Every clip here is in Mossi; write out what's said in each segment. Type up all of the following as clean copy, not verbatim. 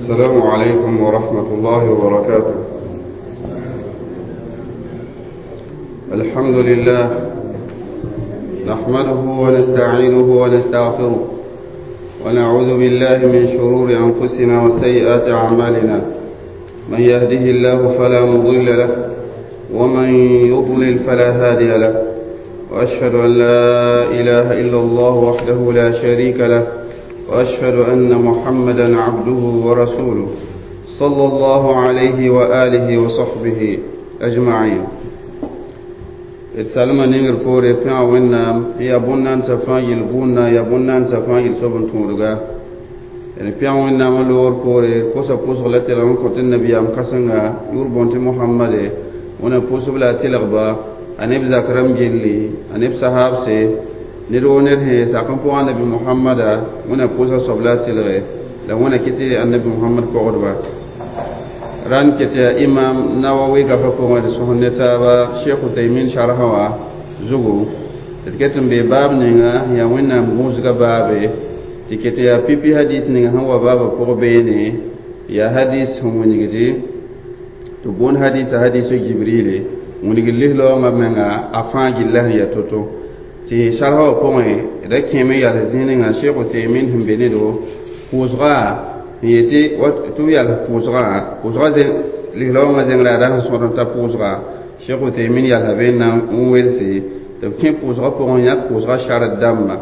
السلام عليكم ورحمة الله وبركاته. الحمد لله نحمده ونستعينه ونستغفره ونعوذ بالله من شرور أنفسنا وسيئات أعمالنا، من يهده الله فلا مضل له ومن يضلل فلا هادي له، وأشهد أن لا إله إلا الله وحده لا شريك له، وأشهد أن محمدا عبده ورسوله صلى الله عليه وآله وصحبه أجمعين. Salma ningr poore pẽga wẽnnaam ya bõn-naandsã fãa yel bũnna ya bõn-naandsã fãa yel soab n tõodga d pẽg wẽnnaamã loogr poore kosa pʋsg la tɩlg n kõ tɩ nabiyaam kãsenga yʋʋr bõn tɩ Mohamade wẽna pʋsb la a tɩlgba a neb zak rãmb gilli a neb sahaabse ned woo ned sẽn sak n pʋgã nabi Mohamada wẽna pʋsa soab la a tɩlge la wẽna kɩ tɩ annabi Mohamad pɔgdba ran kete ya imam Nawawi gafa pʋgẽ d sõs ne taaba Sheikh Utaymin sharha wã zugu d ket n be baab ninga yaa wẽnnaam gũusga baabe tɩ ket yaa pipi hadis ninga sẽn wa baabã pʋg beene yaa hadis sẽn wilgdi tɩ boond hadisa hadisu Jibrile wilgd lislaoongã menga a fãa gilla sẽn yaa to-to tɩ sharha wã pʋgẽ da kẽeme yals zĩig ninga Sheikh Utaymin sẽn be nedo pʋʋsga yetɩ tɩ b yals pʋʋsgã pʋʋsgã lislaoongã zẽng la a ra sẽn sõd n ta pʋʋsga Sheikh Utaymin yalsa be n na n welse tɩ b kẽ pʋʋsgã pʋgẽ yãk pʋʋsgã sharat dãmba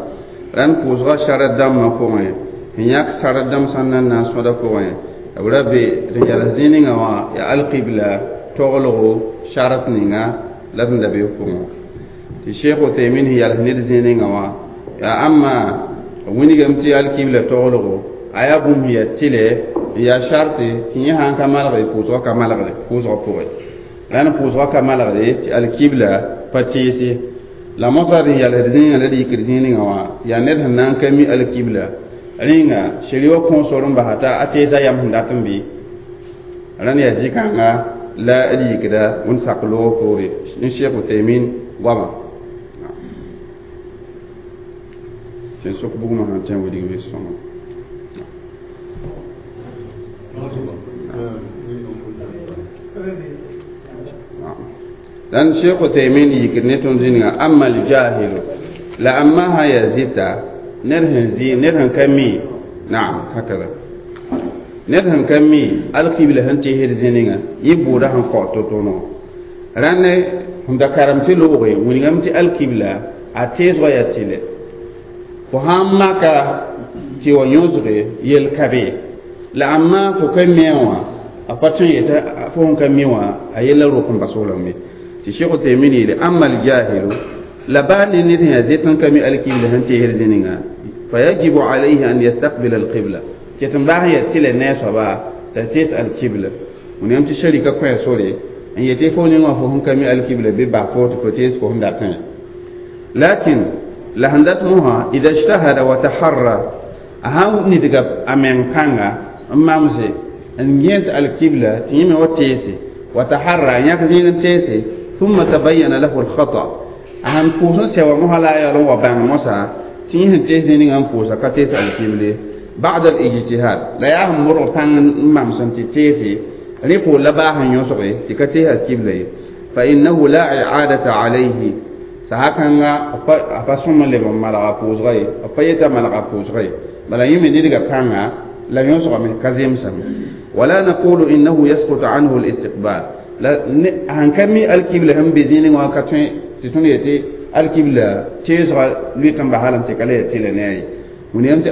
rãnd pʋʋsgã sharat dãmbã pʋgẽ n yãk sharat dãmb sẽn na n na n sõda pʋgẽ b ra be tɩ yals zĩig ninga wã yaa alqibla toglgo sharat ninga la sẽn da be pʋgẽ tɩ Sheikh Utaymin sẽn yals ned zĩig ninga wã yaa ãmma wilgame tɩ alqibla toglgo a yaa bũmb yaa tɩlɛ n yaa sharte tɩ yẽ sãn ka malgre pʋʋsgã ka malgre pʋʋsgã pʋgẽ rãnd pʋʋsgã ka malgre tɩ alkibla pa teese la mosã d n yalsd zĩigã la d yikd zĩig ninga wã yaa ned sẽn na n ka mi alkibla rẽnga sheri wã kõo sor n basa t'a a teesa yam sẽn dat n bɩ rãnd yaa zĩ-kãnga la d yikda wẽnd sak loogr poore n Sheikh Utaymin goamã tɩ n sok bugmã sãn tõe n wilg bɩ sõma. Dan Sheikh Utaymin yikd ne tõnd zĩnga amma aljahilu la amma sã yaa zɩta ned sẽn zĩ ned sẽn ka mi naam hakada ned sẽn ka mi alqibla sẽn teesd zĩ-ninga yẽ bʋʋda sẽn kao to-to no rãnd sẽn da karem tɩ looge wilgame tɩ alqibla a teesgã yaa tɩlɛ fo sãn maka tɩ wa yõsge yel ka be la amma fo ka mi wã a pa tõe n yeta fo sẽn ka mi wã a yella rok n bas f lame tɩ Sheikh Utaymin yeele amma aljahilu la baa ne ned sẽn yaa zet n ka mi alkibla sẽn teesd zĩ-ninga fa yajibu alayhi an yastaqbila alqibla tɩ tɩ n baas n yaa tɩlɛ ne a soaba t'a tees alkibla wẽnnaam tɩ sharika kõ sore n yetɩ fo ning wã fo sẽn ka mi alkibla bɩ bas fo tɩ fo tees fo sẽn datẽ lakin la sẽn dat mosã ida ijtahada wa taharra a sãn nidga a meng pãnga n mamse n gẽes alkibla tɩ yẽ me wa teese wa taharra n yãk zĩig n teese ثم تبين له الخطأ a sãn pʋʋs n sɛ wa mosã la a yaool n wa bãng mosã tɩ yẽ sẽn tees zĩig n pʋʋsa ka tees alkible ba'd al-ijtihad la yaa sẽn modg pãng n mams n tɩ teese rẽ poor la baa sẽn yõsge tɩ ka tees alkibla ye fa innahu la i'adata alayhi saha kãnga a pa sõm n leb n malga pʋʋsga ye a pa yeta malga pʋʋsga ye bala yẽ me nidga pãnga la yõsgame ka zemsame wala naqulu innahu yasqutu anhu al-istiqbal la sãn ka mi alkibla sẽn be zĩig wã ka tõe tɩ tõnd yetɩ alkibla teesgã lʋɩt n basa lame tɩ ka la yaa tɩlɛ ne a ye wẽnnaam tɩ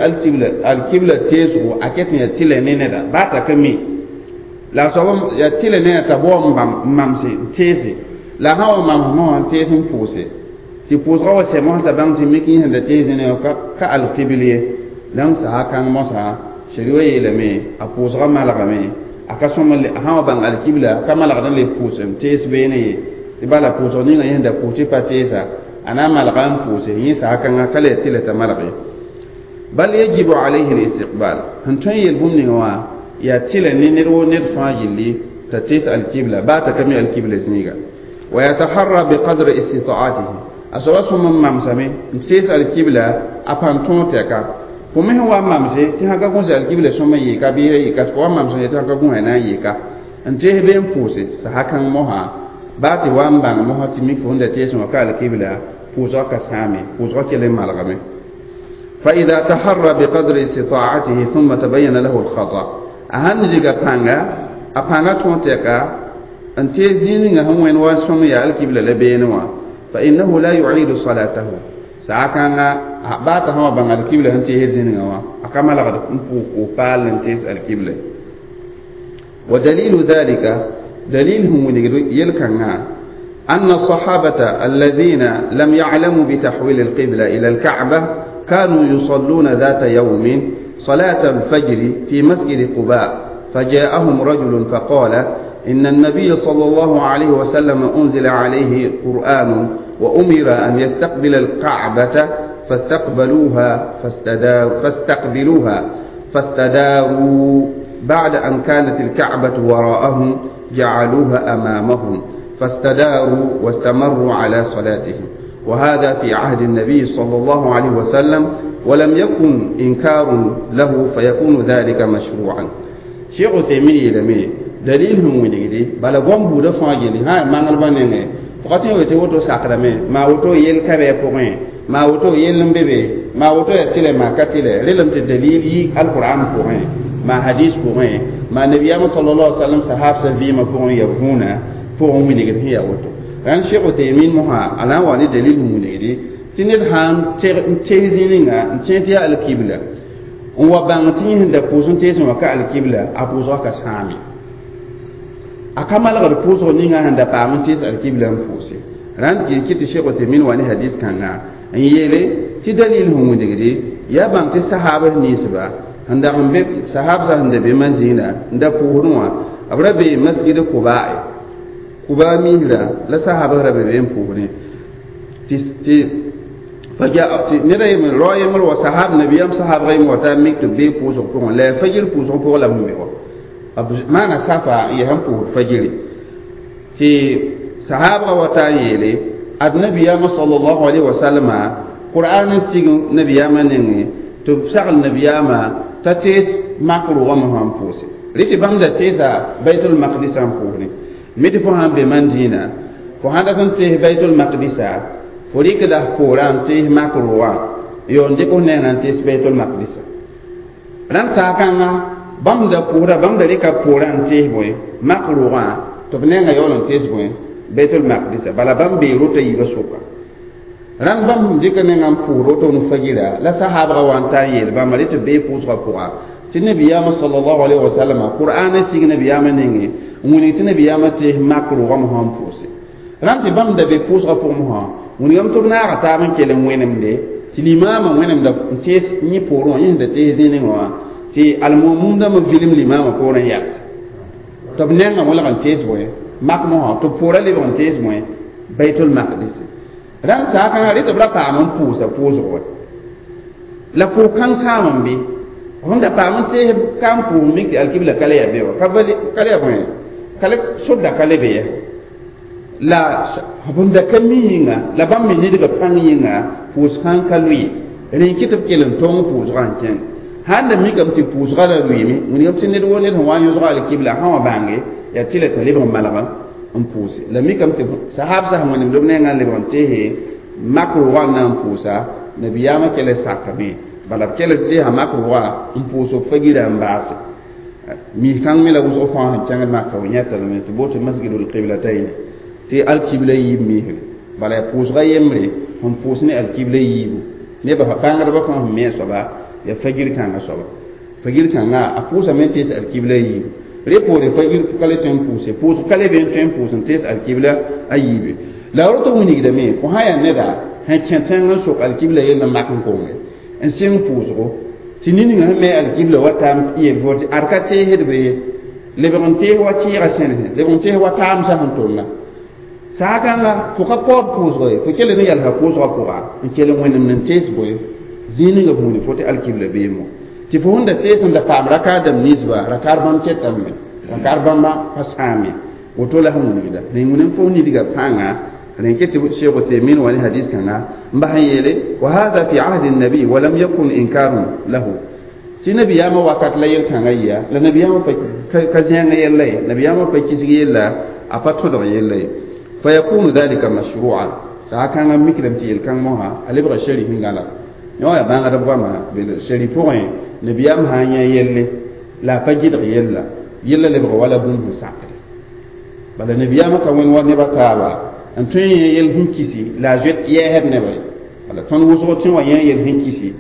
alkibla teesgo a ket n yaa tɩlɛ ne neda baa t'a ka mi la a soab yaa tɩlɛ ne a t'a bao n mamse n teese la a sã wa mams mosã n tees n pʋʋse tɩ pʋʋsgã wa sɛ mosã t'a bãng tɩ mik yẽ sẽn da tees zĩig wã ka alkibl ye donc saha kãng mosã sheri wã yeelame a pʋʋsgã malgame a ka sõm a sã wa bãng alkibla ka malgd n le pʋʋs n tees beene ye tɩ bala pʋʋsg ninga yẽ sẽn da pʋʋs tɩ pa teesa a na n malga n pʋʋse yẽ saha kãngã ka la yaa tɩlɛ t'a malge bal yajibu alayhi al-istiqbal sẽn tõe n yel bũmb ninga wã yaa tɩlɛ ne ned woo ned fãa gilli t'a tees alkibla baa t'a ka mi alkibla zĩiga wa yataharra biqadri istitaatihi a soaba sõm n mamsame n tees alkibla a pãn tõog tɛka Fo me sẽn wa n mamse tɩ sã ka gũs alkibla sõma yɩɩka bɩ yɩka tɩ fo wa n mamsẽ tɩ sã ka gũsa na n yɩka n tees bee n pʋʋse saha kãng mosã baa tɩ wa n bãng mosã tɩ mik fo sẽn da teesẽ wã ka alkibla pʋʋsgã ka sãame pʋʋsgã kell n malgame. فإذا تحرى بقدر استطاعته ثم تبين له الخطأ a sãn diga pãnga a pãnga tõog tɛka n tees zĩig ninga sẽn wẽnd wa sõm yaa alkibla la beene wã فإنه لا يعيد صلاته saakãnga baa t'a sã wa bãng alkibla sẽn tees zĩnigã wã a ka malgd n pʋʋg paal n tees alkibla. ودليل ذلك دليل هم يلكنا أن الصحابة الذين لم يعلموا بتحويل القبلة إلى الكعبة كانوا يصلون ذات يوم صلاة الفجر في مسجد قباء فجاءهم رجل فقال إن النبي صلى الله عليه وسلم أنزل عليه قرآن وأمر أن يستقبل الكعبة فاستقبلوها فاستقبلوها فاستداروا بعد أن كانت الكعبة وراءهم جعلوها أمامهم فاستداروا واستمروا على صلاتهم وهذا في عهد النبي صلى الله عليه وسلم ولم يكن إنكار له فيكون ذلك مشروعا. شيخ عثيمين يلمي دليل هم وليدي بلا بوم بودا فاجيني ها مانgal banenge fokati wote woto sakrame ma woto yel kabe pogẽ ma woto yel n be be ma woto ya tɩlɛ ma ka tɩlɛ relem tɩ dalil yi alquran pʋgẽ ma hadis pʋgẽ ma nabiyama sallallahu alaihi wasallam sahab sa vɩɩmã pʋgẽ ya võona pʋgẽ wilgd sẽn yaa woto rãnd Sheikh Uthaymin mosã a na n wa ne dalil sẽn wilgdi tɩ ned sãn n tees zĩ ninga n tẽ tɩ yaa alkibla n wa bãng tɩ yẽ sẽn da pʋʋs n teesẽ wã ka alkibla a pʋʋsgã ka sãame a ka malgd pʋʋsg ninga sẽn da paam n tees alkibla n pʋʋse rãnd kɩ tɩ Sheikh Uthaymin wa ne hadis kãnga n yeele tɩ dalil sẽn wilgdi yaa bãng tɩ sahaabs ninsba sẽn dag n be sahabsã sẽn da be Madina n da pʋʋsdẽ wã b ra be masgid Kuba Kuba misra la sahabs ra be be n pʋʋsdẽ tɩ tɩ ned a yembr rao yembr wa sahab nabiyam sahabga yembr wa taa mik tɩ b bee pʋʋsg pʋgẽ la yaa fajir pʋʋsg pʋgẽ la b be wa b maana safa n yaa sẽn pʋʋsd fajiri tɩ sahabga wa taa n yeele ad nabiyama sallallahu alaihi wasallama qur'an n sig nabiyama nengẽ tɩ b sagl nabiyama t'a tees mak rʋgame sã n pʋʋse rɩ tɩ bãmb da teesa baitul maqdisa n pʋʋsdẽ mi tɩ fo sãn be Madina fo sãn dat n tees baitul maqdisa fo rɩkda poorã n tees mak rʋgã yo n dɩk f nengã n tees baitul maqdisa rãnd saakãnga bãmb da pʋʋsda bãmb da rɩka poorã n tees bõe mak rʋgã tɩ b nengã yaool n tees bõe baitul maqdisa bala bãmb bee rota yiibã sʋka rãnd bãmb dɩka nengã n pʋʋs woto ne fagira la sahabga wa n taa n yeel bãmba rɩ tɩ bee pʋʋsgã pʋga tɩ nabiyaamã sallallahu alaihi wasallam qur'an sig nabiyaamã nengẽ n wilg tɩ nabiyaamã tees mak rʋgame sã n pʋʋse rãnd tɩ bãmb da be pʋʋsgã pʋgẽ mosã wilgame tɩ b naaga taab n kell n wẽnemde tɩ limaamã wẽnemda n tees yẽ poorẽ wã yẽ sẽn da tees zĩnigẽ wã tɩ almumum dãmb vilem limaamã poorẽ n yals tɩ b nengã wẽlg n tees bõe mak mosã tɩ poorã lebg n tees bõe baitul maqdis rãnd saakãngã rɩ tɩ b ra paam n pʋʋsa pʋʋsg wɛ la pʋʋs kãng sãam n be sẽn da paam n tees ka n pʋʋs mik tɩ alkibla ka le yaa be wa ka le yaa bõe ka le sodda ka le be ya la b da ka mi yĩnga la bãmb me nidga pãng yĩnga pʋʋs kãng ka lʋɩ rẽ kɩ tɩ b kell n tõng pʋʋsgã n kẽng sãn da mikame tɩ pʋʋsgã ra lʋɩme wilgame tɩ ned wo ned sẽn wa n yõsga alkibla sã wã bãnge yaa tɩ la t'a lebg n malga n pʋʋse la mikame tɩ sahab sã sẽn wẽnemd b nengã n lebg n teese mak rʋgã n na n pʋʋsa nabiyaamã kell sakame bala b kell teesa mak rʋgã n pʋʋs b fagira n baase mis kãng me la wʋsg fãa sẽn kẽngd maka w yẽta lame tɩ boto masjidul qiblatayn tɩ alkibla yiib misre bala yaa pʋʋsga yembre sẽn pʋʋs ne alkibla yiibu nebã bãngdbã fãa sẽn me a soaba yaa fagir kãngã soaba fagir kãngã a pʋʋsame n tees alkibla yiibu rẽ poore fagir ka le tõe n pʋʋse pʋʋsg ka le be n tõe n pʋʋs n tees alkibla a yiibe la roto wilgdame fo sã yaa neda sẽn kẽ tẽng n sok alkibla yell n mak n konge n sɩng pʋʋsgo tɩ niningã sẽn me alkibla wa taam yel fo tɩ ad ka teesdbe ye lebg n tees wa tɩɩga sẽnesẽ lebg n tees wa taamsã sẽn tʋmna saakãnga fo ka paood pʋʋsgo ye fo kell ne yalsa pʋʋsgã pʋga n kell n wẽnemd n tees bõe zĩig ninga buuni fo tɩ alkibla beemo tɩ fo sẽn da tees n da paam rakaar dãmb ninsba rakaar bãmb ketame rakaar bãmba pa sãame woto la sẽn wilgda ne wẽnem fo nidga pãnga Rẽn tɩ Sheikh Uthaymin wa ne hadis kãnga n bas n yeele wa hada fi ahdi nabi wa lam yakun inkarun lahu tɩ nabiyaamã wakat la yel-kãngã yɩa la nabiyaamã ka zẽang yella ye nabiyaamã pa kisg yella a pa tõdg yella ye fa yakunu dhalika mashru'an saa kãngã mikdame tɩ yel-kãng mosã a lebga sharif n gãla yõ yaa bãngdb goama sharif pʋgẽ nabiyaam sã n yã yelle la a pa gɩdg yella yella lebg wala bũmb sẽn sakde bala nabiyaamã ka wẽn wa neba taaba n tõe n yẽ yel sẽn kisi la a zoet yɛɛsd nebã ye bala tõnd wʋsg tẽ wa yẽ yel sẽn kisi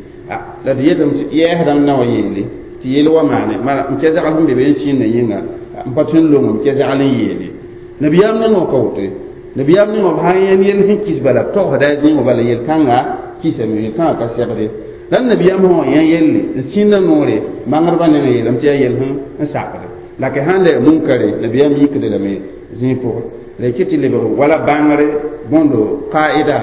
la d yetame tɩ yɛɛsdame na wa yeele tɩ yel wa maane mara n kɛ zagl sẽn be be n sĩndã yĩnga n pa tõe n long n kɛ zagl n yeele nabiyaam ning wã ka woto ye nabiyaam ning wã b sã n yẽnd yel sẽn kis bala b togsda a zĩig wã bala yel-kãnga kisame yel-kãngã ka segde la nabiyaam sã wã yẽ yelle n sĩnda noore bãngdbã nengã yeelame tɩ yaa yel sẽn sakde la ka sãn la yaa munkare nabiyaam yikde lame zĩig pʋgẽ la y tɩ lebg wala bãngre bõndo qaida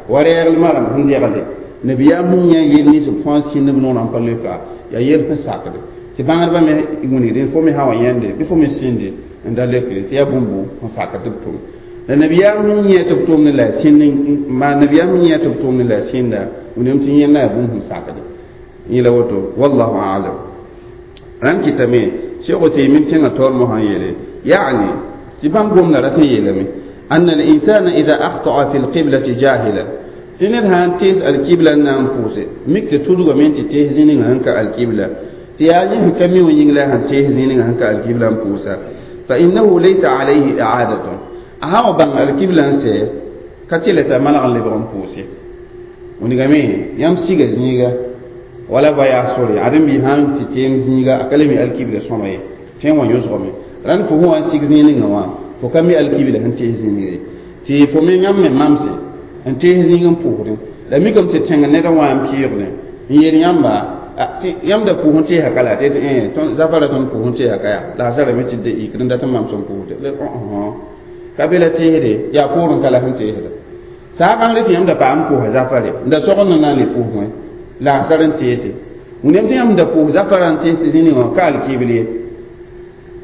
wa reeglmã rãmb sẽn degle nabiyaam sẽn yã yel nins b fãa sĩnd b noorã n pa leoka yaa yel sẽn sakde tɩ bãngdbã me wilgdẽ fo me sã wa yãnde bɩ fo me sĩnde n da leoke tɩ yaa bũmb sẽn sakd tɩ b tʋm la nabiyaam sẽn yẽ tɩ b tʋmd la sĩnd ma nabiyaam sẽn yẽ tɩ b tʋmd la sĩnda wilgame tɩ yẽnda yaa bũmb sẽn sakde yẽla woto wallahu alam rãmb kɩtame Cheikh Uthaymin kẽngã taoor mosã n yeele yaani tɩ bãmb gomda rat n yeelame أن الإنسان إذا أخطأ في القبلة جاهلا tɩ ned sã n tees alkibla n na n pʋʋse mik tɩ tudgame tɩ tees zĩ ninga sẽn ka alkibla tɩ yaa yẽ sẽn ka mi wã yĩng la sẽn tees zĩ ninga sẽn ka alkibla n pʋʋsa fa innahu laysa alayhi i'adatun a sã wa bãng alkibla n sɛ ka tɩ la t'a malg n lebg n pʋʋse wilgame yãmb siga zĩiga wala voyage sore ad n bɩ sã n tɩ teem zĩiga a ka le mi alkibla sõma ye tõe n wa yõsgame rãnd fo sẽn wa n sig zĩig ninga wã fo ka mi alkibla sẽn tees zĩiga ye tɩ fo me yãmb me mamse n tees zĩig n pʋʋsdẽ la mikame tɩ tẽng ned wã n pɩɩgdẽ n yeel yãmba tɩ yãmb da pʋʋs n teesa ka la tɩ tɩ zafara tõnd pʋʋs n teesa ka yaa la a sarame tɩ de yikd n dat n mams n pʋʋsde ka be la teesde yaa poorẽ ka la sẽn teesda saa bãngre tɩ yãmb da paam pʋʋsa zafare n da sogend n na n le pʋʋs wẽ la a sar n teese wẽnnaam tɩ yãmb da pʋʋs zafara n tees zĩ wã ka alkibl ye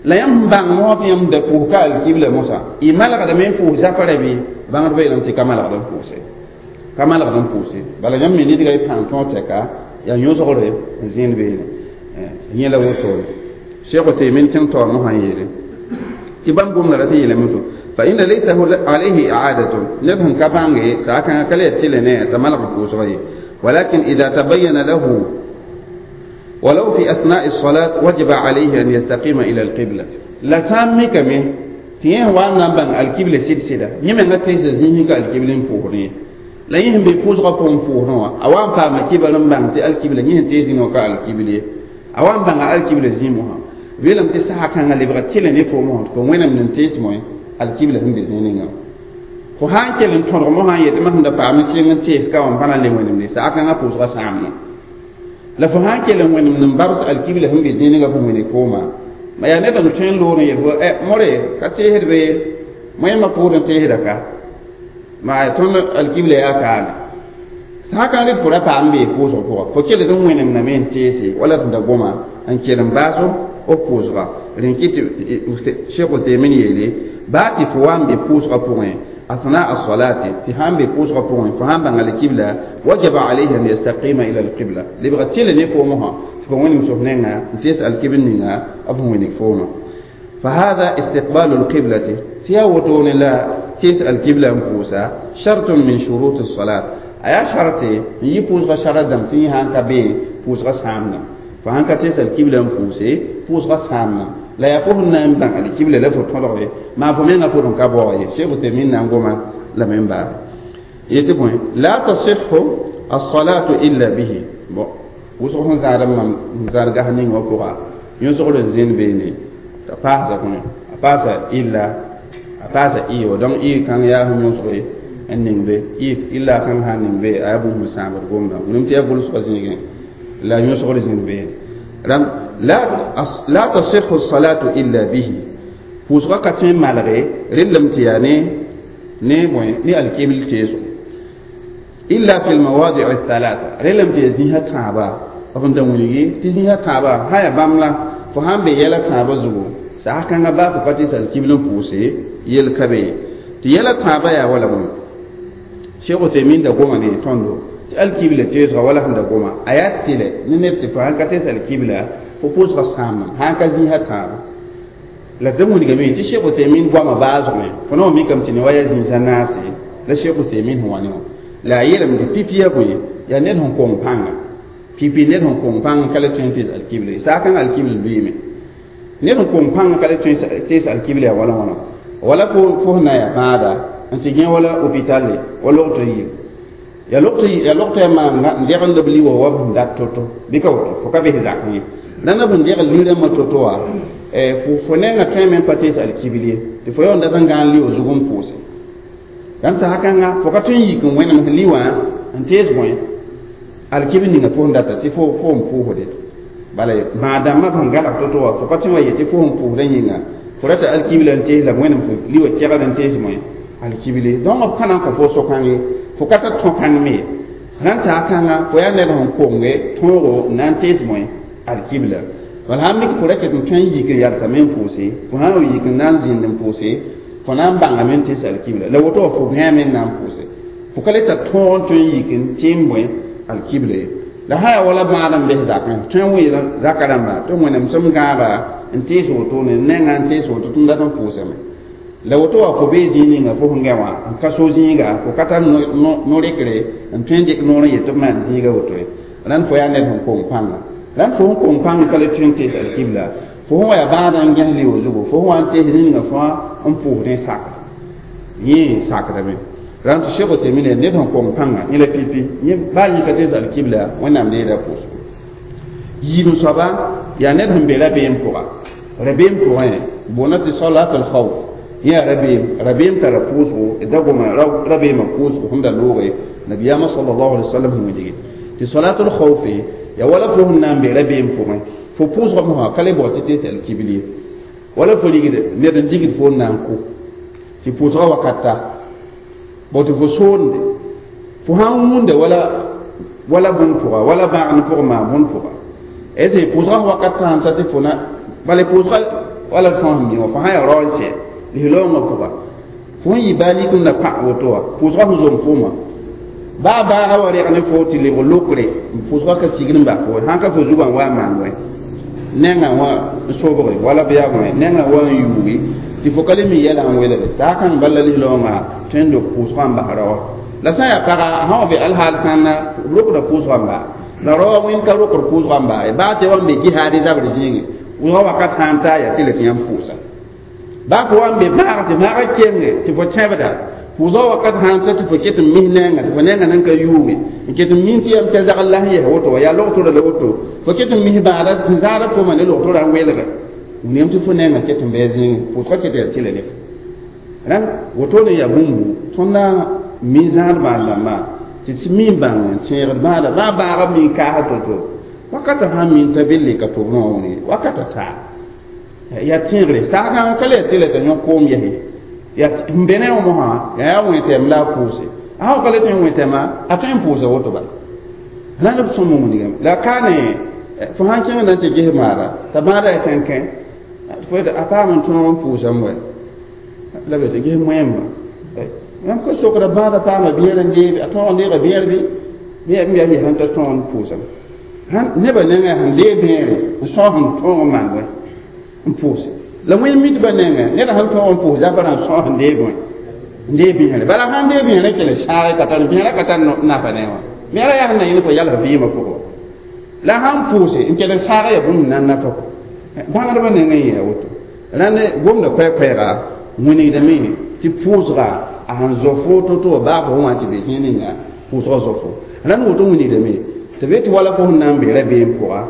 la yãmb bãng mosã tɩ yãmb da pʋʋs ka alkibla mosã y malgdame n pʋʋs zafara bɩ bãngdbã yeelame tɩ ka malgd n pʋʋse ka malgd n pʋʋse bala yãmb me nidga y pãng tõog tɛka yaa yõsgre n zẽend beene yẽ la wotone Cheikh Uthaymin kẽng taoor mosã n yeele tɩ bãmb gomda rat n yeelame to fa inna laysa alayhi i'adatun ned sẽn ka bãnge saa kãngã ka le yaa tɩle ne t'a malg n pʋʋsga ye ولكن إذا تبين له ولو في أثناء الصلاة وجب عليه أن يستقيم إلى القبلة لا سامي كمي تيه وانا بان القبلة سيد سيدا يمن تيس زينك القبلة فورني لا يهم بفوز غفون فورنوا أوان فما كبل بان تي القبلة يهم تيس نوكا القبلة أوان بان القبلة زيمها ويلم تسحا كان اللي بغتيل نفومه فوين من تيس موي القبلة هم بزينها fo sã n kell n tõdg mosã n yetɩ masem da paam sɩng n tees ka wã n pa na n le wẽnemde saa kãngã pʋʋsgã sãamna la fo sã n kell n wẽnemd n babs alkibla sẽn be zĩnigã fo wẽne kooma ma yaa ned n tõe n loor n yel fo more ka teesd be moẽmã pʋʋd n teesda ka ma tõnd alkibla yaa kaane sã kãng rɩd fo ra paam bee pʋʋsg pʋga fo kell n wẽnemdame n teese wala tɩ da goma n kell n baas f pʋʋsga rẽn kɩ tɩ Cheikh Uthaymin yeele baa tɩ fo wa n be pʋʋsgã pʋgẽ أثناء الصلاة تهام بفوز غفون فهام بان القبلة وجب عليه أن يستقيم إلى القبلة لبغتيل نفومها تفوين مسوفنينها تسأل كبنينها أفهمين فوما فهذا استقبال القبلة تياوتون لا تسأل القبلة مفوسا شرط من شروط الصلاة أيا شرطي يبوز غشرة دم تيهان كبي بوز غسامنا فهان كتسأل القبلة مفوسي بوز غسامنا la yaa fo sẽn na n bãng alkibla la fo tõdg ye maa fo menga pʋgẽ ka baoog ye Cheikh Uthaymin na n goma lame n baare yetɩ bõe la tasihhu alsalatu illa bihi bon wʋsg sẽn zãad n mam n zãad gas ning wã pʋga yõsgr n zẽnd beene t'a paasa kõ a paasa illa a paasa i wa donc i kãng yaa sẽn yõsge n ning be i illa kãng sã n ning be a yaa bũmb sẽn sãamd gomda wẽnem tɩ yaa gʋlsgã zĩigẽ la yõsgr zẽnd beene rãmb la tasihhu salatu illa bihi pʋʋsgã ka tõe n malge rellame tɩ yaa ne ne bõe ne alkibl teesgo illa fi lmawadic thalatha rellame tɩ yaa zĩisã tãaba b n da wilgi tɩ zĩisã tãaba sã yaa bãmb la fo sãn be yɛla tãabã zugu saa kãngã baa fo pa tɩ alkibl n pʋʋse yel ka be ye tɩ yɛla tãaba yaa wala bõe Cheikh Uthaymeen da goma ne tõndo tɩ alkibla teesga wala sẽn da goma a yaa tɩlɛ ne ned tɩ fo sãn ka tees alkibla fo pʋʋsga sãamdame sãn ka zĩisã tãabo la d wilgame tɩ Cheikh Uthaymeen goamã baasgme fo na wa mikame tɩ ne wa yaa zĩisã naase la Cheikh Uthaymeen sẽn wa ne wã la a yeelame tɩ pipi yaa bõe yaa ned sẽn kong pãnga pipi ned sẽn kong pãng ka le tõe n tees alkibla saakãng alkibla lʋɩɩme ned sẽn kong pãng ka le tõe n tees alkibla yaa wala wãna wala fo sẽn na yaa bãada n tɩ gẽ wala hôpital wa logto yir ya logto ya maan n degl b liwa wa b sẽn dat to-to bɩ ka woto fo ka bes zak ye rãndã b sẽn degl li-rãmbã to-to wã fo nengã tõeme n pa tees alkibl ye tɩ fo yaool dat n gãan liwa zug n pʋʋse rãnd sã kãnga fo ka tõe n yik n wẽnem sẽn li wã n tees bõe alkibl ninga fo sẽn data tɩ fo n pʋʋsde bala bãag-dãmbã sẽn galg to-to wã fo ka tõe wa ye tɩ fo sẽn pʋʋsdã yĩnga fo rata alkibla n tees la wẽnem fo liwa kɛgd n tees bõe alkibli donc b ka na n kõ fo so-kãng ye fo ka tar tõ-kãng me rãnd saa kãnga fo yaa ned sẽn konge tõogo n na n tees bõe alkibla bala sãn mik fo ra ket n tõe n yik n yalsame n pʋʋse fo sã n wa yik n na n zĩnd n pʋʋse fo na n bãngame n tees alkibla la woto wã fo gãame n na n pʋʋse fo ka le tar tõog n tõe n yik n tɩ n bõe alkibla ye la sã yaa wala bãad n bes zakẽ tõe n wɩɩl zaka rãmba tɩ wẽnem sẽm gãaga n tees wotone nengã n tees woto tɩ n dat n pʋʋsame la woto wã fo bee zĩig ninga fo sẽn gã wã n ka so zĩiga fo ka tar no-rekre n tõe n dɩk noor n yet tɩ b maan zĩiga woto ye rãnd fo yaa ned sẽn kong pãnga rãnd fo sẽn kong pãng ka le tõe n tees alkibla fo sẽn wa yaa bãadã n gãs leo zugu fo sẽn wa n tees zĩig ninga fãa n pʋʋsdẽ sakd yẽ sakdame rãnd tɩ Cheikh Uthaymeen ned sẽn kong pãnga yẽ la pipi yẽ baa yẽ ka tees alkibla Wẽnnaam neera pʋʋsgo yiib soaba yaa ned sẽn be rabeem pʋga rabeem pʋgẽ boona tɩ salat al khawf yã rabeem rabeem tara pʋʋsgo da goma rabeemã pʋʋsgo sẽn da looge nabiyaamã sallallahu alaihi wasallam sẽn wilge tɩ salatul khawfe ya wala fo sẽn na n be rabeem pʋgẽ fo pʋʋsgã mosã ka le bao tɩ tees alkibl ye wala fo rigd ned n digd fo n na n kʋ tɩ pʋʋsgã wakat ta bao tɩ fo soonde fo sãn wũnda wala wala bũmb pʋga wala bãagn pʋgẽ maan bũmb pʋga est ce pʋʋsgã wakat sãn ta tɩ fo na bala pʋʋsgã wala fo sẽn mi wã fo sã yaa rao n sɛ lislaoongã pʋga fo sẽn yɩ baa lik n na pã woto wã pʋʋsgã sẽn zom foomã baa baaga wa reg ne fo tɩ lebg lokre pʋʋsgã ka sigd n bas fo sãn ka fo zugã n wa n maan wɛ nengã wã n sobge wala b yaa bõe nengã wa n yuuge tɩ fo ka le mi yɛla n welge saakãng bala lislaoongã tõe n dok pʋʋsgã n bas raoã la sã n yaa paga sã wa be alhaal sãnna b rokda pʋʋsgã n baa la raoã wẽnd ka rokd pʋʋsgã n baa ye baa tɩ wa n be jihaade zabr zĩige pʋʋsgã wakat sã n taa yaa tɩ le tɩ yãmb pʋʋsa baa fo wa n be maag tɩ maagã kenge tɩ fo tẽbda pʋʋsgã wakat sã n ta tɩ fo ket n mis nenga tɩ fo nenga nan ka yuuge n ket n min tɩ yam t'a zagl la sẽn yɛs woto wa yaa logtora la woto fo ket n mis bãada sẽn zaada foma ne logtora n welga wilgame tɩ fo nenga ket n bɩ zĩige pʋʋsgã ket yaa tɩla ne fo rãnd wotone yaa bũmbu tõnd na mi zãad bãad-dãmbã tɩ tɩ mi n bãng n tẽegd bãada baa baaga mi n kaasd to-to wakata sãn min t'a be leka tʋbnã wã wẽneg wakata taa yaa tẽegre saakãng ka le yaa tɩla t'a yõ koom yɛse yaa n be ne wã mosã yaa yaa wẽtɛm la a pʋʋse a sã ka le tõe n wẽtɛma a tõe n pʋʋsa woto bala rãnd b sõm wilgame la ka ne fo sãn kẽng na n tɩ ges maada t'a bãada yaa kẽnkẽ fo yetɩ a paam n tõog n pʋʋsame wɛ la be tɩ ges moẽmba yãmb ka sokda bãada paama biɛr n deebe a tõog n deega biɛr bɩ bɩ yaa yaa sẽn ta tõog n pʋʋsame nebã nengã sẽn dee bẽere n sõs n tõog n maan wɛ n pʋʋse la wẽnd mitbã nengẽ ned sẽn tõog n pʋʋs zabã n sõs n dee bõe n dee bẽere bala sãn dee bẽere kell sãage ka tar bẽera ka tar nafa ne wã bẽera yaa sẽn na yẽl fo yals vɩɩmã pʋgẽ la sãn pʋʋse n kell saaga yaa bũmb na n nafa kɔ bãngdbã nengẽ yẽ woto rãnd gomda koɛɛ-koɛɛga wĩnigdame tɩ pʋʋsga a sẽn zɔ fo to-to wa baa fo wã tɩ be zĩig ninga pʋʋsgã zɔ fo rãnd woto wĩnigdame tɩ be tɩ wala fo sẽn na n be rabeem pʋga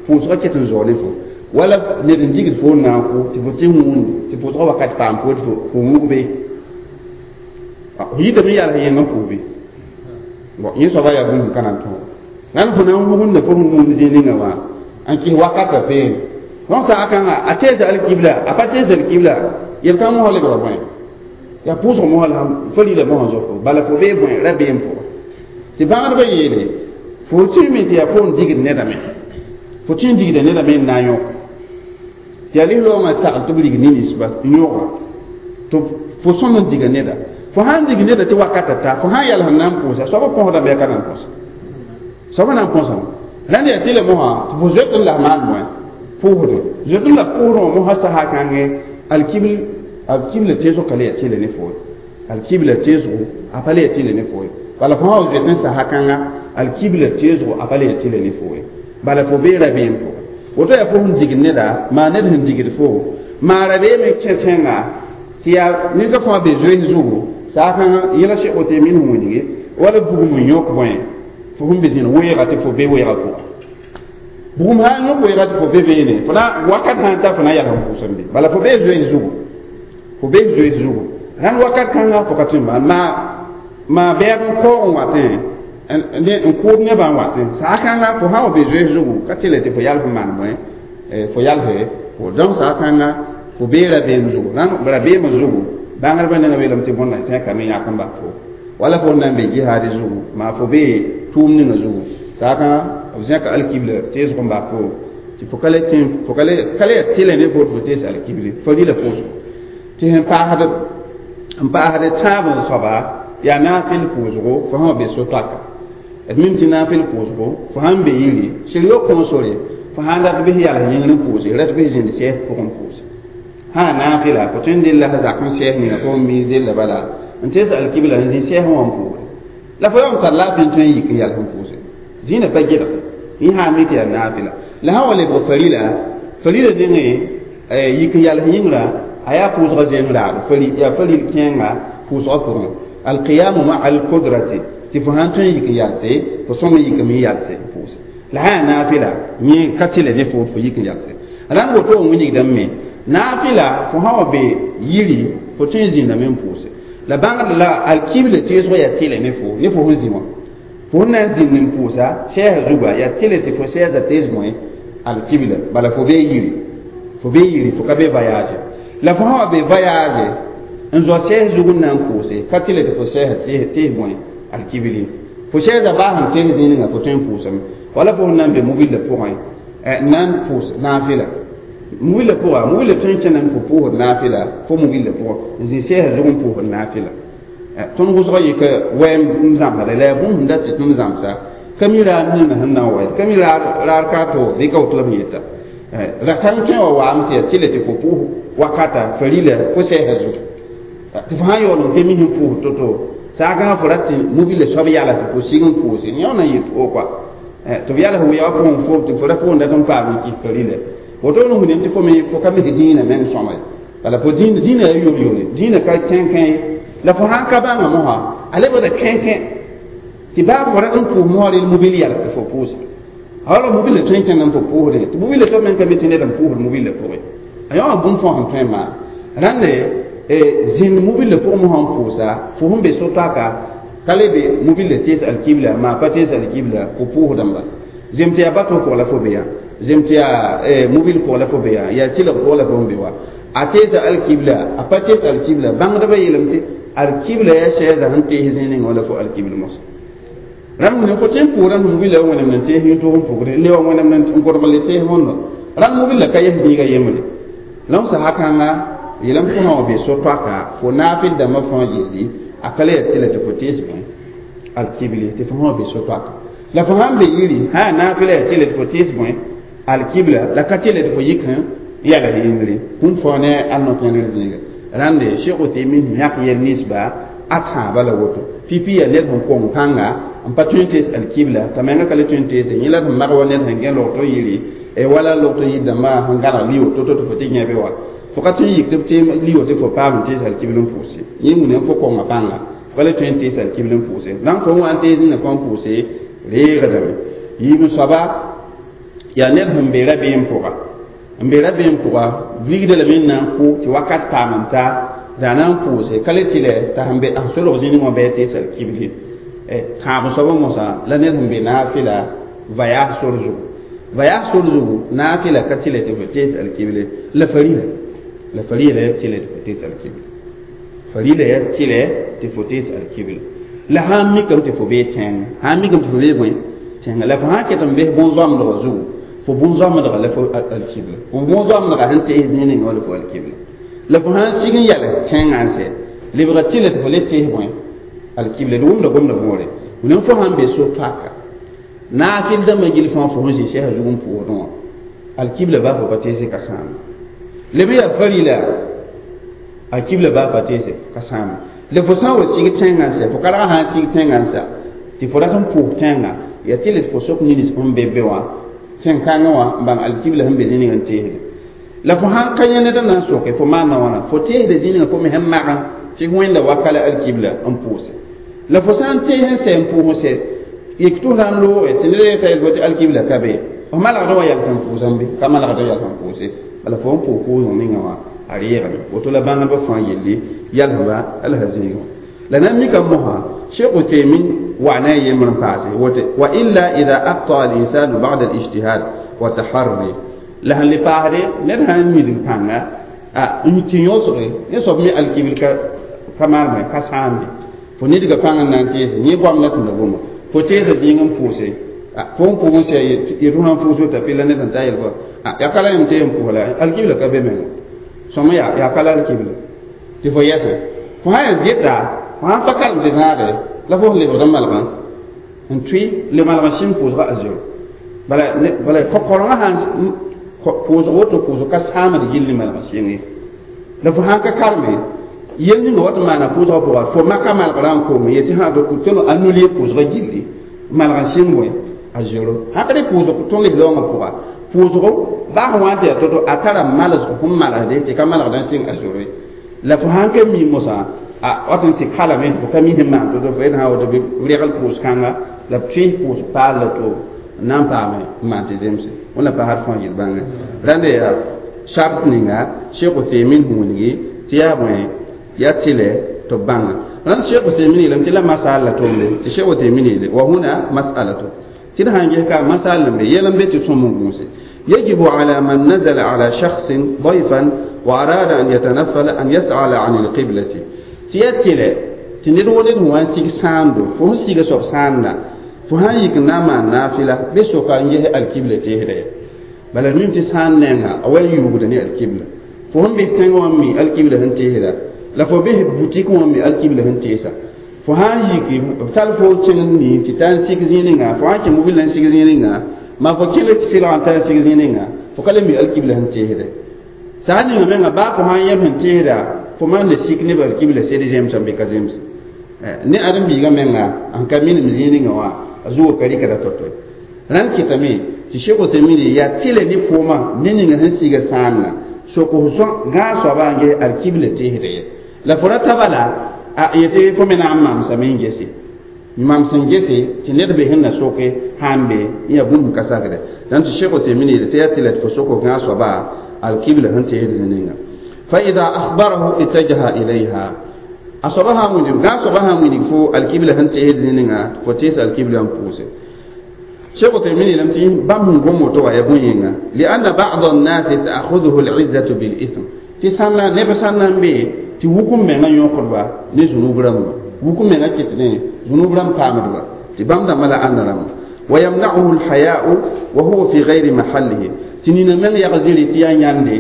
pʋʋsgã ket n zao ne fo wala ned n digd fo n na n kʋ tɩ fo tɩ wũundi tɩ pʋʋsgã wakat paam fo tɩ fo wug be fo yitame yals yẽng n pʋʋs be bon yẽ soaba yaa bũmb ka na n tõog rãnd fo na n wugunda fo sẽn wũund zĩig ninga wã n kɩs wakatã peene donc saakãnga a teesa alkibla a pa tees alkibla yel-kãng mosã lebga bõe yaa pʋʋsg mosã la fo lila mosã zɔ fo bala fo bee bõe rabeem pʋga tɩ bãgdbã yeele fo tɩ me tɩ yaa fo n digd nedame fo tɩ n digda nedame n na n yõk tɩ yaa lislaoongã sagl tɩ b rig ninsba n yõga tɩ fo sõm n diga neda Fo sãn dig neda tɩ wakata ta fo sãn yɛls n na n pʋʋsa soab põsdame yaa ka na n põsa soab na n põsame rãnd yaa tɩ le mosã tɩ fo zoet n la f maan bõe pʋʋsdẽ zoet n la pʋʋsdẽ wã mosã sasa kãngẽ alkibla teesg ka le yaa tɩlɛ ne fo ye alkibla teesgo a pa le yaa tɩlɛ ne fo ye bala fo sã wa zoet n sasa kãnga alkibla teesgo a pa le yaa tɩlɛ ne fo ye bala fo bee rabeem pʋgẽ woto yaa fo sẽn digd neda maa ned sẽn digd fo maa rabeem n kẽ tẽnga tɩ yaa ned fãa be zoees zugu saakãngã yẽla sẽk woto min sẽn wilge wala bugum n yõk bõe fo sẽn be zĩnd weega tɩ fo be weega pʋga bugum sã n yõk weega tɩ fo be beene fo na wakat sã n ta fo na yals n pʋʋsem be bala fo bee zoees zugu fo bee zoees zugu rãnd wakat kãnga fo ka tõe n maan maa bɛɛg n kaoog n watẽ n kʋʋd nebã n watẽ saakãnga fo sã wa be zoees zugu ka tɩ le tɩ fo yals n maan bõe fo yalse fo donc saakãnga fo bee rabeem zugu rãnd rabeemã zugu bãngrba ninga beelame tɩ bõnda tẽkame yãk n bas fo wala fo na n be jihaad zugu maa fo bee tʋʋm ninga zugu saakã b zẽka alkibla teesg n bas fo tɩ fo ka le tẽ fo ka le yaa tɩlɛ ne fo tɩ fo tees alkible farila pʋʋsgo tɩ sẽn paasd tãab n soaba yaa naafɩl pʋʋsgo fo sã wa be so-toaka d mim tɩ naafɩl pʋʋsgo fo sãn be yiri sɩr yo kõo sore fo sãn dat bɩs yals yĩngr n pʋʋse rat bɩs zĩnd sɛɛs pʋgẽ pʋʋse sã naafɩla fo tõe n della sã zak n sɛɛs ninga fo n mi della bala n tees alkibla n zĩ sɛɛs wã n pʋʋre la fo yaa n tar laafɩ n tõe n yik n yals n pʋʋse zĩnã pa gelg yẽ sã n mi tɩ yaa naafɩla la sã wa lebg farila farila nengẽ yik n yals yĩngrã a yaa pʋʋsgã zẽem raado yaa faril kẽenga pʋʋsgã pʋgẽ alqiyamu maa alqudrati tɩ fo sãn tõe n yik n yalse fo sõm n yikame n yalse n pʋʋse la sã yaa naafɩla yẽ ka tɩlɛ ne fo fo yik n yalse rãnd woto n wilgdame me naafɩla fo sã wa be yiri fo tõe n zĩndame n pʋʋse la bãngd la alkibla teesgo yaa tɩlɛ ne fo ne fo sẽn zĩ wã fo sẽn na n zĩnd n pʋʋsa sɛɛsã zuga yaa tɩlɛ tɩ fo sɛɛsã tees bõe alkibla bala fo bee yiri fo bee yiri fo ka be voyage la fo sã wa be voyage n zoa sɛɛs zug n na n pʋʋse ka tɩlɛ tɩ fo sɛɛsã tees bõe alkibli fo sɛɛsã baa sẽn tees zĩig ninga fo tõe n pʋʋsame wala fo sẽn na n be mobila pʋgẽ n na n pʋʋs naafɩla mobila pʋga mobila tõe n kẽname fo pʋʋsd naafɩla fo mobila pʋgẽ n zĩ sɛɛsã zug n pʋʋsd naafɩla tõnd wʋsgã yɩka wɛɛm n zãmsda la yaa bũmb sẽn dat tɩ tõnd zãmsa ka mi raad ninga sẽn na n wa ka mi raad ka to bɩ ka woto la b yeta ra kãng tõe wa waame tɩ yaa tɩlɛ tɩ fo pʋʋs wakata farila fo sɛɛsã zugu tɩ fo sãn yaool n ke mis n pʋʋs to-to saakãngã fo rat tɩ mobila soab yala tɩ fo sig n pʋʋse yõ na n yɩ toog kɔa tɩ b yals wɩa pʋgẽ fo tɩ fo ra pʋʋn dat n paam n kɩs farila woto n wilem tɩ fo me fo ka misg dĩinã meng sõma ye bala fo dĩinã yaa yor-yore dĩinã ka kẽnkẽ ye la fo sãn ka bãnga mosã a lebgda kẽnkẽ tɩ baa fo rat n pʋʋs mosã rel mobil yals tɩ fo pʋʋse wala mobila tõe n kẽnd n fo pʋʋsdẽ tɩ mobila to meng ka mi tɩ ned n pʋʋsd mobila pʋgẽ a yõ wã bũmb fãa sẽn tõe n maan rãnde zĩnd mobila pʋgẽ mosã n pʋʋsa fo sẽn be so-toaka ka le be mobila tees alkibla maa pa tees alkibla fo pʋʋsdã n bala zem tɩ yaa bato pʋgã la fo be yã zem tɩ yaa mobil pʋgã la fo be yã yaa sɩlg pʋgã la fo n be wa a teesa alkibla a pa tees alkibla bãngdbã yeelame tɩ alkibla yaa sɛɛsã sẽn tees zĩig ninga wala fo alkibla mosã rãmb ne fo tõe n pʋʋrã mobila wẽnem n tees yĩn-tʋg n pʋgre le wa wẽnem n gʋdg le tees wõndo rãmb mobila ka yes zĩiga yembre la sasa kãnga yeelame fo sã wa be so-toaka fo naafɩl dãmbã fãa yelli a ka le yaa tɩlɛ tɩ fo tees bõe alkibli tɩ fo sã wa be so-toaka la fo sãn be yiri sã yaa naafɩla yaa tɩlɛ tɩ fo tees bõe alkibla la ka tɩlɛ tɩ fo yik sẽn yala yĩngre kũm fao ne a no-kẽndr zĩiga rãnde Cheikh Uthaymin yãk yɛl ninsba a tãaba la woto pipi yaa ned sẽn kong pãnga n pa tõe n tees alkibla t'a menga ka le tõe n teese yẽ la sẽn mag wa ned sẽn gẽ logto yiri wala logto yir dãmbã sẽn gãneg liyo to-to tɩ fo tɩ yẽbe wa fo ka tõe n yik tɩ b tɩ liyo tɩ fo paam n tees alkibl n pʋʋse yẽ wũna fo konga pãnga fo ka le tõe n tees alkibl n pʋʋse donc fo n wa n tees nina fo n pʋʋse reegdame yiib n soaba yaa ned sẽn be rabeem pʋga n be rabeem pʋga vigda lame n na n kʋ tɩ wakat paam n ta daa na n pʋʋse ka le tɩ t'a sẽn be sẽn solg zĩnig wã bɩ a tees alkibli tãab n soabã mosã la ned sẽn be naafɩla voyage sor zugu voyage sor zugu naafɩla ka tɩlɛ tɩ fo tees alkible la farila la farila ya tɩlɛ tɩ fo tees alkible farila ya tɩlɛ tɩ fo tees alkible la sãn mikame tɩ fo bee tẽng sãn mikame tɩ fo bee bõe tẽnga la fo sãn ket n bes bõn-zoamdgã zugu fo bõn-zoamdgã la fo alkibla fo bõn-zoamdgã sẽn tees zĩig ninga wã la fo alkibla la fo sãn sig n yɛl tẽngã n sɛ Lebga tɩla tɩ fo le tees bõe alkibla d wʋmda gomda võore wẽnem fo sãn be so-paka naafɩl dãmbã gill fãa fo sẽn zĩ sɛsã zug n pʋʋsdẽ wã alkibla baa fo pa teese ka sãame leb yaa farila alkibla baa pa teese ka sãame la fo sã n wa sig tẽngã n sɛ fo karga sã n sig tẽngã n sa tɩ fo rat n pʋʋs tẽngã yaa tɩ la fo sok nins sẽn be be wã tẽn-kãngã wã n bãng alkibla sẽn be zĩ ning n teesde la fo sãn ka yẽ ned n na n soke fo maanda wãna fo teesda zĩ ninga fo me sẽn magã tɩ wẽnda wakala alkibla n pʋʋse la fo sã n tees n sɛ n pʋʋs n sɛ yik tɩ f na n looge tɩ ned yeta yel tɩ alkibla ka be f malgd wã yals n pʋʋsã be ka malgd yals n pʋʋse bala fo n pʋʋs pʋʋsg ninga wã a reegame woto la bãngdbã fãa yelli yalsba alsa zĩigẽ la na n mika mosã Cheikh Uthaymin wa na yembr n paase wote wa illa ida aqta al insanu ba'da al ijtihad wa taharri la sẽn le paasde ned sã n midg pãnga a n tɩ yõsge yẽ soab me alkibl ka maaneme ka sãamde fo nidga pãng n na n teese yẽ goam la tũnda bũmba fo teesa zĩig n pʋʋse fo n pʋʋg n sɛ yetʋ sã n pʋʋs wota pɩ la ned sẽn ta yel fo yaa ka la yẽm tee n pʋʋs la alkibla ka be menga sõma yaa ka la alkibla tɩ fo yɛsẽ fo sã yaa zɩta fo sãn pa karem tɩ zãage la fo sẽn lebgd n malgã n tʋɩ le malg sĩm pʋʋsga a zero bala kõ-korengã sãn pʋʋsg woto pʋʋsg ka sãamd gilli malg sɩng ye la fo sãn ka kareme yel ninga wat n maana pʋʋsgã pʋga fo maka malgrã n koome yetɩ sã tõnd a nulie pʋʋsgã gilli malg n sɩng bõe a zero sãn ka dɩ pʋʋsg tõnd lebg pʋga pʋʋsgo baa sẽn wa n tɩ yaa to-to a tara malsg sẽn malsde tɩ ka malgd n sɩng a zoro ye la fo sãn ka mi mosã a wat n tɩ kalame fo ka mi sẽn maan to-to fo yet sã woto bɩ regl pʋʋs-kãnga la b tʋɩ pʋʋs paal la to n na n paame n maan tɩ zemse wẽnna pasd fãa yel bãnge rãnda yaa shart ninga Cheikh Uthaymin wilgi tɩ yaa bõe yaa tɩlɛ tɩ b bãnga rãnd Cheikh Uthaymin yeelame tɩ la masal la tʋmde tɩ Cheikh Uthaymin yeele wa huna mas'alatu tɩ d sãn ges ka masal n be yɛl n be tɩ sõm n gũuse يجب على من نزل على شخص ضيفا وأراد أن يتنفل أن يسأل عن القبلة تياتيله تنير ولد هو سيك ساندو فهو سيك سوف ساندا فهو يك ناما نافلة بسوكا يه القبلة تهري بل المهم تسان نينا أول يوغدني القبلة فهم بيتنغ وامي القبلة هن تهري لا فو به بوتيك وامي القبلة هن تيسا فهو يك بتال فو تشنني تتان سيك زينينا فهو كي موبيل سيك زينينا ma fo kɩl sɩlg n tar sig zĩig ninga fo ka le mi alkibla sẽn teesde sã n ninga menga baa fo sãn yɛm sẽn teesda fo maan le sik nebã alkibla sed zemsã bɩ ka zems ne ãdem-biigã menga n ka minim zĩig ninga wã a zugã ka rɩkda to-to rãnd kɩtame tɩ Cheikh Uthaymin yaa tɩlɛ ne foomã ne ninga sẽn siga sãanna sok f gãag soabã n ges alkibla teesda ye la fo ra ta bala a yetɩ fo me na n mamsame n gese mam sẽn gese tɩ ned be sẽn na soke sãn be n yaa bũmb ka sakdɛ dãn tɩ Cheikh Uthaymin yeele tɩ yaa tɩ la tɩ fo sok f gãag soaba alkibla sẽn teesd ninga fa ida akhbarahu ittajaha ilayha a soaba sã n wilg gãag soaba sã n wilg fo alkibla sẽn teesd ninga fo tees alkibla n pʋʋse Cheikh Uthaymin yeelame tɩ bãmb sẽn gom woto wã yaa bõe-yẽnga lianna ba'd الناس تأخذه العزة بالإثم tɩ sãnna neb sãn na n be tɩ wukum mengã yõkdba ne zũnub rãmba wukum mengã kɩt ne zũnub rãmb paamdba tɩ bãmb dãmbã la ãnda rãmba ويمنعه الحياء وهو في غير محله tɩ nina meng yag zĩri tɩ yaa yãnde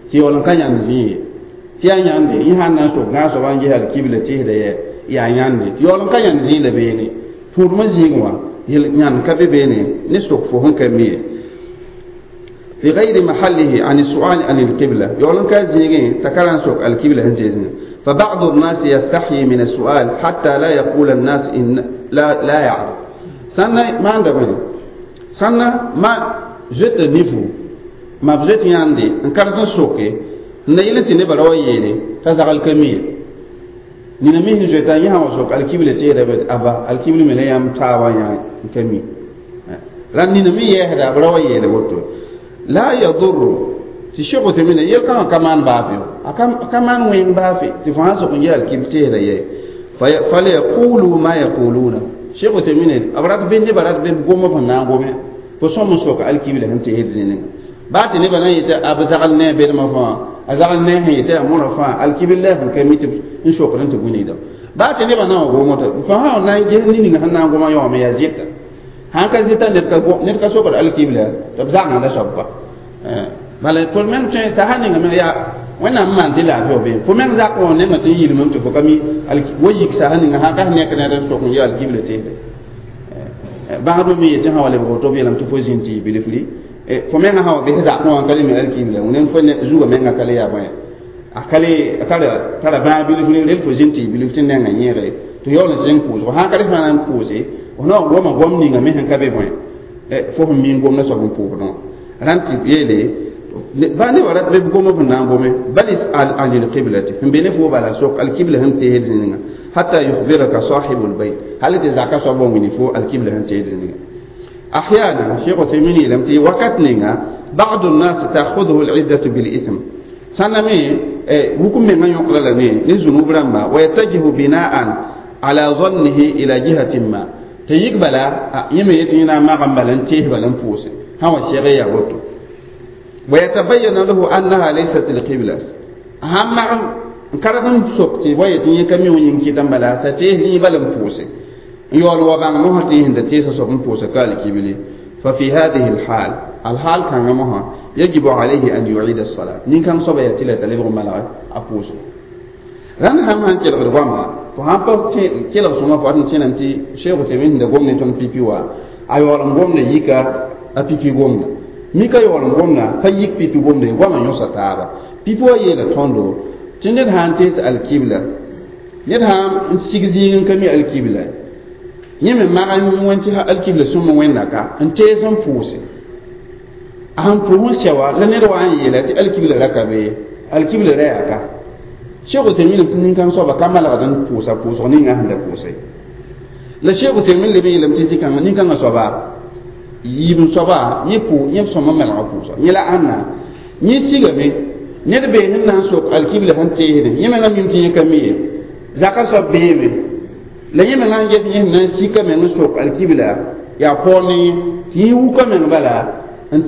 tɩ yaool n ka yãnd zĩ ye tɩ yaa yãnde yẽ sãn na n sok gãag soaba n ges alkibla tɩsda yɛ yaa yãnde tɩ yaool n ka yãnd zĩig la beene tũudmã zĩig wã yel yãnd ka be beene ne sok fo sẽn ka mi ye في غير محله عن السؤال عن القبلة يقولون كازيغين تكلم سوق القبلة هنجزنا فبعض الناس يستحي من السؤال حتى لا يقول الناس إن لا لا يعرف سنة ما عندك سنة ما جت نيفو ما بجت ياندي ان كان سوقي نيلتي نبرا يلي تزغل كمية nina mi sẽn zoeta yẽ sã wa sok alkibla teeda bet aba alkibla me la yãmb taabã yã n ka mi la nina me yɛɛsda b ra wa yeele woto la yadur tɩ Cheikh Uthaymin yel kãngã ka maan baafe a ka maan wẽng baafe tɩ fo sãn sok n yɛ alkibl teesda yɛ falyaqulu ma yaquluna Cheikh Uthaymin b rat be nebã rat be gom f na n gome fo sõm n sok alkibla sẽn teesd zĩningã baa tɩ nebã na n yetɩ a b zagl ne a bedmã fãa a zagl ne sẽn yetɩ a mõra fãa alkibl la sẽn ka mi tɩ n sokd n tɩ wilgda baa tɩ nebã na n wa gom woto fo sã na n ges ne ninga sẽn na n goma yaoome yaa zɩta sãn ka zɩta ned ka sokd alkibla tɩ b zagengda soab kɔa bala tõnd meng tõe t'a sã ninga meng yaa Wẽnnaam maan tɩ laafɩ be fo meng zak wã nengã tɩ n yilmem tɩ fo ka mi wa yik sas ninga sã ka nek ned n sok n ya alkibla teesde bãgdbã me yetɩ sã wa lebg woto b yeelame tɩ fo zĩnd tɩ yɩ bilfri fo menga sã wa bes zakẽ wã n ka le mi alkibla wẽnem fo zugã menga ka le yaa bõe a ka le tara bãag bilfri rel fo zĩnd tɩ yɩ bilf tɩ nengã yẽege tɩ yaool n sẽng pʋʋsgo sã ka re fãa na n pʋʋse f naoor goma gom ninga me sẽn ka be bõe fo sẽn mi n gomda soab n pʋʋsdẽ rãnd tɩ yeele ba nebã rat be gom b na n gome bal isal an lilqiblati sẽn be ne fo bala sok alkibla sẽn teesd zĩnga hatta yukhbiraka sahibu lbayt hal tɩ zaka soab n wini fo alkibla sẽn teesd zĩnga أحيانا شيخ عثيمين لم تي وقت نينا بعض الناس تأخذه العزة بالإثم سنمي وكم من يقول لني نزنوب رمى ويتجه بناء على ظنه إلى جهة ما تيقبل يمي يتينا ما غنبلن تيه بلن فوس هو الشيخ يغوتو ويتبين له أنها ليست القبلة هم كرهن سوقتي ويتي كمي وينكي تنبلا تتيه بلن فوس يول وبان مهتي هند تيسا سوق فوس قال كبلي ففي هذه الحال الحال كان مها يجب عليه أن يعيد الصلاة نين كان صبا يتلا تلبغ ملا أفوس ران هم هان كيلغ رغما فهم با كيلغ سوما فاتن تينانتي شيخ تيمين دا غومني تون بيبي وا ايوال غومني يكا ا بيبي غومنا mika yaool n gomna pa yik pipi gomda ye goamã yõsa taaba pipi wa yeela tõndo tɩ ned sã n tees alkibla ned sã n sig zĩig n ka mi alkibla yẽ me mag n wẽn tɩ alkibla sõm wẽnda ka n tees n pʋʋse a sẽn pʋʋs n sɛ wa la ned wa n yeela tɩ alkibla ra ka be alkibla ra yaa ka Cheikh Uthaymin tɩ nin-kãng soaba ka malgd n pʋʋsa pʋʋsg ninga sẽn da pʋʋse la Cheikh Uthaymin leb n yeelame tɩ zĩ-kãngã nin-kãngã soaba yiib n soaba yẽ pʋ yẽ sõma melga pʋʋsa yẽ la ãnna yẽ sigame ned bee sẽn na n sok alkibla sẽn teesdẽ yẽ mengã mim tɩ yẽ ka mi ye zaka soab beeme la yẽ mengã n ges yẽ sẽn na n sika meng n sok alkibla yaa paoor ne yẽ tɩ yẽ wuka meng bala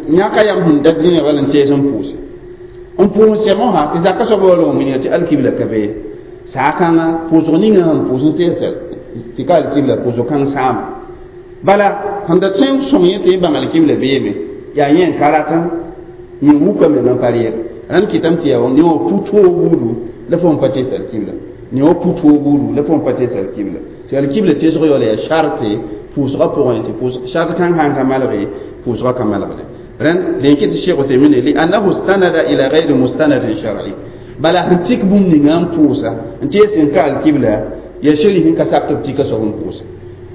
yãka yam sẽn dat zĩnã bala n tees n pʋʋse n pʋʋs sɛmosã tɩ zaka soab wa loog wilga tɩ alkibla ka be saa-kãngã pʋʋsg ninga sẽn pʋʋs n tees tɩ ka alkibla pʋʋsg kãng sãama bala sẽn da tõe n sõng yẽ tɩ yẽ bãng alkibla beeme yaa yẽ n ka ratã yẽ wuka meng n pa rɩɛd rãnd kɩtame tɩ yaa ne wã pu-toog buudu la fo n pa tees alkibla ne wã pu-toog buudu la fo n pa tees alkibla tɩ alkibla teesg yaoola yaa sharte pʋʋsgã pʋgẽ tɩ shart kãng sã n ka malge pʋʋsgã ka malgde rãnd dẽn kɩ tɩ Cheikh Uthaymin li'annahu istanada ila ghayri mustanadin shar'i bala sẽn tik bũmb ninga n pʋʋsa n tees n ka alkibla yaa shari sẽn ka sak tɩ b tika soab n pʋʋsa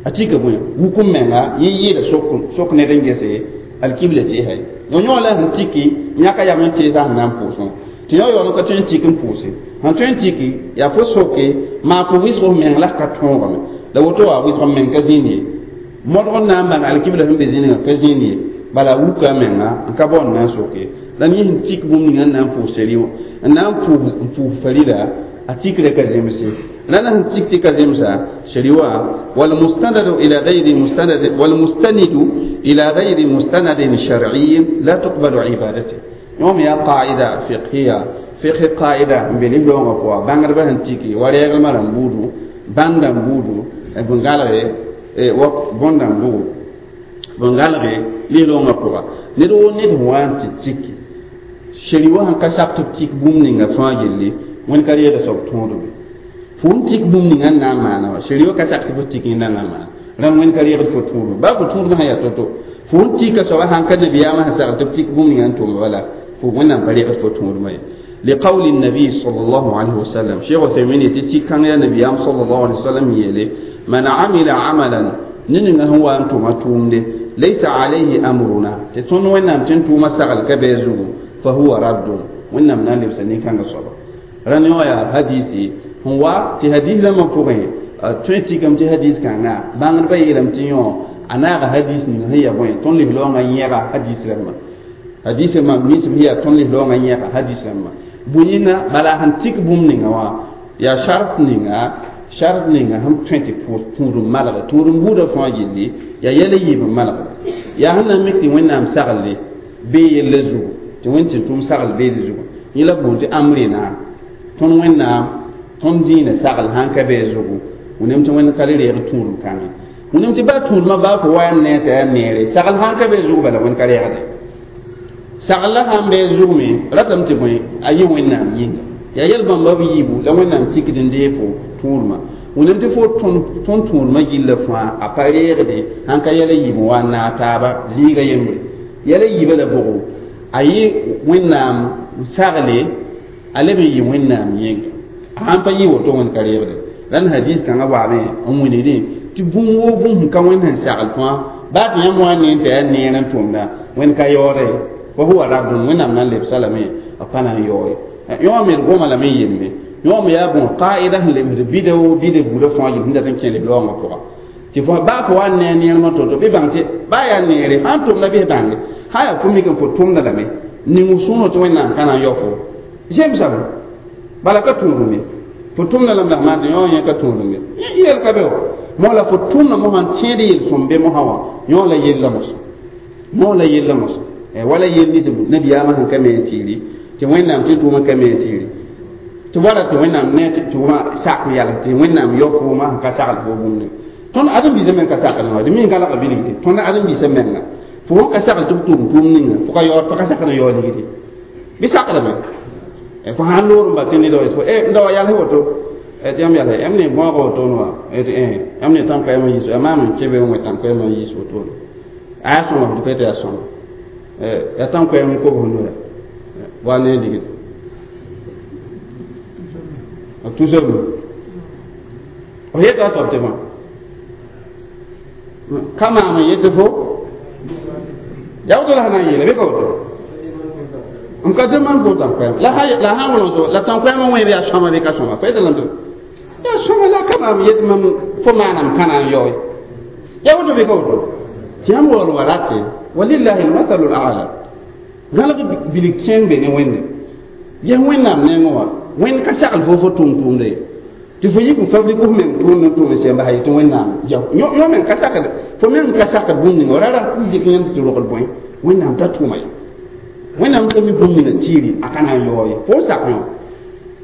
a tika bõe wukum menga yẽ yɩɩda sok ned n gese alkibla teesa ye yõ la sẽn tiki yãka yam n teesa sẽn na n pʋʋsẽ tɩ yõ yaool n ka tõe n tik n pʋʋse sẽn tõe n tiki yaa fo soke maa fo wɩsg f meng la ka tõogame la woto wa wɩsg m meng ka zĩnd ye modg n na n bãng alkibla sẽn be zĩnigã ka zĩnd ye bala wuka menga n ka bao n na n soke la yẽ sẽn tik bũmb ninga n na n pʋʋs seri wã n na n pʋʋs farida a tikrã ka zemse la na sẽn tik tɩ ka zemsa seri wã والمستند إلى غير مستند والمستند إلى غير مستند شرعي لا تقبل عبادته يوم يا قاعدة فقهية فقه قاعدة بليه لونغ بوا بانغر بهن تيكي وريغ مرن بودو باندان بودو بنغالغي وق بوندان بو بنغالغي ليه لونغ بوا ندو ند وان تيكي شري وان كساب تيك بوم نينغا فا يلي وين كاريا سوب توندو fo n tik bũmb ninga n na n maana wa shari ka sak tɩ fo tik yẽnda na n maana rãmb wẽnd ka reegd fo tũudme baa fo tũudmã sã yaa to-to fo n tika soaba sãn ka nabiyaamã sẽn sagl tɩ b tik bũmb ninga n tʋma bala fo wẽnnaam pa reegd fo tũudmã ye لقول النبي صلى الله عليه وسلم شيخ عثيمين يتي كان يا نبي صلى الله عليه وسلم يلي من عمل عملا نن هو أنتم تومده ليس عليه أمرنا تتون وين تنتو مسغل كبيزو فهو رد وين من لبسني كان صبا راني يا حديثي هو تي حديث لما فوقه tõe tɩkame tɩ hadis kãnga bãngdbã yeelame tɩ yõ a naaga hadis ning sẽn ya bõe tõnd lislaoongã yẽga hadis rãmbã hadis rãmbã misb sẽn yaa tõnd lislaoongã yẽga hadis rãmbã bõe-yĩnga bala sẽn tik bũmb ninga wã yaa shart ninga shart ninga sẽn tõe tɩ tũud n malgde tũud n buudã fãa gilli yaa yɛl n yiib n malgda yaa sẽn na n mik tɩ wẽnnaam sagle bee yella zugu tɩ wẽnd tɩ tʋm sagl beede zugu yẽ la boond tɩ amrina tõnd wẽnnaam tõnd dĩinã sagl sãn ka bee zugu wẽnem tɩ wẽnd ka le reeg tũudum kãngẽ wẽnem tɩ baa tũudmã baa fo wa n ne t'a yaa neere sagl sãn ka bee zugu bala wẽnd ka reegde Sagla sãn bee zugme ratame tɩ bõe a yɩ wẽnnaam yĩnga yaa yɛl bãmba b yiibu la wẽnnaam tikd n deeg fo tũudmã wẽnnaam tɩ fo tõnd tũudmã gilla fãa a pa reegde sãn ka yɛla yiib n wa n naag taaba zĩiga yembre yɛla yiibã la bʋgo a yɩ wẽnnaam sagle a leb n yɩ wẽnnaam yĩnga a sãn pa yɩ woto wẽnd ka reegde rãnd hadis kãngã waame n wilgdẽ tɩ bũmb woo bũmb sẽn ka wẽnd sẽn sagl fãa baa tɩ yãmb wa ne n tɩ yaa neer n tʋmda wẽnd ka yaoode wa huwa raddun wẽnnaam na n lebsa lame b pa na n yaoo ye yõ me d goma lame n yelme yõ me yaa bõn qaida sẽn lebsd bida woo bida buudã fãa yel sẽn dat n kẽ leb laoongã pʋga tɩ fo baa fo wa n ne a neermã to-to bɩ bãng tɩ baa yaa neere sãn tʋmda bɩs bãnge sã yaa fo mik n fo tʋmda lame ning sõno tɩ wẽnnaam ka na n yao fo zemsame bala ka tũudum ye fo tʋmda lame la maan tɩ yõ yẽ ka tũudum ye yel ka be wa mo la fo tʋmda mosã n tẽed yel-sõm be mosã wã yõ la yella mos yõ la yella mos wala yel nins nabiyaamã sẽn ka me n tiiri tɩ wẽnnaam tɩ tʋʋmã ka me n tiiri tɩ wala tɩ wẽnnaam ne tɩ wʋma sak n yals tɩ wẽnnaam yao foomã sẽn ka sagl fo bũmb ning tõnd ãdem-biisã meng ka sakd wã d mi n galga bilgde tõnd ãdem-biisã menga fo sẽn ka sagl tɩ b tʋʋm tʋʋm ninga fo ka yaood fo ka sakd n yaood ligdi bɩ sakdame fo sãn loor n ba tɩ ned wa fo n da wa yals woto tɩ yãmb yalse yãmb ne bõoga wotone wa tɩ yãmb ne tãn-koɛɛmã yiis yaa maam n kẽ be n wẽ tãn-koɛɛmã n yiis wotone a yaa sõma tɩ tɩ yaa sõma yaa tãn-koɛɛm n kobs noya wa ne ligdi b tusame f yeta a soab tɩ bã ka maam n yetɩ fo yaa woto la sã na n yeele bɩ ka woto n ka demande fo tãn-koɛɛm la sã n wolg la tãn-koɛɛmã wẽeb yaa sõma bɩ ka sõma fo yeta lame yaa sõma la ka maam yet mam fo maanam kãna n yaoe yaa woto bɩ ka woto tɩ yãmb waool wa rate walillahi almathalu alala gãlg bilg kẽeng be ne wẽnde ges wẽnnaam nengẽ wã wẽnd ka sagl fo fo tʋm tʋʋmda ye tɩ fo yik n fabrik f meng tʋʋmd n tʋm n sẽn basa yetɩ wẽnnaam yõ meng ka sakd fo meng ka sakd bũmb ninga ra rat n dɩk yãmb tɩ rogl bõe wẽnnaam ta tʋʋma ye wẽnnaam ka mi bũmb ninga tiiri a ka na n yaoo ye fo sak yõ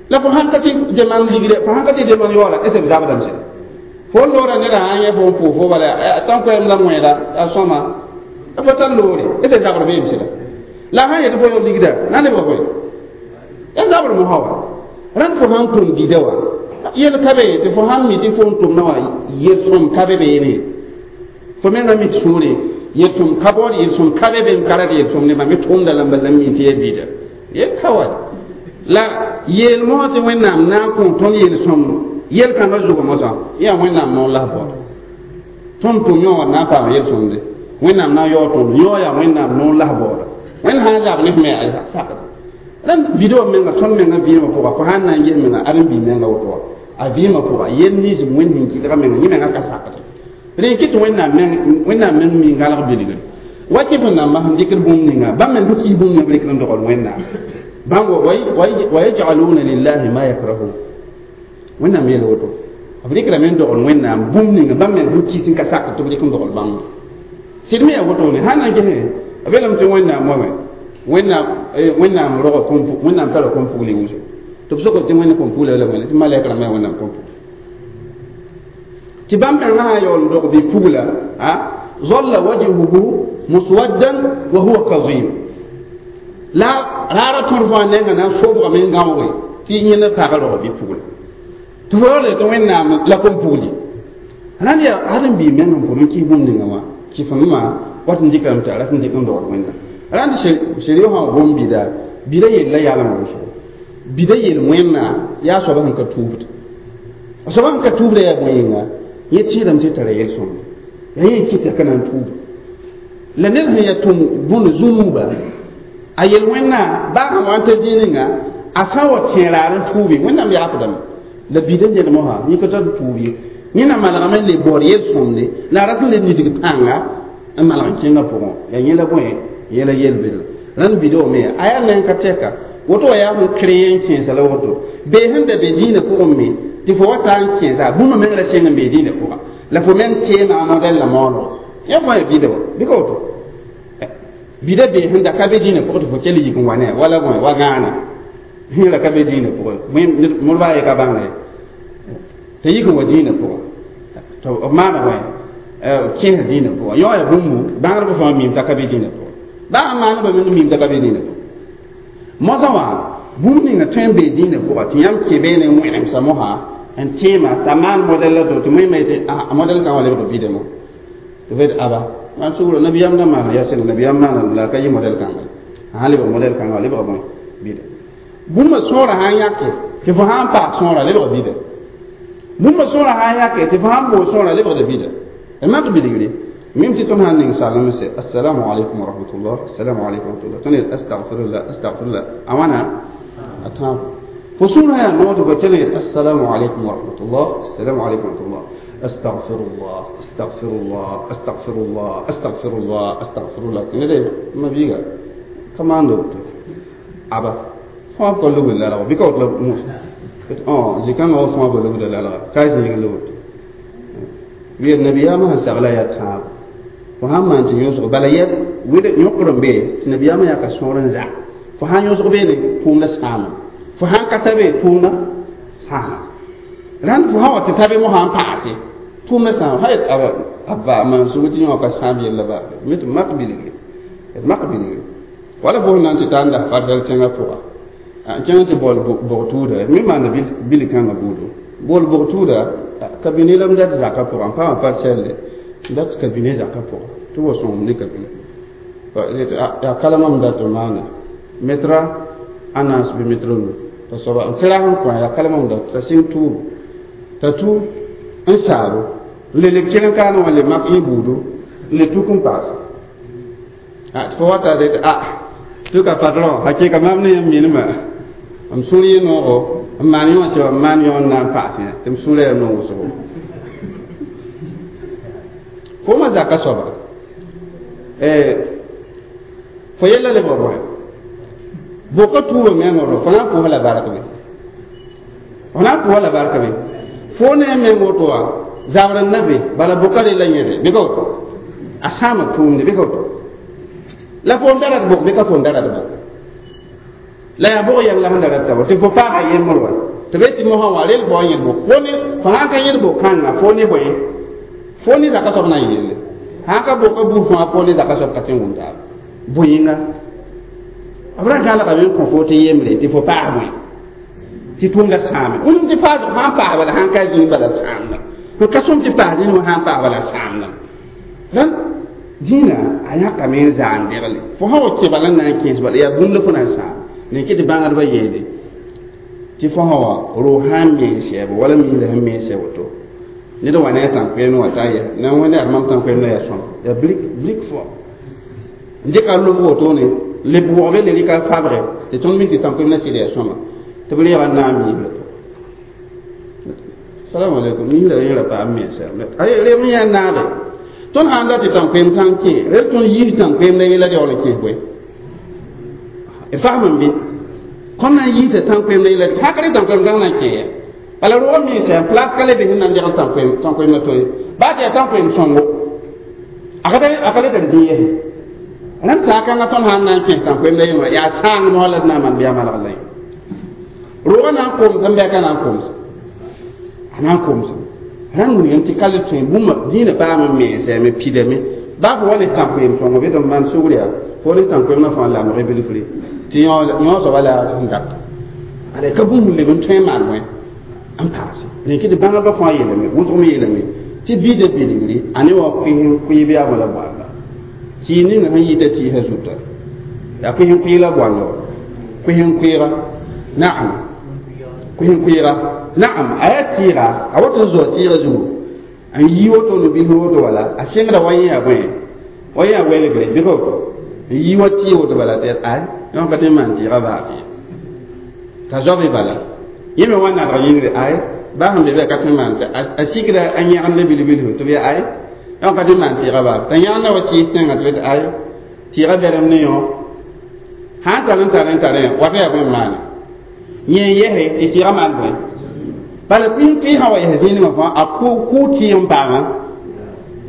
la fo sãn ka tɩ demande ligre fo sãn ka tɩ demande yaoola est ce b zabdame sẽda fo loora neda sã n yẽ fo n pʋʋs fo bala tãn-koɛɛm la wẽeda a sõma la fo tar loore est ce zabr beem sẽda la sãn yetɩ fo yao ligda na lebga bõe ya zabr mosã wa rãnd fo sãn tʋm bida wã yel ka be tɩ fo sãn mi tɩ fo n tʋmdã wã yel-sõm ka be beene fo menga mi sũure yel-sõm ka baood yel-sõm ka be be n ka rat yel-sõm ne mam tʋmda lamba la mi tɩ ya bida yel ka wa la yeel mosã tɩ wẽnnaam na n kõ tõnd yel-sõm yel-kãngã zugã mosã yaa wẽnnaam noor la baood tõnd tʋm yõ wã na n paam yel-sõmde wẽnnaam na n yaood tõnd yõ yaa wẽnnaam noor la baooda wẽnd sã n zab ne f me a sakda rãnd bida wã menga tõnd menga vɩɩmã pʋga fo sãn na n ges menga ãdem-biig menga woto wã a vɩɩmã pʋga yel nins wẽnd sẽn kɩdga menga yẽ menga ka sakde rẽ kɩ tɩ wẽnnaam meng mi gãlg bilgre wa tɩ fo namba sẽn dɩkd bũmb ninga bãmb meng sẽn kis bũmb ninga b rɩkd n dogl wẽnnaam bãmb wa yajcaluna lillahi ma yakrahun wẽnnaam yel woto b rɩkdame n dogl wẽnnaam bũmb ninga bãmb meng sẽn kis n ka sakd tɩ b rɩk n dogl bãmb sɩd me yaa wotone sãn na n gesẽ b yeelame tɩ wẽnnaam wame wẽnnaam roga wẽnnaam tara kom-pugl wʋsgo tɩ b sok tɩ wẽnd kom-pugla la wẽnna tɩ malɛk rãmbã yaa wẽnnaam kom-pugl tɩ bãmb mengã sã n yaool n dog bɩ pugla zalla wajhuhu muswaddan wa huwa kazim la raara tõd fãa nengã na n sobgame n gãooge tɩ yẽnd pag rog bɩ pugla tɩ fo yaool tɩ wẽnnaam la kom-pugli rãnd yaa ãdem-biig meng n pʋd n kɩs bũmb ninga wã kɩf-ma wat n dɩkame tɩ a rat n dɩk n dogl wẽnnaam rãnd seri sã wʋm bida bida yella yalem wʋsgo bida yel wẽnna yaa soaba sẽn ka tuubd a soaba sẽn ka tuubda yaa bõe yĩnga yẽ tẽedame tɩ tara yel-sõmde yaa yẽ kɩta ka na n tuub la ned sẽn yaa tʋm bũnd zũnuuba a yel wẽnna baa sãn wa n ta zĩig ninga a sã n wa tẽ raar n tuubi wẽnnaam yaafdame la bida ned mosã yẽ ka tar tuub ye yẽ na malgame n le baood yel-sõmde la a rat n le nidg pãnga n malg n kẽngã pʋgẽ yaa yẽ la bõe yẽla yel-bɩdl rãnd bida wame a yaa neng ka tɛka woto wa yaa sẽn krẽ n kẽesa la woto bee sẽn da be dĩinã pʋgẽ me tɩ fo wa taa n kẽesa bũmb meng ra sẽng n bee dĩinã pʋga la fo meng teema modɛl la moolgo yã fõ yaa bida wa bɩ ka woto bida bee sẽn da ka be dĩinã pʋgẽ tɩ fo kell yik n wa ne wala bõe wa gãana sẽn ra ka be dĩinã pʋgẽ modba a ye ka bãnga ye tɩ yik n wa dĩinã pʋgẽ tɩ b maana bõe kẽesa dĩinã pʋgẽ yõ yaa bũmbu bãngdb fãa mim t'a ka be dĩinã pʋgẽ Baa maana ba meng mimda ka be dĩinã pʋgẽ. Moasã wã bũmb ninga tõe n bee dĩinã pʋga tɩ yãmb kẽ beene n wẽnemsa mosã n tẽema t'a maan modɛl la to tɩ wẽnnaam yetɩ a modɛl kãngã lebg bɩdã mo tɩ fo yetɩ aba maan sugr nabiyaam da maana yaa sẽn nabiyaam maana la a ka yɩ modɛl kãnga a sãn lebg modɛl kãngã lebga bõe bɩda bũmba sõora sãn yãke tɩ fo sãn paas sõora lebg bɩda bũmba sõora sãn yãke tɩ fo sãn boos sõora lebgda bɩda d mak bilgre mim tɩ tõnd sãn ning salem sɛ assalamu alaikum wa rahmatullah assalamu alaikum wa rahmatullah tõnd yet astagfirullah astagfirullah a wãna a tãabo fo sũurã yaa noog tɩ fo kell yet assalamu alaikum wa rahmatullah assalamu alaikum wa rahmatullah astagfirullah astagfirullah astagfirullah astagfirullah astagfirullah tɩ ned ma biiga ka maanda woto aba fãa b ka lugl lalga bɩ ka woto la mus zĩ-kãngã wa fãa ba lugda lalga ka zĩig la woto wiyer nabiyaamã sẽn sagla yaa tãabo fo sãn maan tɩ yõsg bala yɛl wɩd yõkd n be tɩ nabiyaamã yaa ka sõor n za fo sãn yõsg beene tʋʋmda sãama fo sãn ka ta be tʋʋmda sãama rãnd fo sã wa tɩ ta be mosã n paase tʋʋmda sãama sã yet abba maan sug tɩ yõ ka sãam yella baa me tɩ mak bilgre d mak bilgre wala fo sẽn na n tɩ ta n las parsɛl tẽngã pʋga n kẽng tɩ baool bog tʋʋda me maanda bil kãngã buudo bool bog tʋʋda kabine la m dat zakã pʋga n paama parsɛlle n dat kabine zakã pʋga tɩ wa sõngem ne kabine yaa kalama m dat n maana metra a naas bɩ metra nu t'a soaba n tɩrag n kõ yaa kalama m dat t'a sɩng tʋʋbo t'a tʋ n saabo n le leb keln kaane wã le mak yẽ buudo n le tuk n paas tɩ fo wata tɩ a tɩ ka patron hakɩka mam ne yãmb minimã m sũur yẽ noogo n maan yõ sẽba n maan yõ n na n paas yã tɩ m sũurã yaa noog wʋsgo fo ma zaka soaba fo yella lebg bõe boka tuuba mengã ro fo na n pʋʋs la bark be fo na n pʋʋs la bark be fo ne meng woto wã zabr n na be bala boka re la yẽde bɩ ka woto a sãama tʋʋmde bɩ ka woto la fo n da rat bok bɩ ka fo n da rat bok la yaa bog yɛm la sẽn da rat tabo tɩ fo paaga yembr wa tɩ be tɩ mosã wã rel fo n yẽd bok fo ne fo sãn ka yẽd bok kãnga fo ne bõe fo ne zaka soab na n yelle sãn ka boka buud fãa fo ne zaka soab ka tɩ n wʋm taaba bõe yĩnga b ra gãlgame n kõ fo tɩ yembre tɩ fo paas bõe tɩ tʋʋmda sãame wẽnem tɩ paas sãn paas bala sãn ka zĩig bala sãamda fo ka sõm tɩ paas zĩig wã sãn paas bala sãamda rãnd dĩinã a yãkame n zaan degle fo sã wa kẽ bala n na n kẽes bala yaa bũmb la fo na n sãam ne kɩ tɩ bãngdbã yeele tɩ fo sã wa roog sãn mens sɛɛbo wala miisã sẽn mens sɛ woto ned wa ne a tãn-koɛɛm wã t'a yɛ na wẽnda yaa mam tãn-koɛɛm la yaa sõm yaa blik blik fo n dɩka lobg wotone leb wʋgbe le rɩka fabrɛ tɩ tõnd min tɩ tãn-koɛɛm la sɩd yaa sõma tɩ b reega n na n miisla pʋgẽ salamu alaikum miisla yẽra paam mensa rem yã naage tõnd sãn dat tɩ tãn-koɛɛm kãng kẽ rel tõnd yiis tãn-koɛɛm la yẽla yaool n kẽes bõe fasem bɩ tõnd na n yiisa tãn-koɛɛm la yẽla hakre tãn-koɛɛm kãng na n kẽ ya bala rog mensa place ka le be sẽn na n degl tãn-koɛɛmã to ye baa tɩ yaa tãn-koɛɛm sõngo a ka le tar zĩ yɛsẽ rãnd saakãngã tõnd sãn na n kẽes tãn-koɛɛm la yẽmra yaa sãang mosã la d na n maan bɩ yaa malg la yẽ rogã na n koms n bɛka na n koms a na n koms rãnd wilgame tɩ ka le tõe bũmba dĩinã paam n mensame pidame baa fo wa ne tãn-koeem sõngo bɩ tɩ m maan sugr yaa fo ne tãn-koeem na fãa lamg bilfre tɩ yõ soaba la n dat ala ka bũmb leb n tõe n maan wẽ n paase rẽn kɩ tɩ bãngdbã fãa yeelame wʋsg me yeelame tɩ biida bilgre a ne wa koes n koe yaa la boalla tɩ ninga sẽn yita tɩɩsã zuta yaa koes n koe la boalla wa koes n koeega naam koes n koeega naam a yaa tɩɩga a wat n zoa tɩɩga zugu n yi woto ne bil woto wala a sẽngda wa yẽ yaa bõe wa yẽ yaa welgre bɩ ka woto n yi wa tɩɩ woto bala tɩ ay yõ ka tɩ n maan tɩɩga baa fɩ t'a zoabe bala yẽ me wa nadg yĩngre ay baa sẽn be bɩ a ka tɩ n maan tɩ a sikda a yẽgemda bilbil tɩ b yaa ay yõ ka tɩ n maan tɩɩga baa t'a yẽgemda wa sɩɩs tẽngã tɩ b ay tɩɩga bɛrem ne yõ sãn tar n tar n tar wata yaa bõe n maane yẽ n yɛse tɩ tɩɩga maan bõe bala tɩ sã wa yɛs zĩigã fãa a kʋ tɩɩg n paama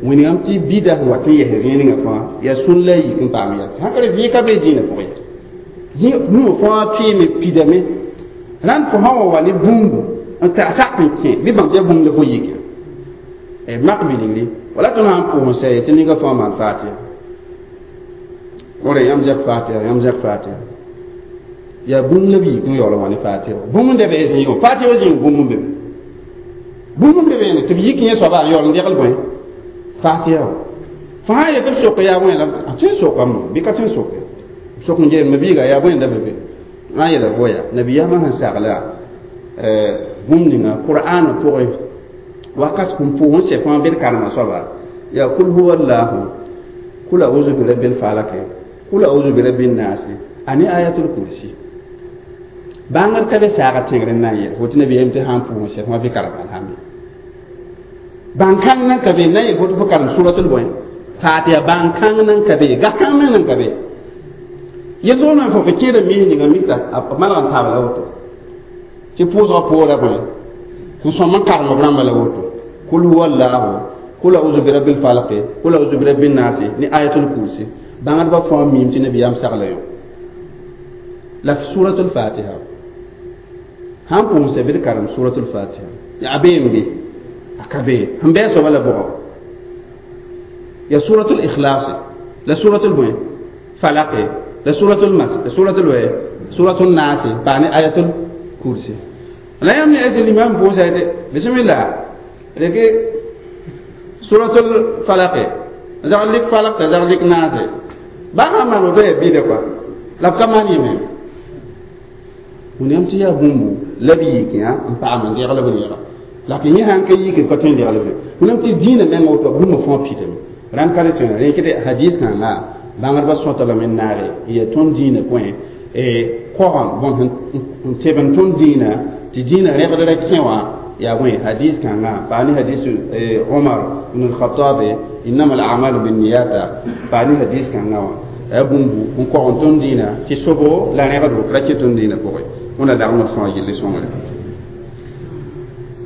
wĩnigame tɩ bida sẽn wat n yɛs zĩigã fãa yaa sũn la a yik n paam yaa sãn ka vɩ ka be dĩinã pʋgẽ ya bũmb fãa pɩɩme pidame rãnd fo sã wa wa ne bũmbu n ta sak n kẽ bɩ bãmb tɩ yaa bũmb la fo yik ya mak bilgre wala tõnd sãn pʋʋs n sɛ tɩ ninga fãa maan fatiha Ore yam zak Fatiha, yam zak Fatiha. Ya bũmb la b yik n yaool n wa ne Fatiha. Bũmb n da bee zĩigẽ, Fatiha wa zĩig bũmb n be. Bũmb n be beene tɩ b yik yẽ soaba n yaool n degl bõe Fatiha. Fo sã n yet b sok yaa bõe la a tõe n sokame bɩ ka tõe n soke. Sok n geem biiga yaa bõe n da be be. Na n yeela fo yaa nabiyaamã sẽn sagla bũmb ninga Qur'aanã pʋgẽ wakat sẽn pʋʋs n sɛ fãa bed karema soaba yaa kul huwa allahu kul a'udhu bi rabbil falaq kul a'udhu bi rabbin nas ani ayatul kursi. Bãngd ka be saaga tẽngr n na n yɛl fo tɩ nabiyaam tɩ sã n pʋʋs n sɛ fãa bɩ karema sãn be. Bãn-kãng nan ka be na n yel fo tɩ fo karem suratul bõe Fatiha bãn-kãng nan ka be gãkãng meng nan ka be. Yel-zʋgd na n fo fo kẽeda mis ninga mikta a malg n taab la woto tɩ pʋʋsgã poora bõe sẽn sõm n karem b rãmba la woto kul huwa allahu kul a'udhu bi rabbil falaq kul a'udhu bi rabbin nas ni ayatul kursi. Bãngdbã fãa miim tɩ nabiyaam sagla yõ la suratul Fatiha sãn pʋʋsã bɩ d karem suratul Fatiha a beem be a ka be sẽn bɩ a soaba la bʋgɔ ya suratul ikhlas la suratul bõe falaq la suratul mas la suratul bõe suratul nas pa ne ayatul kursi. La yãmb ne ese limam pʋʋsa tɩ bismillah reke suratul falaq zag lik falaq t'a zag lik nas bã sã maan woto yaa bɩda kɔa la b ka maan yẽ me. Wẽnnaam tɩ yaa bũmbu la b yik yã n paam n degl b yẽga la tɩ yẽ sãn ka yik b ka tõe n degl be. Wẽnnaam tɩ dĩinã meng woto bũmb fãa pitame rãnd ka re tõe rẽkd hadis kãnga bãngdbã sõta lame n naage n yaa tõnd dĩinã pʋẽ kogã bõn n teb n tõnd dĩinã tɩ dĩinã rẽgd ra kẽ wã yaa bõe hadis kãnga paa ne hadis Omar ibn al-Khattab innama al-a'malu binniyata paa ne hadis kãnga wã yaa bũmbu n kog n tõnd dĩinã tɩ sobo la rẽgdo ra kẽ tõnd dĩinã pʋgẽ. Wẽnna lagm d fãa yelle sõngre.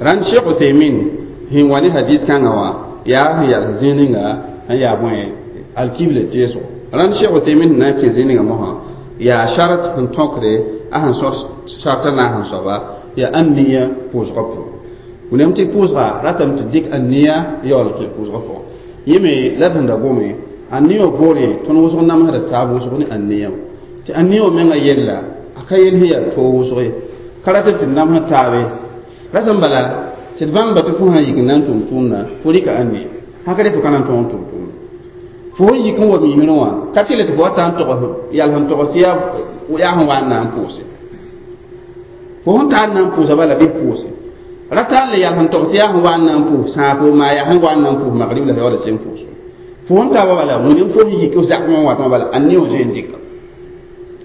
Rãnd Cheikh Uthaymin sẽn wa ne hadis kãngã wã yaa sẽn yals zĩig ninga sẽn yaa bõe alkibla teesgo. Rãnd Cheikh Uthaymin sẽn na n kẽ zĩig ninga mosã yaa sharat sẽn tõkde a sẽn sõs sharta naas n soaba yaa an-niya pʋʋsgã pʋgẽ. Wẽnnaam tɩ pʋʋsga ratame tɩ dɩk an-niya yaool kẽ pʋʋsgã pʋgẽ. Yẽ me la d sẽn da gome an-niya wã poorẽ tõnd wʋsg namsda taab wʋsg ne an-niya wã tɩ an-niya wã menga yella a ka yel sẽn yaa toog wʋsg ye ka rat tɩ d namsd taabe ratame bala tɩ d bãmba tɩ fo sã n yik n na n tʋm tʋʋmdã fo rɩka an-niya sã ka re fo ka na n tõog n tʋm tʋʋmdã. Fo sẽn yik n wa misrẽ wã ka tɩ le tɩ fo wa ta n togs yal sẽn togs tɩ yaa sẽn wa n na n pʋʋse. Fo sẽn tar n na n pʋʋsa bala bɩ pʋʋse rata n le yal sẽn togs tɩ yaa sẽn wa n na n pʋʋs sãafo maa yaa sẽn wa n na n pʋʋs magrib la yaoola sẽn pʋʋs. Fo sẽn taaba bala wẽnem fo sẽn yik zakmã wã watã bala a-niya wã zoe n dɩka.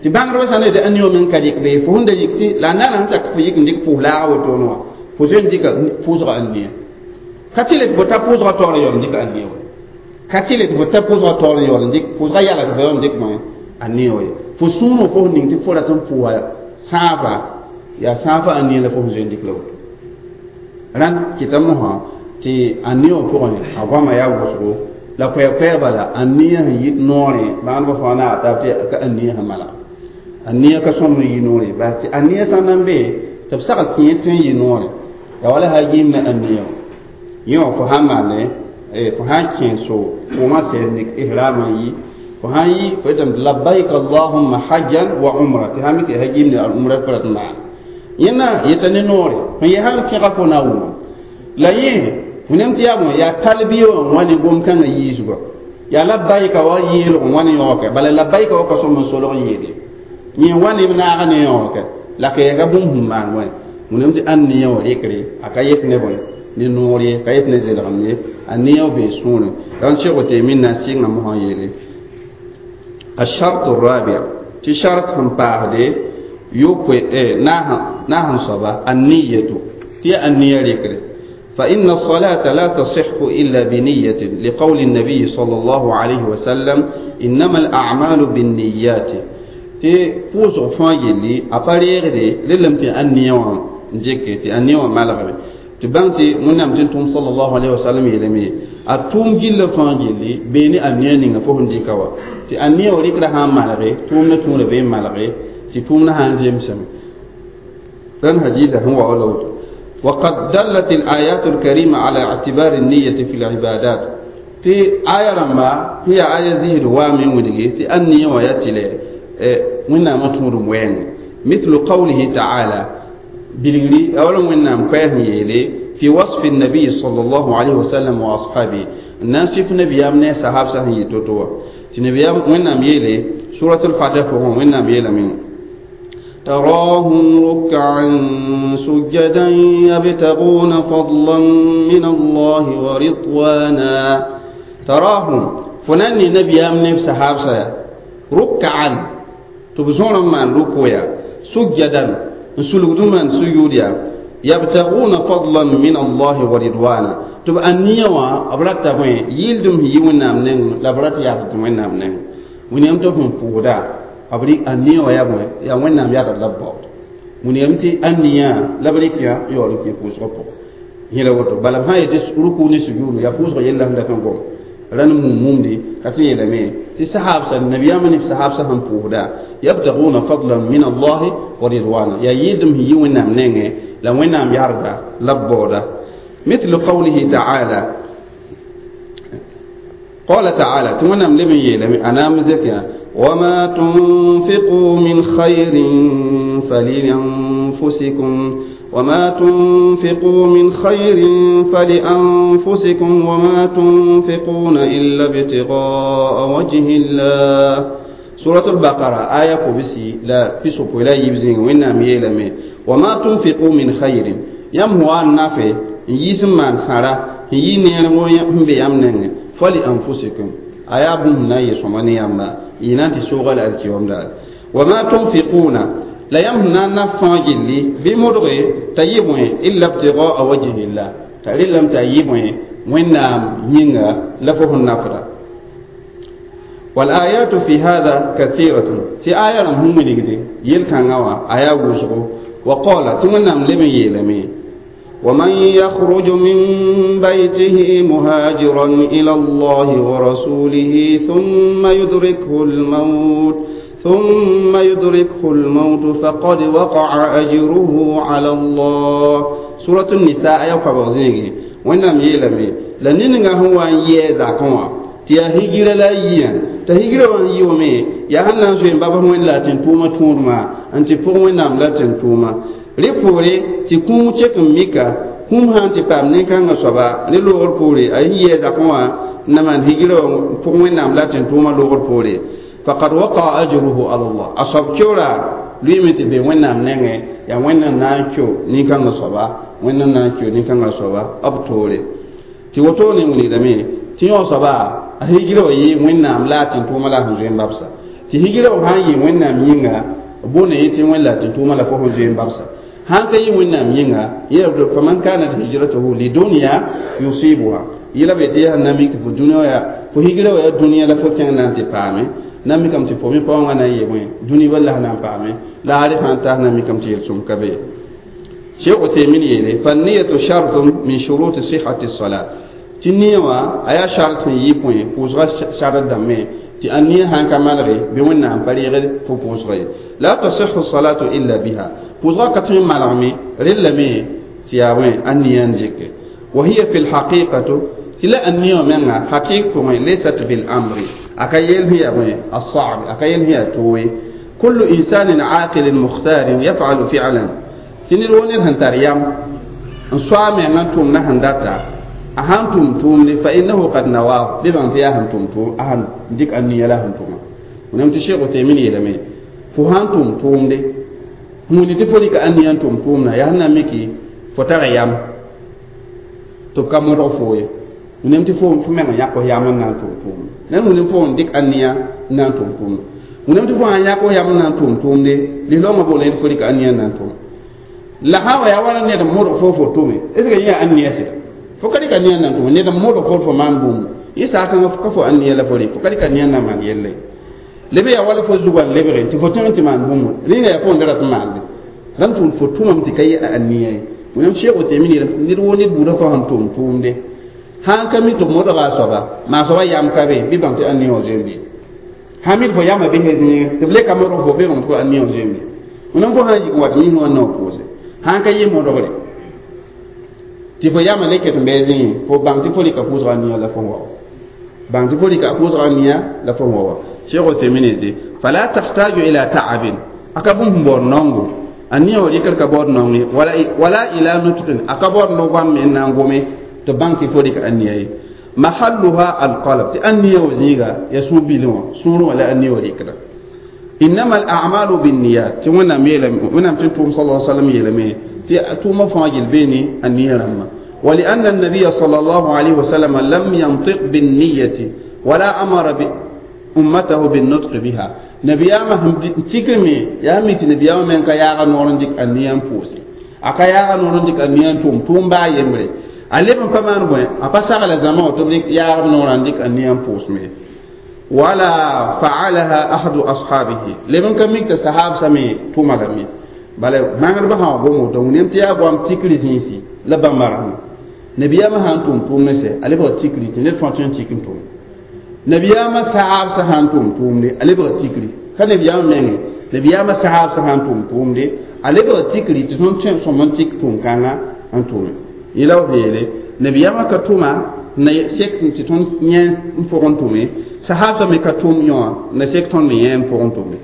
Tɩ bãngdbã sã n yetɩ a-niya wã meng ka dɩk bee fo sẽn da yik tɩ la a naana sẽn tak tɩ fo yik n dɩk pʋʋs laaga wotone wã fo zoe n dɩka pʋʋsga a-niya. Ka tɩ le tɩ fo ta pʋʋsga taoor n yaool n dɩk a-niya wã. Ka tɩ le tɩ fo ta pʋʋsga taoor n yaool n dɩk pʋʋsga yala tɩ fo yaool n dɩk bõe a-niya wã ye. Fo sũurẽ fo sẽn ning tɩ fo rat n pʋʋsa sãafa yaa sãafa a-niya la fo sẽn zoe n dɩk la woto. Rãnd kɩta mosã tɩ a-niya wã pʋgẽ a goamã yaa wʋsgo la koɛɛ-koɛɛg bala a-niya sẽn yit noorẽ bãngdbã fãa naag taab tɩ ka a-niya sẽn malg. A-niya ka sõm n yi noorẽ bas tɩ a-niya sã n na n be tɩ b sagl tɩ yẽ tõe n yɩ noorẽ yaa wala sã yɩɩm ne a-niya wã. Yẽ wã fo sã n maane fo sã n kẽ so pʋʋmã sɛɛd nek ihraamã n yi fo sã n yi fo yetame tɩ labbaik allahumma hajjan wa umra tɩ sã n mik tɩ sã yɩɩm ne al-umra fo rat n maan. Yẽnna yeta ne noore sẽn yɛ sãn kẽga fo na wʋma la yẽ wẽnnaam tɩ yaa bõe yaa talbiya wã n wa ne gom-kãngã yiisgɔ yaa labbaika wa yeelg n wa ne yõoke bala labbaika wa ka sõm n solg yeele yẽ wa ne b naaga ne yõoke la ka yaa ka bũmb sẽn maan wã wẽnnaam tɩ ãn-niya wã rɩkre a ka yet ne bõe ne noor ye ka yet ne zelgem ye a-niya wã bee sũurẽ rãnd Cheikh Uthaymin na n sɩnga mosã yeele الشرط الرابع tɩ shart sẽn paasde yopoe naas n soaba an-niyatu tɩ yaa an-niya rɩkre. فإن الصلاة لا تصح إلا بنية لقول النبي صلى الله عليه وسلم إنما الأعمال بالنيات. تي پوسغ fãa yelli a pa reegde lelame tɩ ãn-niya wã n dɩke tɩ ãn-niya wã malgme tɩ bãng tɩ Wẽnnaam tɩ n tʋm sallallahu alayhi wa sallam yeelame a tʋʋm gilla fãa yelli bee ne ãn-niya ninga fo sẽn dɩka wa tɩ ãn-niya wã rɩkra sã n malge tʋʋmdã tũurã bee n malge tɩ tʋʋmdã sã n zemsame rãnd hadiisa sẽn wa wala woto. وقد دلت الآيات الكريمة على اعتبار النية في العبادات. Tɩ aya rãmba sẽn yaa aya zɩsd waame n wilgi tɩ ãn-nia wã yaa tɩ lɛ wẽnnaamã tũudum wɛɛnge mithlu qawlihi taala bilgri a wala wẽnnaam koɛɛs n yeele fi wasfi nabiy sallallahu alayhi wa sallam wa ashabi n na n sɩf nabiyaam ne a sahabsã sẽn yɩ to-to wã tɩ nabiyaam wẽnnaam yeele surat al-fatih pʋgẽ wẽnnaam yeelame تراهم ركعا سجدا يبتغون فضلا من الله ورضوانا تراهم فناني نبي أمن صحاب ركعا تبزون من ركويا سجدا سلوك من سجوديا يبتغون فضلا من الله ورضوانا تب أنيوا أبرات تبين يلدم يونا من لبرات يابتون من ونيم تفهم فودا أبري أنيوا يا بوي يا وين نام يا رب ونيم تي أنيا لبريك يا يورك يفوز yẽla woto bala b sã n yetɩ ruku ne sujuudu yaa pʋʋsg yella sẽn dat n gom ra ne mum-mumdi ka tɩ yeelame tɩ sahabsa nabiyaamã ne sahabsã sẽn pʋʋsda yabtaguna fadlan min allahi wa ridwana yaa yɩɩdem sẽn yi wẽnnaam nengẽ la wẽnnaam yarda la b baooda mithlu qawlihi taala قال تعالى تمنى لمن يلم أنا مزكيا وما تنفقوا من خير فلأنفسكم وما تنفقوا من خير فلأنفسكم وما تنفقون إلا ابتغاء وجه الله سورة البقرة آية كوبسي لا في لا يبزين وإن ميلمي وما تنفقوا من خير يم هو النافع يسمى من سارة ينير بيامنن فلأنفسكم آية بمنا يسمى يما ينتي سوغل الكيوم وما تنفقون la yãmb na n na fãa gilli bɩ modge t'a yɩ bõe illa ibtigaa wajhillah t'a rɩlame t'a yɩ bõe wẽnnaam yĩnga la fo sẽn nafda والآيات في هذا كثيرة في آية هم wilgde yel-kãngã wã a yaa wʋsgo وقال tɩ wẽnnaam leb n yeelame ومن يخرج من بيته مهاجرا إلى الله ورسوله ثم يدركه الموت فقد وقع أجره على الله سورة النساء يقع بغزيني وإنهم يلمي لنين هو أن يزاكوا تيا هجرة لا يا تهجرة وان يومي يا هنا سوين بابا وين لا تنتوما تورما أنت فوق وين نام لا تنتوما ريبوري تكون تشكم ميكا هم هان تفهم نكان صبا نلو البوري أي يزاكوا نمان هجرة فوق وين نام لا تنتوما لو البوري فقد وقع أجره على الله أصاب كورا لويمت بي وينام نينغ يا وين نانچو نيكان صبا وين نانچو نيكان صبا أبتوري تي وتو ني وني دمي تي يو صبا هيجرو يي وينام لا تين توما لا هنزين بابسا تي هيجرو هان يي وينام يينغا بونه يتي وين لا تين توما لا فو هنزين بابسا هان كي وينام يينغا يرد فمن كانت هجرته لدنيا يصيبها يلا بيتي نامي في الدنيا فو هيجرو يا دنيا لا فو كان نانتي بامي na mi kam tɩ fo me paoongã na n yee bõe dũni bal la na n paame la a sãn tas na mi kam tɩ yel-sõm ka be Cheikh Uthaymin yeele fanniyatu shartun min shuruti sihhati salat tɩ nia wã a yaa shart sẽn yɩ põe pʋʋsgã shart dãmbẽ tɩ a nia sãn ka malge bɩ wẽnnaam pa reegd fo pʋʋsga ye la tasihu salatu illa biha pʋʋsgã ka tõe n malgme rellame tɩ yaa bõe a nia n dɩke wa hiya fi lhaqiqatu tɩ la a nia wã menga haqiq pʋgẽ laysat bil amri aka yel hiya bõe الصعب aka yel hiya toe كل إنسان عاقل مختار يفعل فعلا tɩ ned wo ned sẽn tar yam n soa a mengã n tʋmd na sẽn data a sãn tʋm tʋʋmde fa innahu qad nawaahu bɩ bãng tɩ yaa sẽn tʋm tʋʋm a sãn dɩk a nia la sẽn tʋma wẽnnaam tɩ Cheikh Uthaymin yeelame fo sãn tʋm tʋʋmde hũuni tɩ fo rɩka a nia n tʋm tʋʋmdã yaa sẽn na n miki fo tara yam tɩ b ka modg fo ye wẽnnaam tɩ fo meng yãk f yam n na n tʋm tʋʋmde nan wẽnnaam fo n dɩk a nia n na n tʋm tʋʋmde wẽnnaam tɩ fo sãn yãk f yam n na n tʋm tʋʋmde lislaoongã boolẽ tɩ fo rɩka a nia n na n tʋm la sã wa yaa wala ned n modg fo fo tʋme est ce que yẽ yaa ania sɩda fo ka rɩka nia n na n tʋme ned n modg fo fo maan bũmb yẽ saakãngã ka fo ania la fo rɩ fo ka rɩka nia n na n maan yelle leb yaa wala fo zugã n lebge tɩ fo tõe n tɩ maan bũmb rẽnga yaa fo n da rat n maande rãmb tʋʋm fo tʋmame tɩ ka yɩ a ania ye wẽnnaam Cheikh Uthaymin yeelame ned woo ned buudã fo sẽn tʋm tʋʋmde sãn ka mi tɩ b modga a soaba maa soaba yam ka be bɩ bãng tɩ ania wã zoe n be sã mi fo yamã bɩ zĩige tɩ b le ka modg fo bɩ bãng tɩ fo ania wã zoe n be wẽnnaam fo sã n yik n wat misẽ wã nao pʋʋse sãn ka yɩ modgre tɩ fo yamã le ket n bɩ zĩige fo bãng tɩ fo rɩka pʋʋsga ania la fo wa Bãng tɩ fo rɩka a pʋʋsga nia la fo wa Cheikh Uthaymin yetɩ fala tahtaju ila ta'abin a ka bũmb baood naongo a nia wã rɩkr ka baood naong ye wala ila nutqin a ka baood no-goam me n na n gome tɩ bãng tɩ fo rɩka a nia ye mahalluha alqalb tɩ a nia wã zĩiga ya sũ-bilẽ wã sũurẽ wã la a nia wã rɩkda innama al'amalu binniyat tɩ wẽnnaam yeelame wẽnnaam tɩ tʋʋm sal sallam yeelame tɩ tʋʋmã fãa gil beene a nia rãmbã ولأن النبي صلى الله عليه وسلم لم ينطق بالنية ولا أمر أمته بالنطق بها نبياما تكرمي يا ميت نبياما من كياغا نورن ديك النيان فوسي أكا ياغا نورن ديك النيان توم توم با يمري ألي بن كمان بوين أبا ساغ زمان تبديك ياغا نورن ديك النيان فوس مي ولا فعلها أحد أصحابه لمن كميك صحاب سمي توما لمي بل ما نربح بومو دون نمتيا بوام تكري زينسي لبامرهم nabiyama sãn tʋm tʋʋm ne sɛ a lebga tikri tɩ ned fãa tõe n tik n tʋm nabiyama saab sã sãn tʋm tʋʋmde a lebga tikri ka nabiyama menge nabiyama saab sã sãn tʋm tʋʋmde a lebga tikri tɩ tõnd tõe sõm n tik tʋʋm-kãngã n tʋme yẽla b yeele nabiyama ka tʋma na sek tɩ tõnd yẽ n pʋgẽ tʋme sahabsã me ka tʋm yõ na sek tõnd me yẽ n pʋgẽ tʋme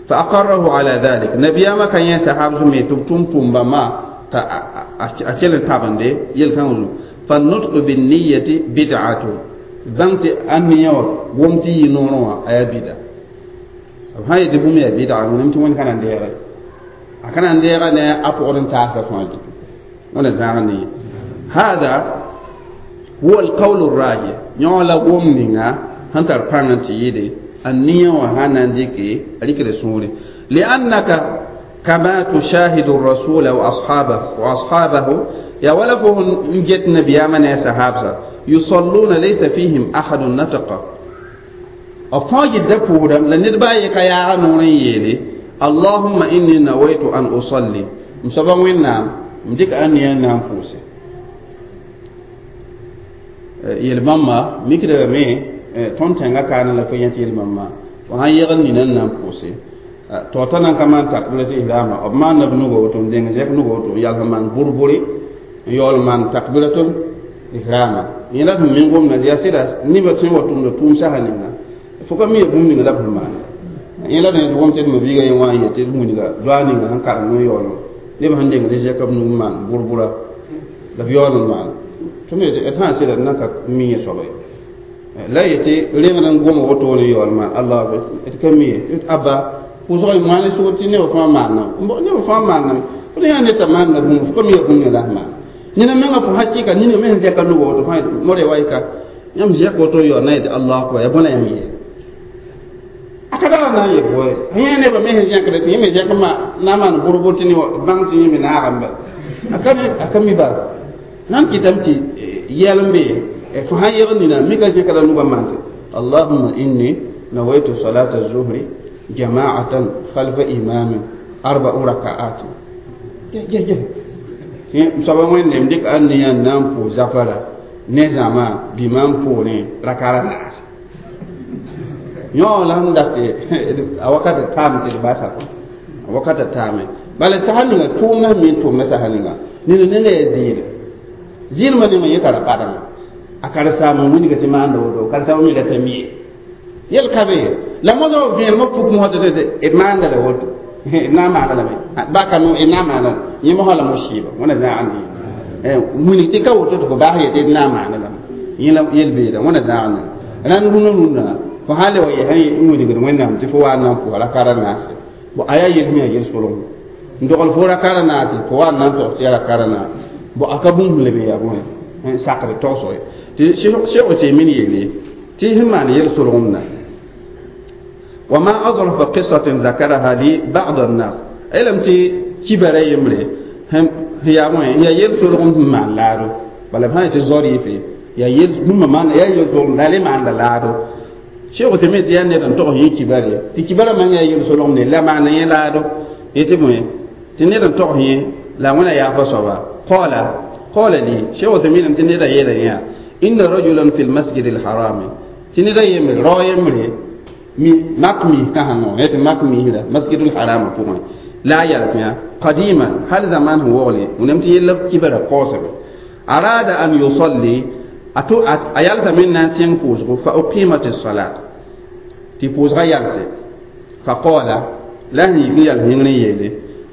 fa aqarrahu ala dhalik nabiyama ka yẽ sahabsã me tɩ b tʋm tʋʋm-bãmba t'a a kell n tabende yel-kãngã zugu فالنطق بالنية بدعة بانت أنية ومتي نورا أي بدعة هاي دبوم يا بدعة ونمت وين كان عندي كان عندي أنا أقول تاسع فاجي ولا زعني هذا هو القول الراجح يولا ومنينا هنتر بانتي يدي النية وهانا ديكي أليك رسولي لأنك كما تشاهد الرسول وأصحابه يا ولفهم جت نبي من يا صحابة يصلون ليس فيهم أحد نطق أفاج دكورا لنربا يكيا نورين يلي اللهم إني نويت أن أصلي مسبا وين نام مديك أني نام فوسي يلماما ميكدا مي تونتنغا كان لا فينت يلماما وهان يغني نام فوسي to ta nan kama takbiratul ihrama ob man nab nugo to deng zek nugo to yal man burburi yol man takbiratul ihrama yẽla tɩ min gomda yaa sɩda nebã tõe n wa tʋmda tʋʋm sasa ninga fo ka mi bũmb ninga la b sẽn maanda yẽla tɩ gom tɩ d mabiiga yẽ wã n yetɩ d wilga doa ninga sẽn karem n yaool neb sẽn dengd zɛka b nug n maan burbura la b yaool n maan tɩ me d sã n sɩda d nan ka mi yẽ soaba ye la yetɩ rengd n gom wotone yaool maan allah d ka mi ye abba pʋʋsg maan sʋgr tɩ neb fãa maana neb fãa maana fo yã ned t'a maanda bũmb fo ka mi bũmb la sẽn maana nina menga fo hakika nina men zeka nugo woto fa more way ka yam zeka woto yo na yete Allah akbar ya bona yam ye akada na ye boy hanya ne ba men zeka de ti me zeka ma na man burbuti ni bang ti mi na gamba akami akami ba nan kitam ti yelambe e fo han yegni na mi ka zeka da nugo mante Allahumma inni nawaitu salata az-zuhri jama'atan khalfa imamin arba'u raka'at je je je soaba wẽnnaam dɩk a nia n na n pʋʋs zafara ne zãma bɩma n pʋʋrẽ rakara naase yõ la sẽn dat a wakata taame tɩ d basa a wakata taame bala sasa ninga tʋʋmdã sẽn me n tʋmda sasa ninga nina nengã yaa ziire ziirmã ninga yẽ ka ra badame a karen-saamã wilga tɩ maanda woto karen-saamã me rata mie yel ka be la mosã b vẽenemã puk mosã tɩ d maanda la woto na maana lame ba ka no na maana yẽ mosã la musiba wẽna zãag ne wilg tɩ ka woto tɩ fo baas yetɩ d na maana lame yẽ la yel beeda wẽna zãag ne rãnd rũnã rũnã fo sã le wa yɛsã n wilgd wẽnnaam tɩ fo wa n na n pʋsa rakara naase bo a yaa yel sẽn yaa yel-solem n dogl fo rakara naase fo wa n na n tog tɩ yaa rakara naase bo a ka bũmb lebe yaa bõe n sakre tagsg ye tɩ Cheikh Uthaymin yeele tɩ sẽn maan yel-solgemdã وما أظرف قصة ذكرها لي بعض الناس ألم تي كبر يمري هم هي وين هي يلسلهم مع لارو بل هاي تزوري في يا يل هم ما يا يلسلهم لا ما عند لارو شيخ تميت يا نيرن تو هي كبر تي كبر ما يا يلسلهم لا معنى يا لارو يتمي تنيرن تو هي لا ولا يا فصوا قال لي شيخ تميت تنيرن يا إن رجلا في المسجد الحرام تنيرن يمري رو يمري mi makmi ka hango et makmi la masjidul haram pʋgẽ la a yal tɩ qadiman hal zaman sẽn wogle wẽnnaam tɩ yella kibara kaoosame arada an yusalli Ato a yalsame n na n sẽng pʋʋsgo fa uqimat salat tɩ pʋʋsgã yalse fa qala la sẽn yik n yals yĩngr n yeele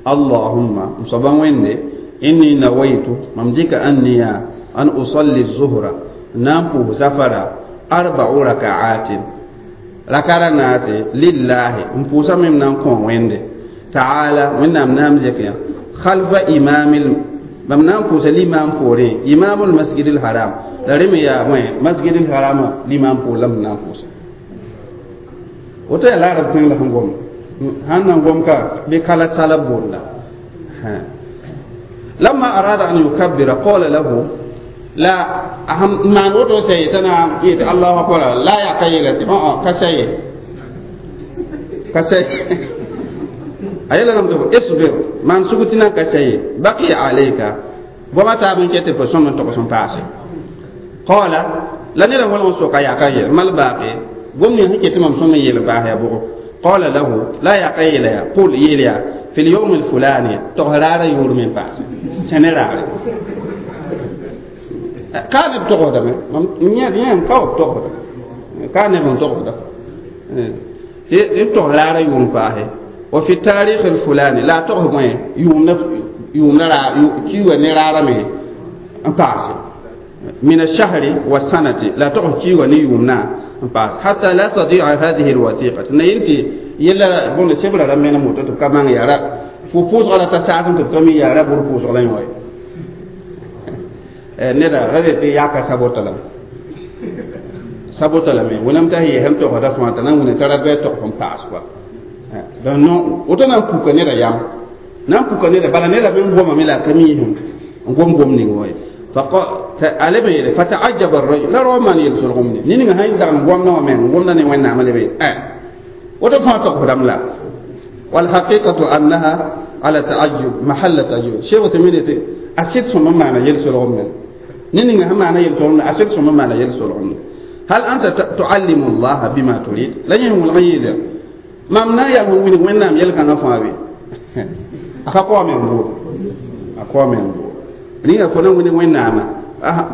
allahumma m soaba wẽnde inni nawaitu mam dɩka an niya an usalli zuhra n na n pʋʋs zafara arba'u raka'atin rakara naase lillahi n pʋʋsame m na n kõ wẽnde taala wẽnnaam naam zek yã khalfa imamil mam na n pʋʋsa limam poorẽ imamul masjidil haram la rẽ me yaa bõe masjidil harama limam poor la m na n pʋʋsa woto yaa laarab tẽng la sẽn gom sãn na n gom ka bɩ kala sala boonda لما أراد أن يكبر قال له لا أهم ما نوتو سيتنا يت الله أكبر لا يقيلة كسي كسي أيلا لم تقول اصبر ما نسكتنا كسي بقي عليك وما تابن كتب فسوم تقسم باسي قال لن يره ولا سوق يا كاي ما الباقي قوم يهكي تمام سوم يلباه يا بو قال له لا يقيل قل يليا في اليوم الفلاني تغرار يور من باس سنرار كان بتغدا من يا كاو بتغدا كان بتغدا تغرار يور باه وفي التاريخ الفلاني لا تغمي يوم يوم نرى كيو نرى مي باس من الشهر والسنة لا تغ كيو نيومنا باس حتى لا تضيع هذه الوثيقة نينتي yella bõnd sebra ra menem woto tɩ b ka mañ yaa fo pʋʋsga la ta saasẽ tɩ b ka mi yaa ra bʋr pʋʋsg la yõ neda ra tɩ yaka sabota lame sabota lame wẽnnaam t'a yɛsem togsda fãa t'a na n wĩna t'a ra bɩ togs n paas kɔa donc non woto na n puka neda yam na n puka neda bala neda me n gomame la a ka miisem n gom gom ning wa a leb n yeele fataajaba arrajul la rao maan yel-solgemde ne ninga sãn dag n gomdã wã meng n gomda ne wẽnnaamã leb woto fãa togsdame la walhaqiqatu annaha ala taajub mahalla taajub sheekh tɩ tɩ a sɩd sõma maana yel-solgem me ne ninga sẽn maana yel-solgemde a sɩd sõma maana yel-solgemde hal anta tuallimu llaha bima turid la yẽ wʋlg n yeela mam na n yaa sẽn wilg wẽnnaam yel-kãngã fãa be a ka kaoame n bood a kaoame n bood ninga fo na n wilg wẽnnaamã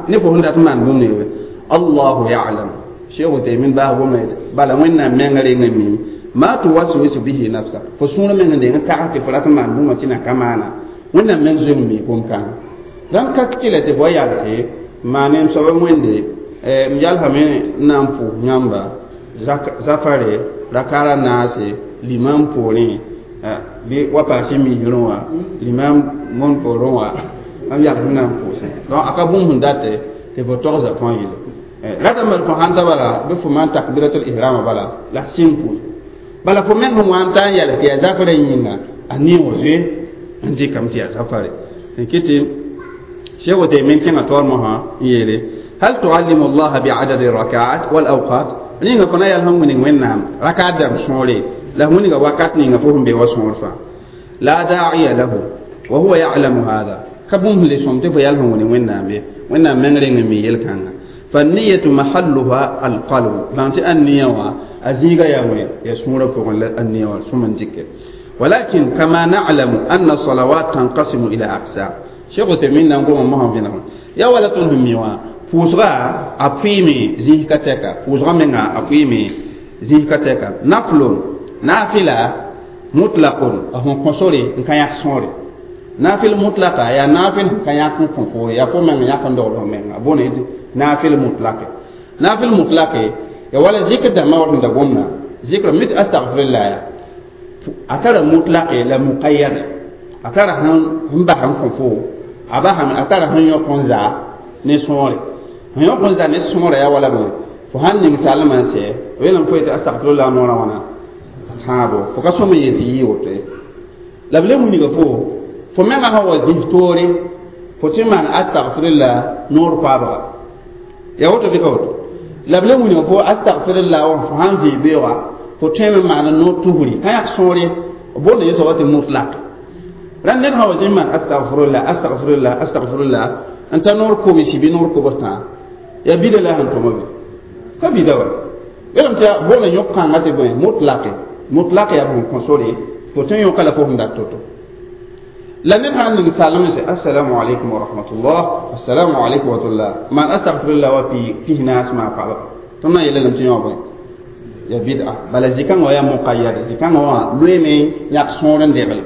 ne fo sẽn dat n maan bũmb ning be allahu yalam sheekh Uthaymin baas gomda bala wẽnnaam menga reng n mim ma tuwaswisu bihi nafsa fo sũur meng n deng n tags tɩ fo rat n maan bũmba tɩ na ka maana wẽnnaam meng zoe n mi gom-kãngã dãmb ka kɩla tɩ fo yalse maane m soaba wẽnde m yalsame n na n pʋʋs yãmba zafare rakara naase limam poorẽ bɩ wa paase misrẽ wã limam mon poorẽ wã mam yals n na n pʋʋsẽ donc a ka bũmb sẽn date tɩ fo togs fãa yele rata mal fo sãn ta bala bɩ fo maan takbiratul ihrama bala la sẽn pʋʋs bala fo meng sẽn wa n ta n yals tɩ yaa zafarã yĩnga a neoog zoe n dɩkame tɩ yaa zafare n kɩ tɩ Cheikh Uthaymin kẽngã taoor mosã n yeele hal tuallimu allaha biadadi rakaat wal awqat ninga fo na yal sẽn wilg wẽnnaam rakaat dãmb sõore la wilga wakat ninga fo sẽn be wa sõor fãa la da'iya lahu wa huwa ya'lamu hada ka bũmb le sõm tɩ fo yal sẽn wilg wẽnnaam ye wẽnnaam meng reng n mi yel-kãnga فالنية محلها القلب بانت النية أزيغا يا وين يا سورة فوق النية ثم ذكر ولكن كما نعلم أن الصلوات تنقسم إلى أقسام شيخ تمين نقوم ما هم فينا يا ولا تنهم ميوا پوسغا أقيمي زيه كتeka پوسغا منغا أقيمي زيه كتeka نفل نافلة مطلق أهم كونسوري إن كان يحصوري نافل مطلقة يا نافل كان يكون كونفور يا فو من يكون دولة من بوني نافل مطلق نافل مطلق يا ولا ذكر دما ورد دغومنا ذكر مت استغفر الله أترى مطلق لا مقيد أترى هم بهم كونفور أبا هم أترى هم يكون زا نسوري هم يكون زا نسوري يا ولا بون فهن نسال ما سي وين فويت استغفر الله نورا وانا tãabo fo ka sõm n yet tɩ yɩ woto ye la b le wilga fo fo menga sã wa zĩs toore fo tɩ maan astagfirla noor paabga ya woto bɩ ka woto la b le wilga fo astagfirla wã fo sãn vɩ beoogã fo tõeme n maan noor tusri ka yãk sõore boonda yẽ soaba tɩ mutlak rãnd ned sã wa zĩ n maan astagfirla astagfirla astagfirla n ta noor kobsi bɩ noor kobs tãa yaa bida la sẽn tõma be ka bida wa yelame tɩ boonda yõk-kãngã tɩ bõe mutlake mutlak ya bõn kõsore fo tõe n yõka la fo sẽn dat to-to La ned sãn ning salem sɛ assalamu alaikum wa rahmatullah assalamu alaikum wa rahmatullah man astaghfirullah wa pihnaas maa pagba tõnd na n yeelame tɩ yõ bõe ya bid'a bala zikãngã wã yaa muqayyad zikãngã wã loeeme yãk sõor n degle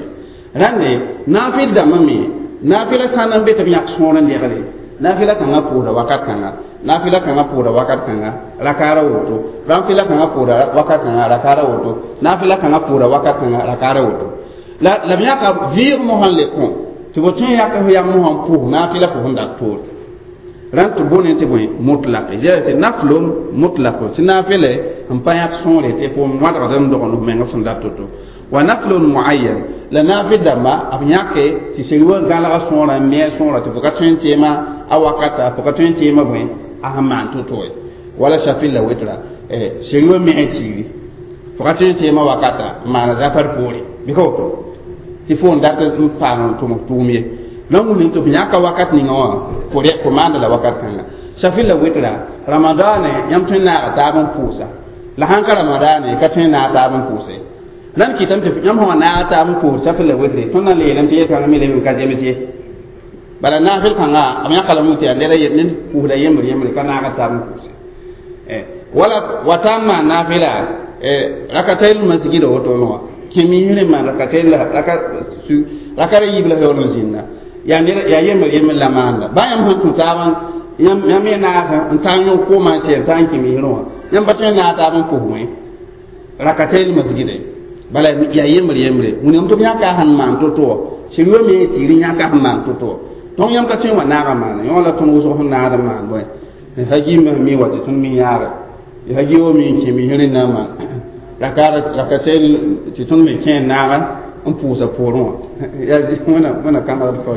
rãnde naafɩl dãmbã me naafɩla sã n be tɩ b yãk sõor n degle naafɩla kãngã pʋʋsda wakat kãnga naafɩla kãngã pʋʋsda wakat kãnga rakaara woto naafɩla kãngã pʋʋsda wakat kãnga rakaara woto naafɩla kãngã pʋʋsda wakat kãnga rakaara woto la b yãka vɩɩg mosã n le kõ tɩ fo tõe n yak f yam mosã n pʋʋs naafɩla fo sẽn dat toore rãnd tɩ bõne tɩ bõe mutlaq tɩ naflom mutlaq tɩ naafɩle n pa yãk sõore tɩ fo wãdgd n dogend f meng sẽn dat toto wa naflun muayyan la naafɩl dãmba b yãke tɩ seri wa gãlga sõorã n me sõorã tɩ fo ka tõe n teema a wakata fo ka tõe n teema bõe a sẽn maan to-to ye wala shafil la witra seri wa me tiiri fo ka tõe n teema wakata n maana zafar poore bɩ ka woto tɩ fo n dat n paam n tʋm tʋʋm ye la wʋlẽ tɩ f yãka wakat ninga wã fo maanda la wakat kãnga shafil la witra ramadaane yãmb tõe n naaga taab n pʋʋsa la sãn ka ramadaane ka tõe n naag taab n pʋʋse rãnd kɩtame tɩ yãmb sã wa naag taab n pʋʋs shafil la witre tõnd na n le yeelame tɩ yel-kãngã me leb n ka zems ye bala naafɩl kãnga b yãka lame tɩ yaa ned pʋʋsda yembr yembre ka naag taab n pʋʋse wala wa taa n maan naafɩla rakatayl masgida woto wã kẽ misrẽ maan rakatayl rakara yiib la yaool n zĩnda yaa yembr yembr la maanda baa yãmb sẽn tũ taab yãmb me naasa n taa n yõk koomã n sɛ n taa n kẽ misrẽ wã yãmb pa tõe n naag taab n pʋs wẽ rakatayl masgida bala yaa yembr yembre wĩnam tɩ b yãka sẽn maan to-to wã sɩd wa me tɩɩr yãka sẽn maan to-to wã tõnd yãmb ka tõe n wa naaga maana yõ la tõnd wʋsg sẽn naad n maan bõe hagimã mi wa tɩ tõnd mi yãaga hagi wa mi n kẽ misrẽ na n maan rakatayl tɩ tõnd me kẽ n naaga n pʋʋsa poorẽ wã yaa wẽna kãbgd fao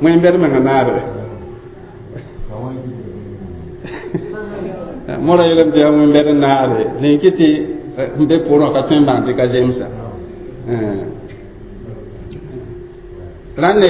wẽn-bɛd menga naare mora yeelame tɩ yaa wẽn-bɛd n naare rẽn kɩ tɩ n be poorẽ wã ka tõe n bãng tɩ ka zemsa rãnde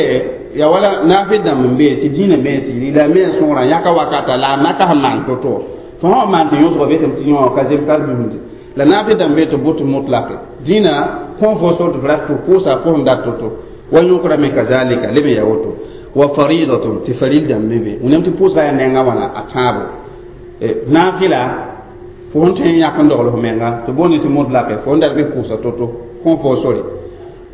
ya wala naafɩ dãmb n be tɩ dĩinã me tɩ la me sõorã yãka wakata la a maka sẽn maan to-to fo sã wa maan tɩ yõsgã be tɩ yõ ka zem ka bismde la naafɩ dãmb be tɩ bʋ tɩ mutlake dĩinã kõ fo sor tɩ f rat fo pʋʋsa fo sẽn dat to-to wa yõkra me kazalika leb n yaa woto wa faridatun tɩ faril dãmb me be wẽnnaam tɩ pʋʋsga yaa nengã wãna a tãabo naafɩla fo sẽn tõe n yãk n dogl f menga tɩ boond tɩ mutlake fo n dat bɩ pʋʋsa to-to kõ fo sore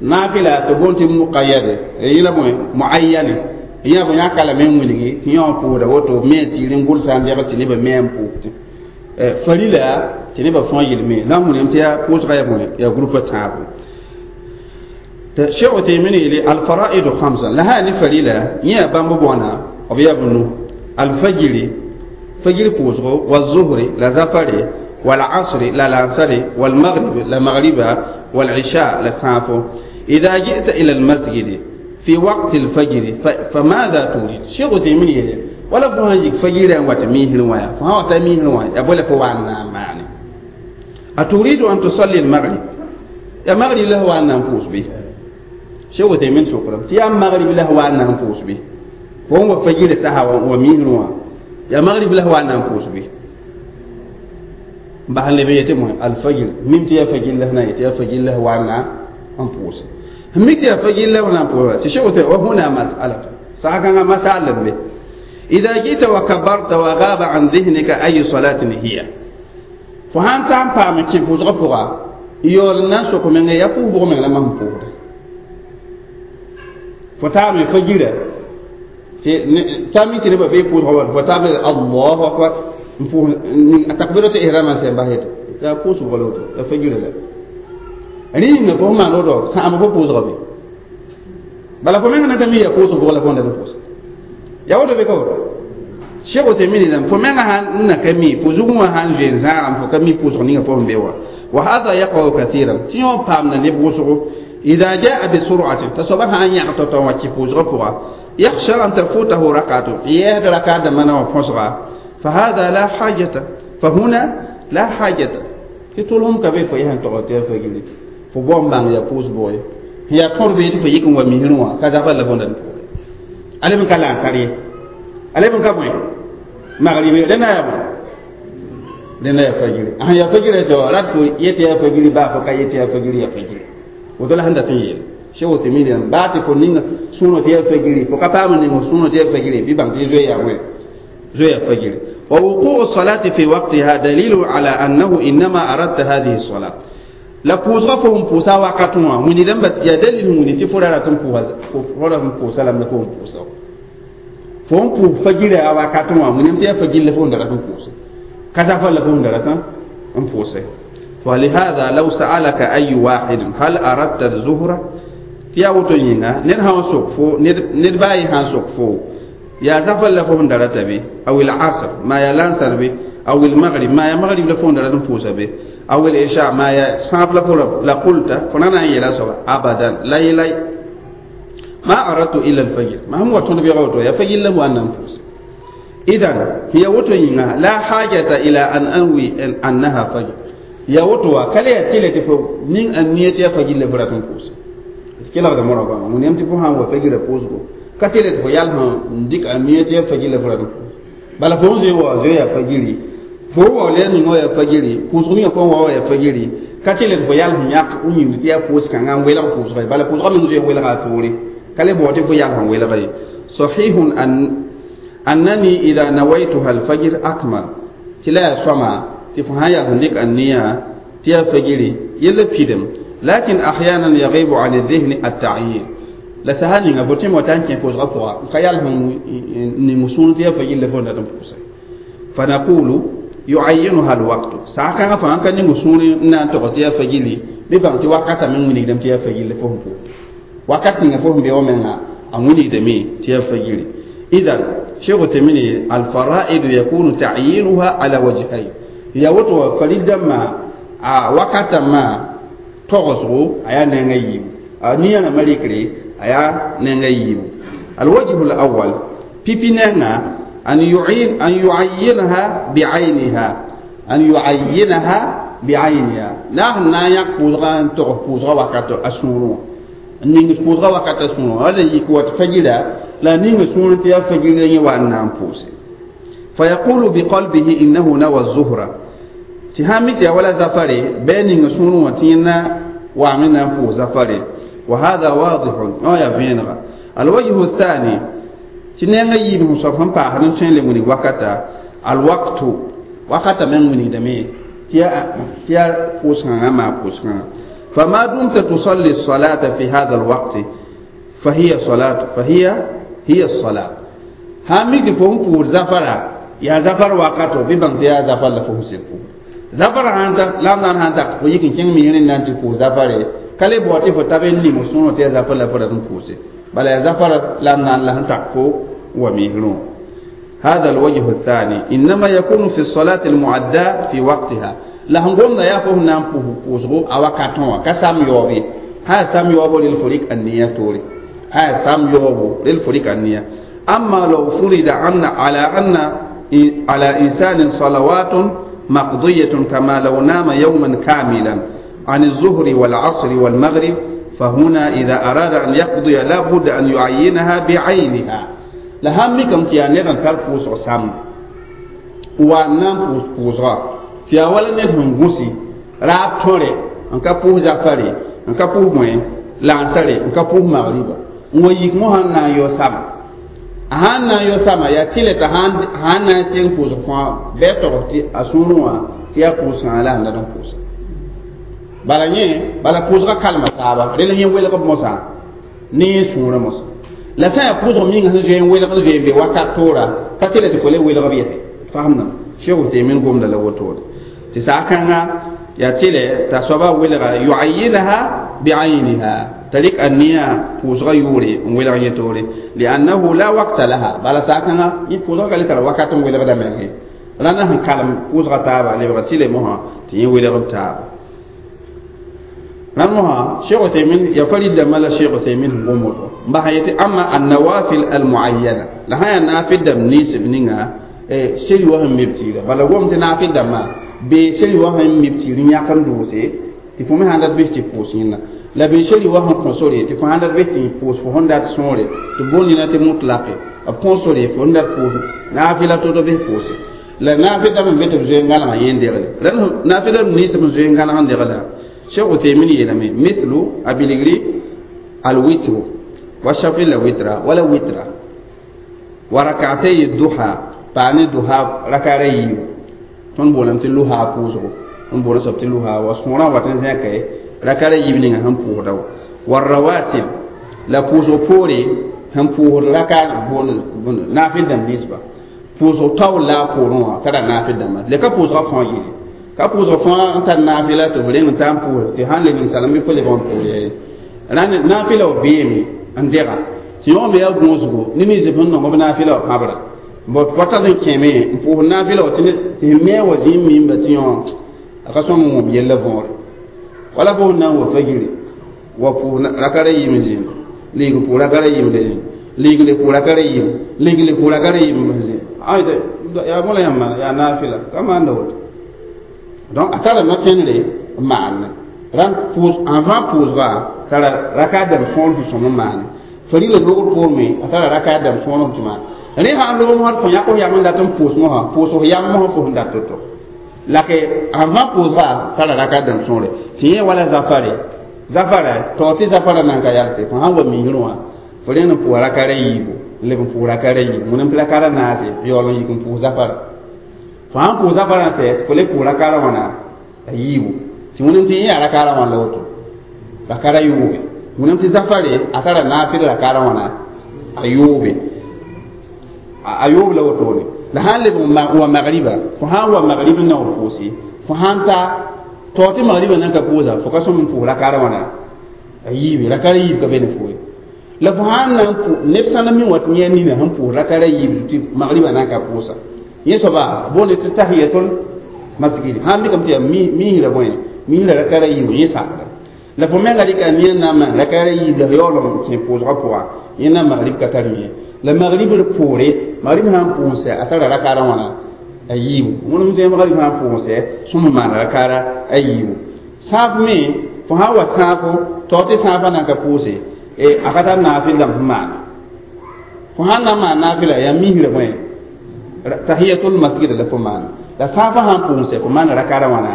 naafɩla tɩ boond tɩ muqayyade yẽla bõe muayyane yã bõ yãka lame n wilgi tɩ yã wã pʋʋsda woto me tɩɩr n gʋlsa n degl tɩ nebã me n pʋʋs farila tɩ nebã fãa yel me la n wẽnem tɩ yaa pʋʋsga yaa bõe yaa groupe tãabo tɩ Cheikh Uthaymin yeele alfaraidu khamsa la sã ne farila yẽ yaa bãmb bõana b yaa b nu alfajiri fajir pʋʋsgo wazuhri la zafare والعصر لا العصر والمغرب لا مغربا والعشاء لا سافو إذا جئت إلى المسجد في وقت الفجر فماذا تريد؟ شيخ عثيمين يلي ولا فهاجك فجر وتميه ويا فهو تميه ويا يقول فوانا معني أتريد أن تصلي المغرب يا مغرب له وأنا نفوس به شيخ عثيمين شكرا يا مغرب له وأنا نفوس به فهو فجر سها وميه ويا يا مغرب له وأنا نفوس به بحال لبي يتم الفجر ميم تيا فجر له نا يتيا فجر له وانا أنفوس ميم تيا فجر له وانا أنفوس تشوف وهنا مسألة ساعة مسألة به إذا جئت وكبرت وغاب عن ذهنك أي صلاة هي فهم تام فهم كيف وزغفوا يول الناس وكمن يفوه بغم لما هم فوه فتام فجر تامي تنبأ بيفوه فتام الله أكبر takbiratu ihrama sẽn bas yetɩ t'a pʋʋsg la woto la fajira la rĩnga fo maan woto sãam fo pʋʋsga be bala fo meng na ka mi ya pʋʋsg bʋg la fo n dat pʋʋs ya woto be ka woto Cheikh Uthaymin dãmb fo menga sãn n na ka mi fo zugẽ wã sãn zoe n zãagame fo ka mi pʋʋsg ninga fo sẽn be wa wa hada yaqau kathiran tɩ yõ paamda neb wʋsgo إذا جاء بسرعة تصبح أن يعطى وتفوز غفوة يخشى أن تفوته ركعة يهد ركعة من وفصغة فهذا لا حاجة فهنا لا حاجة تطولهم كبير فيهن تغطي فجلي فبوم بان يقوس بوي هي قرب فيكم ومهنوا كذا فلا بوندن علي من كلام سري علي من كبوي مغربي لنا يا بو لنا يا فجري اه يا فجري سو رات يتي يا فجري با فكا يتي يا فجري يا فجري وتلا هندا تنيل Cheikh Uthaymeen ba tɩ fo ning sũurã tɩ yaa fajiri fo ka paam n ning sũurã tɩ yaa fajiri bɩ bãng tɩ zoe yaa wẽ zoe yaa fajiri. ووقوع الصلاة في وقتها دليل على أنه إنما أردت هذه الصلاة. La pʋʋsgã fo sẽn pʋʋsa wakat wã wĩnigdame bas yaa dalil wĩni tɩ fo ra rat n pʋʋsa lame fo n pʋʋsa fo n pʋʋs fajira a wakat wã wĩnam tɩ yaa fajir la fo n da rat n pʋʋse ka zafar la fo n da rat n pʋʋse. فلهذا لو سألك أي واحد هل أردت الظهر tɩ yaa woto yĩnga ned sã n sok fo ned baa yẽ sã n sok fo yaa zafar la fo n da rata be aw العصر ma yaa lansar be aw المغرب ma yaa magrib la fo n da rat n pʋʋsa be aw العشاء ma yaa sãab la fo la qulta fo na na n yeela soaba abadan la yelay ma aradtu illa الفجر ma sẽn wa tõnd bɩga woto yaa fajir la wa n na n pʋʋse. إذن هي woto yĩnga la حاجة إلى أن أنوي أنها فجر ya woto wa kala ya tɩle tɩ fo ning a nia tɩ yaa fajir la fo rat n pʋʋse kelgda morã goama wẽnnaam tɩ fo sã n wa fajirã pʋʋsgo ka tɩle tɩ fo yal sẽn dɩk a nia tɩ yaa fajir la fo rat n pʋʋse bala fo n zoe wa zoe yaa fajiri fo wa la ninga wa yaa fajiri pʋʋsg ninga fo n wa wa yaa fajiri ka tɩle tɩ fo yal sẽn yãk n yĩmd tɩ yaa pʋʋs-kãngã n welg pʋʋsga bala pʋʋsgã meng zoe n welga a toore ka le bao tɩ fo yal sẽn welga ye. صحيح أن أنني إذا نويتها الفجر أكمل tɩ la yaa sõama tɩ fo sã n yaa sẽn dɩk a nia tɩ yaa fajiri yella pidem. لكن أحيانا يغيب عن الذهن التعيين la saha ninga fo tẽm wa ta n kẽ pʋʋsgã pʋga ka yal sẽn ning sũur tɩ yaa fajir la fo dat n pʋʋse. فنقول يعينها الوقت saha kãngã fãa n ka ning sũur n na n tog tɩ yaa fajiri bɩ bãng tɩ wakata meng wilgdame tɩ yaa fajir la fo sẽn pʋʋs wakat ninga fo sẽn be wa menga a wilgdame tɩ yaa fajiri. إذن Cheikh Uthaymeen الفرائض يكون تعيينها على وجهين ya woto farid dãmbã a wakata ma togsgo a yaa nenga yiibu a nia rãmbã rɩkre a yaa nenga yiibu. الوجه الأول pipi nenga أن يعين أن يعينها بعينها أن يعينها بعينها la sẽn na n yãk pʋʋsgã n tog pʋʋsgã wakat a sũurẽ n ning pʋʋsgã wakat a sũurẽ wala yik wat fajira la ning sũurẽ tɩ yaa fajira yẽ wa n na n pʋʋse. فيقول بقلبه إنه نوى الظهر tɩ sãn mi tɩ yaa wala zafare bɩ a ning sũurẽ wã tɩ yẽnda waame na n pʋʋs zafare. وهذا واضح wã yaa vẽenega. الوجه الثاني tɩ nengã yiib sẽn soab sẽn paasd n tõe n le wilg wakata الوقت wakata meng wilgdame tɩ yaa pʋʋs-kãngã maa pʋʋs-kãngã. فما دمت تصلي الصلاة في هذا الوقت فهي صلاة فهي هي الصلاة sãn mi tɩ fo n pʋʋs zafara yaa zafar wakato bɩ bãng tɩ yaa zafar la fo sẽn pʋʋs zafar sãn ta la m na n sãn tak fo yik n kẽng migrẽ n na n tɩ pʋʋs zafare ka le bao tɩ fo tab n ning sũurẽ tɩ yaa zafar la fo rat n pʋʋse bala yaa zafar la m na n la sẽn tak fo wa migrẽ. هذا الوجه الثاني إنما يكون في الصلاة المعدة في وقتها la sẽn gomda yaa fo sẽn na n pʋʋsgo a wakatẽ wã ka sam yaoob ye sã yaa sam yaoobo rel fo rɩk a nia toore sã yaa sam yaoobo rel fo rɩk a nia. أما لو فرض أن على أن على إنسان صلوات مقضية كما لو نام يوما كاملا عن الظهر والعصر والمغرب فهنا إذا أراد أن يقضي لا بد أن يعينها بعينها la sãn mikame tɩ yaa ned n tar pʋʋsg samde wa n na n pʋʋs pʋʋsga tɩ yaa wala ned sẽn gũsi raab tõre n ka pʋʋs zafare n ka pʋʋs bõe lansare n ka pʋʋs magriba n wa yik mosã n na n yao sama a sãn na n yao sama yaa tɩle t'a sãn na n seng pʋʋsg fãa bɩ a togs tɩ a sũurẽ wã tɩ yaa pʋʋs-kãngã la sẽn dat n pʋʋsa bala yẽ bala pʋʋsgã kalma taaba rel yẽ welg b mosã ne yẽ sũurã mosã la sã yaa pʋʋsg minga sẽn zoe n welg n zoe n be wakat toora ka tɩle tɩ fo le welg b yɛse fasemdame. Cheikh Uthaymeen gomda la wotode tɩ saa kãngã yaa tɩlɛ t'a soaba welga يعينها بعينها t'a rɩk a nia pʋʋsgã yʋʋre n welg yẽ toore لأنه لا وقت لها bala saa kãngã yẽ pʋʋsgã ka le tara wakat n welgda menge rãndã sẽn kalem pʋʋsgã taaba lebga tɩle mosã tɩ yẽ welg b taaba rãnd mosã Cheikh Uthaymeen ya farid dãmbã la Cheikh Uthaymeen sẽn gom woto n bas yetɩ أما النوافل المعينة la sã yaa naafɩl dãmb ninsb ninga sel wa sẽn meb tɩɩra bala gom tɩ naafɩl dãmbã bee sel wa sẽn meb tɩɩr n yãk n doose tɩ fo me sãn dat bes tɩ pʋʋs yẽnda la bee sel wa sẽn kõ sore tɩ fo sãn dat bes tɩ pʋʋs fo sẽn dat sõore tɩ boond nina tɩ mutlaqe b kõ sore fo sẽn dat pʋʋs naafɩla to-to bes pʋʋse la naafɩl dãmb n be tɩ b zoe n gãlgã yẽ degle rãnd naafɩl dãmb ninsb n zoe n gãlg n degla. Cheikh Uthaymeen yeelame مثل a bilgri. Al-witru wa shafi la witra wala witra wa rak'atay duha paani duha rakara yiibu tõnd boolame tɩ luha pʋʋsgo n boolã soab tɩ luha wa sõorã wat n zẽka rakara yiib ninga sẽn pʋʋsda wa rawatib la pʋʋsg poore sẽn pʋʋsd raka naafɩl dãmb ninsba pʋʋsg taool la a poorẽ wã tara naafɩl dãmba le ka pʋʋsga fãa yele ka pʋʋsg fãa n tar naafɩla tɩ f reng n taa n pʋʋs tɩ sãn le ninsalem bɩ fo lebg n pʋʋs ye naafɩla wa beeme n dega tɩ yõ me yaa gõosgo ne ninsb sẽn nong b naafɩla wa pãbra bot fota n kẽeme n pʋʋs naafɩla wa tɩ me wa zĩig mimba tɩ yõ a ka sõm n wõm yella võore wala fo na n wa fagiri wa pʋʋs rakara yiim n zĩnd lig n pʋʋs rakara yiim le zĩnd lig le pʋʋs rakara yiim lig le pʋʋs rakara yiim n zĩnd ay yaa bõe la yãmb maana yaa naafɩla ka maanda woto donc a tara no-kẽndre n maane rãn pʋʋs avant pʋʋsga tara raka dãmb sõor sẽn sõm n maane farila logr poor me a tara raka dãmb sõor tɩ maan rẽ sãn log mosd fo yãk f yam n dat n pʋʋs mosã pʋʋs f yam mosã fo sẽn dat to-to la ke avant pʋʋsga tara raka dãmb sõore tɩ yẽ wala zafare zafara tao tɩ zafara nan ka yalse fo sãn wa misrẽ wã fo rẽnd n pʋʋs rakara yiibu leb n pʋʋs rakara yiibu wẽnnaam tɩ rakara naase yaool n yik n pʋʋs zafara fo sãn pʋʋs zafara n sɛ tɩ fo le pʋʋs rakara wãna a yiibu tɩ wẽnnaam tɩ yẽ yaa rakara wãn la woto rakara yoobe wẽnnaam tɩ zafare a tara naafɩl rakara wãna a yoobe a yoob la wotone la sãn leb wa magriba fo sãn wa magrib n na n pʋʋse fo sãn ta tao tɩ magriba nan ka pʋʋsa fo ka sõm n pʋʋs rakara wãna a yiibe rakara yiib ka be ne fo ye la fo sãn na n pʋ neb sã n mi wã tɩ yẽ nina sẽn pʋʋs rakara yiib tɩ magriba nan ka pʋʋsa yẽ soaba boonde tɩ tahiyatul masjid sãn mikame tɩ yaa misra bõe misra rakara yiib yẽ sakda la fo menga rɩka nia na n maan rakara yiib la yaool n kẽ pʋʋsgã pʋga yẽ na magrib ka tar yẽ la magrib d poore magrib sãn pʋʋsɛ a tara rakara wãna a yiibu wẽnem tẽ magrib sãn pʋʋsɛ sõm n maan rakara a yiibu sãaf me fo sãn wa sãafo tao tɩ sãafã nan ka pʋʋse a ka tar naafɩl dãmb sẽn maana fo sãn na n maan naafɩla yaa misra bõe tahiyatul masjid la fo maana la sãafã sãn pʋʋsɛ fo maan rakara wãna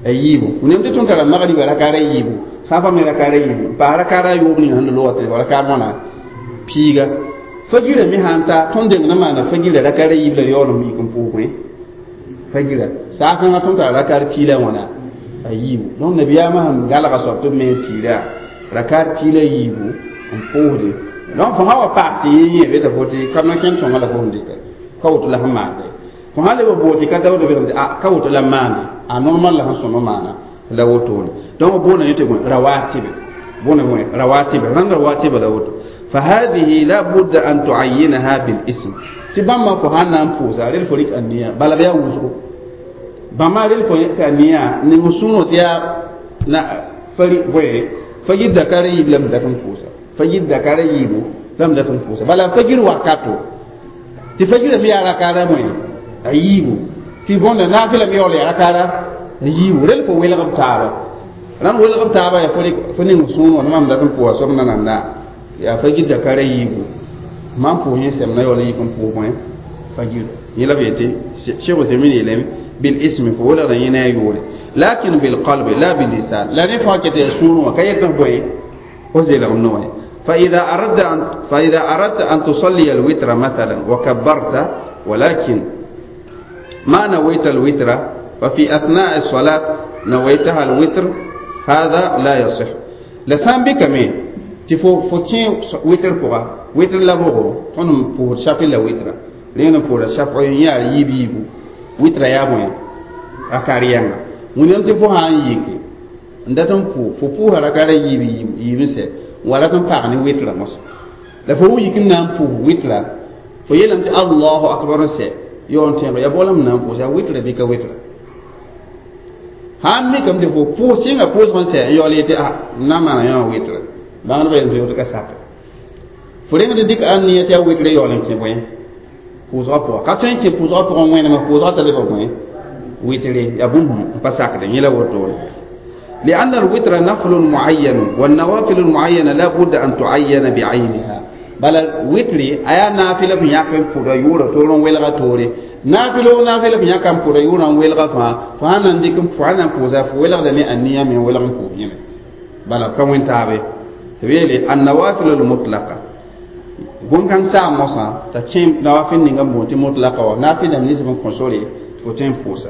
a yiibu wẽnem tɩ tõnd tara magriba rakara yiibu sãafã me rakara yiibu n paas rakara yoob ninga sẽn loogã tɩ rakar wãna piiga fagira me sãn ta tõnd deng na maana fagira rakara yiib la yaool n mik n pʋʋs bõe fagira saakãngã tõnd tara rakar piila wãna a yiibu donc nabiyaamã sẽn galga soab tɩ b me n fiira rakar piila yiibu n pʋʋsde donc fo sã wa paag tɩ yẽ yẽ beta fo tɩ ka no-kẽnd sõnga la fo sẽn dɩka ka woto la sẽn maande fo sãn leb n boog tɩ ka taood belg tɩ a ka woto la maande a normal la sẽn sõm n maana la wotone donc boona yẽ tɩ bõe rawatibe boona bõe rawatibe rãnd rawatibe la woto فهذه لا بد أن تعينها بالاسم تبما فهانا نفوزا للفريق النية بل بيا وزرو بما للفريق النية نمسونو تيا نا فريق بوي فجد دكاري لم دفن فوزا فجد دكاري يبو لم دفن فوزا بل فجر وقتو تفجر في على كارا موي أيبو تبون نافلة ميولي على كارا أيبو للفو ويلغب تابا ران ويلغب تابا يا فريق فني مسونو نمام دفن فوزا سمنا نانا yaa fajir dakara yiibu mam pʋʋs yẽ sɛm na yaool n yik n pʋʋs bõe fajir yẽ la b yetɩ cheikh Uthaymin yeelame bil ismi fo welgda yẽ ne a yʋʋre lakin bil qalbi la bil lisan la ne fãa ket yaa sũurẽ wã ka yet f bõe fo zeelg no wã فإذا أردت أن تصلي الوتر مثلا وكبرت ولكن ما نويت الوتر ففي أثناء الصلاة نويتها الوتر هذا لا يصح لسان بك مين tɩ fo kẽ witr pʋga witr la bʋgo tõnd n pʋʋsd shafi la witra rẽnd n pʋʋsda shafɩ n yaa yiib yiibu witra yaa bõe rakar yɛnga wẽnnaam tɩ fo sã n yike n dat n pʋʋ fo pʋʋsa rakara yiib yiib n sɛ n wa rat n pag ne witra mosã la fo yik n na n pʋʋs witra fo yeelame tɩ allahu akbar n sɛ yaool n tẽeg ya boolame na n pʋʋs yaa witra bɩ ka witra sãn mikame tɩ fo pʋʋs sɩnga pʋʋsg n sɛ n yaool yetɩ a n na n maana yã wã witra bãngdbã yeelame tɩ ka sake fo rẽngd dɩk a nia tɩ a witre yaool n kẽ bõe pʋʋsgã pʋga ka tõe n kẽ pʋʋsgã pʋgẽ wẽnema pʋʋsgã t'a lebg bõe witre yaa bũmb n pa sakde yẽ la wotone لأن الوتر نفل معين والنوافل المعينة لا بد أن تعين بعينها بل الوتر أيا نافلة في ياكم فورا يورا تورن ويلغا توري نافلة نافلة في ياكم فورا يورا ويلغا فا فانا نديكم فانا فوزا فويلغا دني النية من ويلغا فوزا بل كم وين تابي Tɩ النوافل المطلقة bũn-kãng saam mosã t'a kẽ nawafil ninga n boond tɩ mutlaka wa naafɩl dãmb nins n kõ sore tɩ fo tõe n pʋʋsa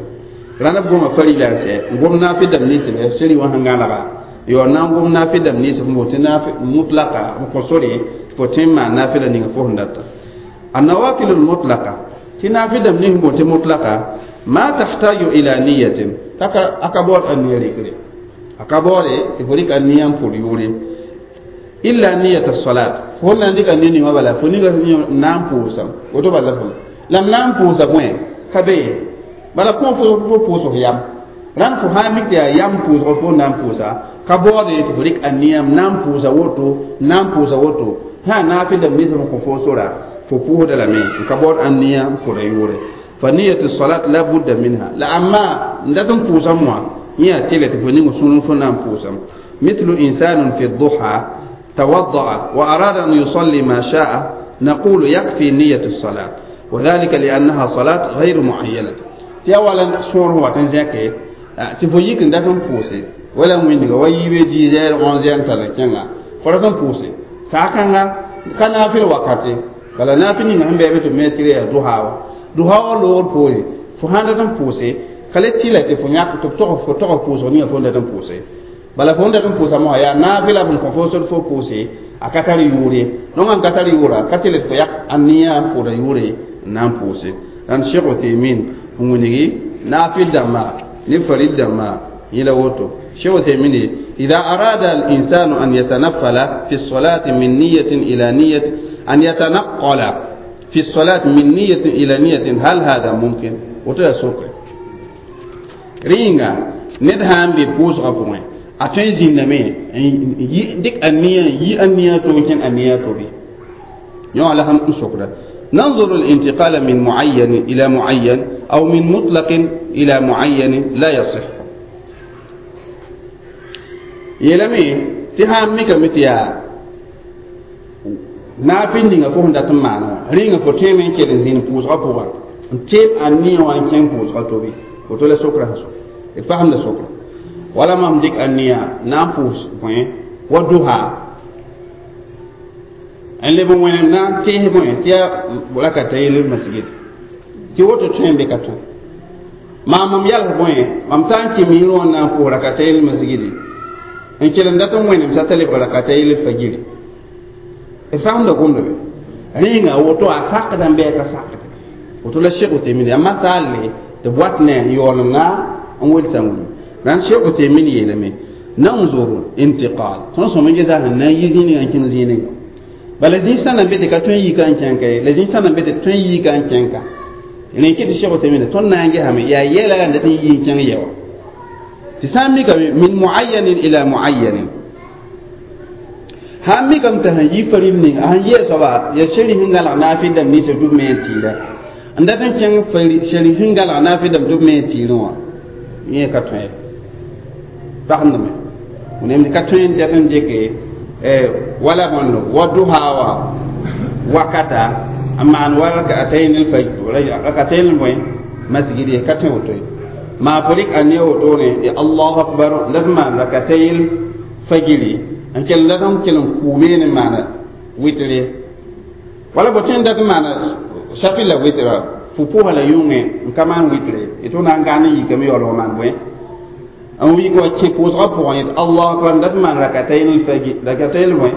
rãnd b goma farila n sɛ n gom naafɩl dãmb nins b seri wã sẽn gãnega yo na n gom naafɩl dãmb nins n boond tɩ mutlaka b kõ sore tɩ fo tõe n maan naafɩla ninga fo sẽn data. النوافل المطلقة tɩ naafɩl dãmb nins n boond tɩ mutlaka ما تحتاج إلى نية aka baood a nia rɩkre aka baoode tɩ fo rɩk a nia n pʋd yʋʋre إلا نية الصلاة fo na n dɩka nia ninga bala fo ninga na n pʋʋsa woto bala fo la m na n pʋʋsa bõe ka be bala kõ fo pʋʋsg yam rãnd fo sã n mik tɩ yaa yam pʋʋsg fo na n pʋʋsa ka baoode tɩ fo rɩk a nia m na n pʋʋsa woto na n pʋʋsa woto sã naafɩl dãmb nins n kõ fo sora fo pʋʋsda lame n ka baood a nia n pʋda yʋʋre. فنية الصلاة لا بد منها لا أما ندتم بوسم هي تلت فنين سنن فنان بوسم. مثل إنسان في الضحى توضأ وأراد أن يصلي ما شاء نقول يكفي نية الصلاة وذلك لأنها صلاة غير معينة. تي أولا سور هو تنزيك تفويك ندتم بوسي ولا من ويبي ديزل 11 تلكنا فرتم بوسي ساكنا كان في الوقت بل نافني نهم بيبتو متري الضحى duha wa loogr poore fo sãn dat n pʋʋse ka le tɩla tɩ fo yãk tɩ fo tog pʋʋsg ninga fo n dat n pʋʋse bala fo n dat n pʋʋsa mosã yaa naafɩla b n kõ fo sor fo pʋʋse a ka tar yʋʋre nongã n ka tar yʋʋra ka tɩl tɩ fo yak a nia n pʋʋda yʋʋre n na n pʋʋse rãnd Cheikh Uthaymin n wilgi naafɩl dãmba ne farid dãmba yẽla woto. Cheikh Uthaymin إذا أراد الإنسان أن يتنفل في الصلاة من نية إلى نية أن يتنقل في الصلاة من نية إلى نية هل هذا ممكن؟ وتلا سوكر رينغا ندهان بفوز غفوين أتين زينمي ديك النية يي النية توكين النية توبي يوم على هم سوكر. ننظر الانتقال من معين إلى معين أو من مطلق إلى معين لا يصح. يلمي تهام ميكا متيا naafɩl ninga fo sẽn dat n maana wã rĩnga fo tõeme n kell n zĩnd pʋʋsgã pʋgã n teeb a nia wã n kẽng pʋʋsgã tobe woto la sokra sẽn so d fasemda sokra wala mam dɩk a nia na n pʋʋs bõe wa duha n leb n wẽnem na n tees bõe tɩ yaa rakatayel masgid tɩ woto tõe n be ka tõe maa mam yals bõe mam ta n kẽ miirẽ wã na n pʋʋs rakatayel masgidi n kell n dat n wẽnem sa t'a lebg rakatayel fagiri fahamda gomda be rĩnga woto a sakda n bɩ a ka sakd woto la Cheikh Uthaymin yaa masaale tɩ b wat ne yaool n na n welsa wĩm rãnd Cheikh Uthaymin yeelame nanzuru intiqal tõnd sõm n gesa sẽn na n yi zĩininga n kẽng zĩininga bala zĩig sã na n be tɩ ka tõe n yika n kẽnka ye la zĩig sã na n be tɩ tõe n yika n kẽnka rẽ kɩ tɩ Cheikh Uthaymin tõnd na n gesame yaa yɛla la n dat n yi n kẽng yɛ wã tɩ sã n mikame min muayyanin ila muayyanin sãn mikame tɩ sẽn yi farim ning a sẽn yee soaba ya seri sẽn gãlg naafɩl dãmb ninsã tɩ b me n tɩɩra n dat n kẽng seri sẽn gãlg naafɩl dãmb tɩ b me n tɩɩrẽ wã yẽ ka tõe fagemdame wẽnnaam ka tõe n dat n dɩke wala bõndo wa duha wa wakata n maan wa rakatayn bõe masgid ye ka tõe woto ye maa fo rɩk a ne wotone ya allahu akbar la d maan rakatayl fagiri n kell dat n kell n kʋʋme ne maana wɩtre wala bo tõe n dat n maana safi la wɩtra fo pʋʋsa la yʋngẽ n ka maan wɩtre tɩ na n gãan n yikame yaoolg maan bõe n wik wa kẽ pʋʋsgã pʋgẽ yet allahu akbar n dat n maan rakatayl bõe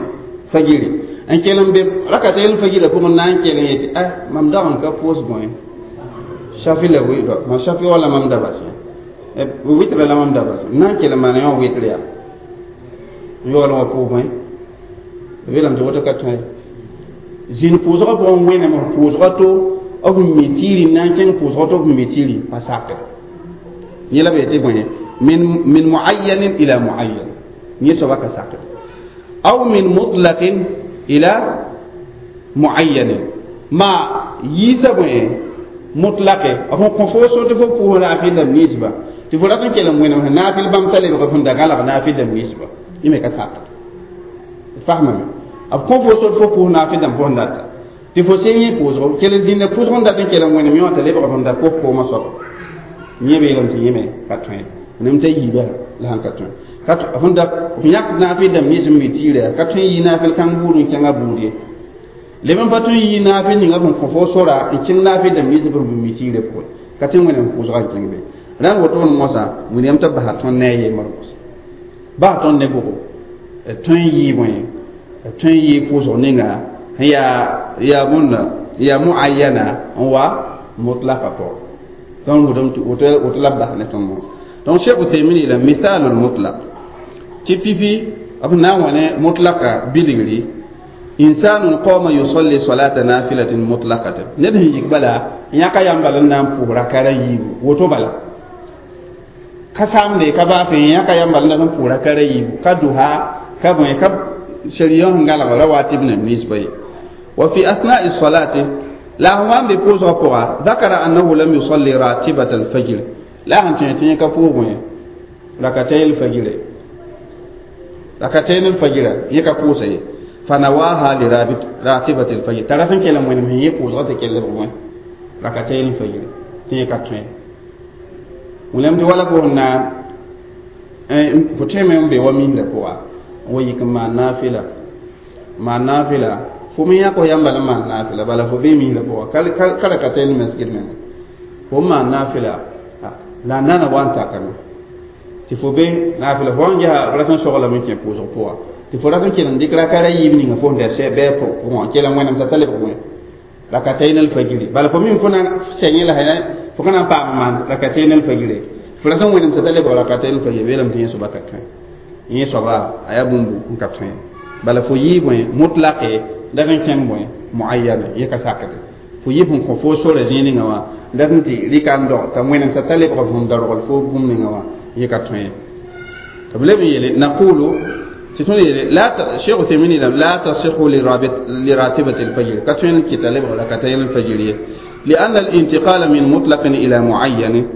fagiri n kell n be rakatayl fagirã pʋgẽ na n kell n yetɩ a mam dag n ka pʋʋs bõe safi la wɩtra ma safi wala mam da bas wɩtra la mam da bas n na n kell n maana yõ wɩtr yaa yaool wã pʋʋs bõe b yeelame tɩ woto ka tõe zĩnd pʋʋsgã pʋgẽ wẽnnaam pʋʋsgã to b mi tiiri n na n kẽng pʋʋsgã to b mi tiiri pa sakre yẽ la b yetɩ bõe min muayyanin ila muayyan yẽ soaba ka sakre aw min mutlaqin ila muayyanin ma yiisa bõe mutlaqe b sẽn kõ fo so tɩ fo pʋʋs naafɩl dãmb ninsba tɩ fo rat n kell n wẽnem sẽn naafɩl bãmb t'a lebg sẽn da gãlg naafɩl dãmb ninsba yẽ me ka sakd fasmame b kõ fo sor fo pʋʋs naafɩl dãmb fo sẽn data tɩ fo sẽn yẽ pʋʋsgo kell n zĩnda pʋʋsg n dat n kell n wẽnem yõ t'a lebg sẽn da kos koomã soab yẽ beelame tɩ yẽ me ka tõe. Nem t'a yiiba la sãn ka tõe ka fõn da f yãk naafɩl dãmb nins n mi tɩɩrɛ ka tõe n yɩ naafɩl kãng buud n kẽngã buud ye leb n pa tõe n yɩ naafɩl ninga fõn kõ fo sora n kẽng naafɩl dãmb nins b mi tɩɩrɛ pʋgẽ ka tõe n wẽnem pʋʋsga n kẽng be rãnd wotone mosã william t'a basa tõnd ne a yembr mosã bas tõnd ne bʋgo tõe n yɩ bõe tõe n yɩ pʋʋsg ninga yaa yaa bõnda yaa muayyana n wa mutlaka pʋgẽ tõnd wʋtame tɩ woto la b bas ne tõnd mosã donc Cheikh Uthaymin yeela mithalul mutlaq tɩ pipi b na n wa ne mutlaka bilgri insanun qama yusalli salata nafilatin mutlaqatan ned sẽn yik bala yãka yãmb bala n na n pʋʋs rakara yiibu woto bala ka samde ka baa fe yãka yãmb bala n na n pʋʋs rakara yiibu ka duha ka bõe ka sharia sẽn gãlg rawatib nem nins pa ye wa fi asna'i salati la sẽn wa n be pʋʋsgã pʋga ذakara annahu lam yusalli ratibat alfajr la sẽn tõe tɩ yẽ ka pʋʋs bõe rakatay alfajre rakatayn alfajra yẽ ka pʋʋsa ye فنواها لراتبة الفجر ترى فين كلام وين هي قوزة تكلم وين ركعتين الفجر تي كاتوين ولم تولى كنا فتيم يوم بيومين لكوا ويكما نافلة ما نافلة فمن يكو ينبل ما نافلة بل فبيمين لكوا كركعتين المسجد من وما نافلة لا نانا وانتا كنا تفوبي نافلة فوانجا رسم شغلة من كي قوزة كوا tɩ fo rat n kell n dɩk rakara yiib ninga fo sẽn da sɛ bɩ pʋgẽ kell n wẽnem t'a ta lebg wẽ rakatayn alfajiri bala fo mim fo na sɛ yẽ la fo ka na n paam maan rakatayn alfajiri fo rat n wẽnem t'a ta lebg rakatayn alfajiri beelame tɩ yẽ soaba ka tõe yẽ soaba a yaa bũmb n ka tõe bala fo yɩ bõe mutlaqe dat n kẽng bõe muayyana yẽ ka sakde fo yɩ fõn kõ fo sora zĩig ninga wã dat n tɩ rɩka n dog t'a wẽnem t'a ta lebg fõn dargl fo bũmb ninga wã yẽ ka tõe tɩ b leb n yeele naqulu لا شيخ ثمين لا تصح لراتبة الفجر كتوين كتالب ولا كتين الفجرية لأن الانتقال من مطلق إلى معين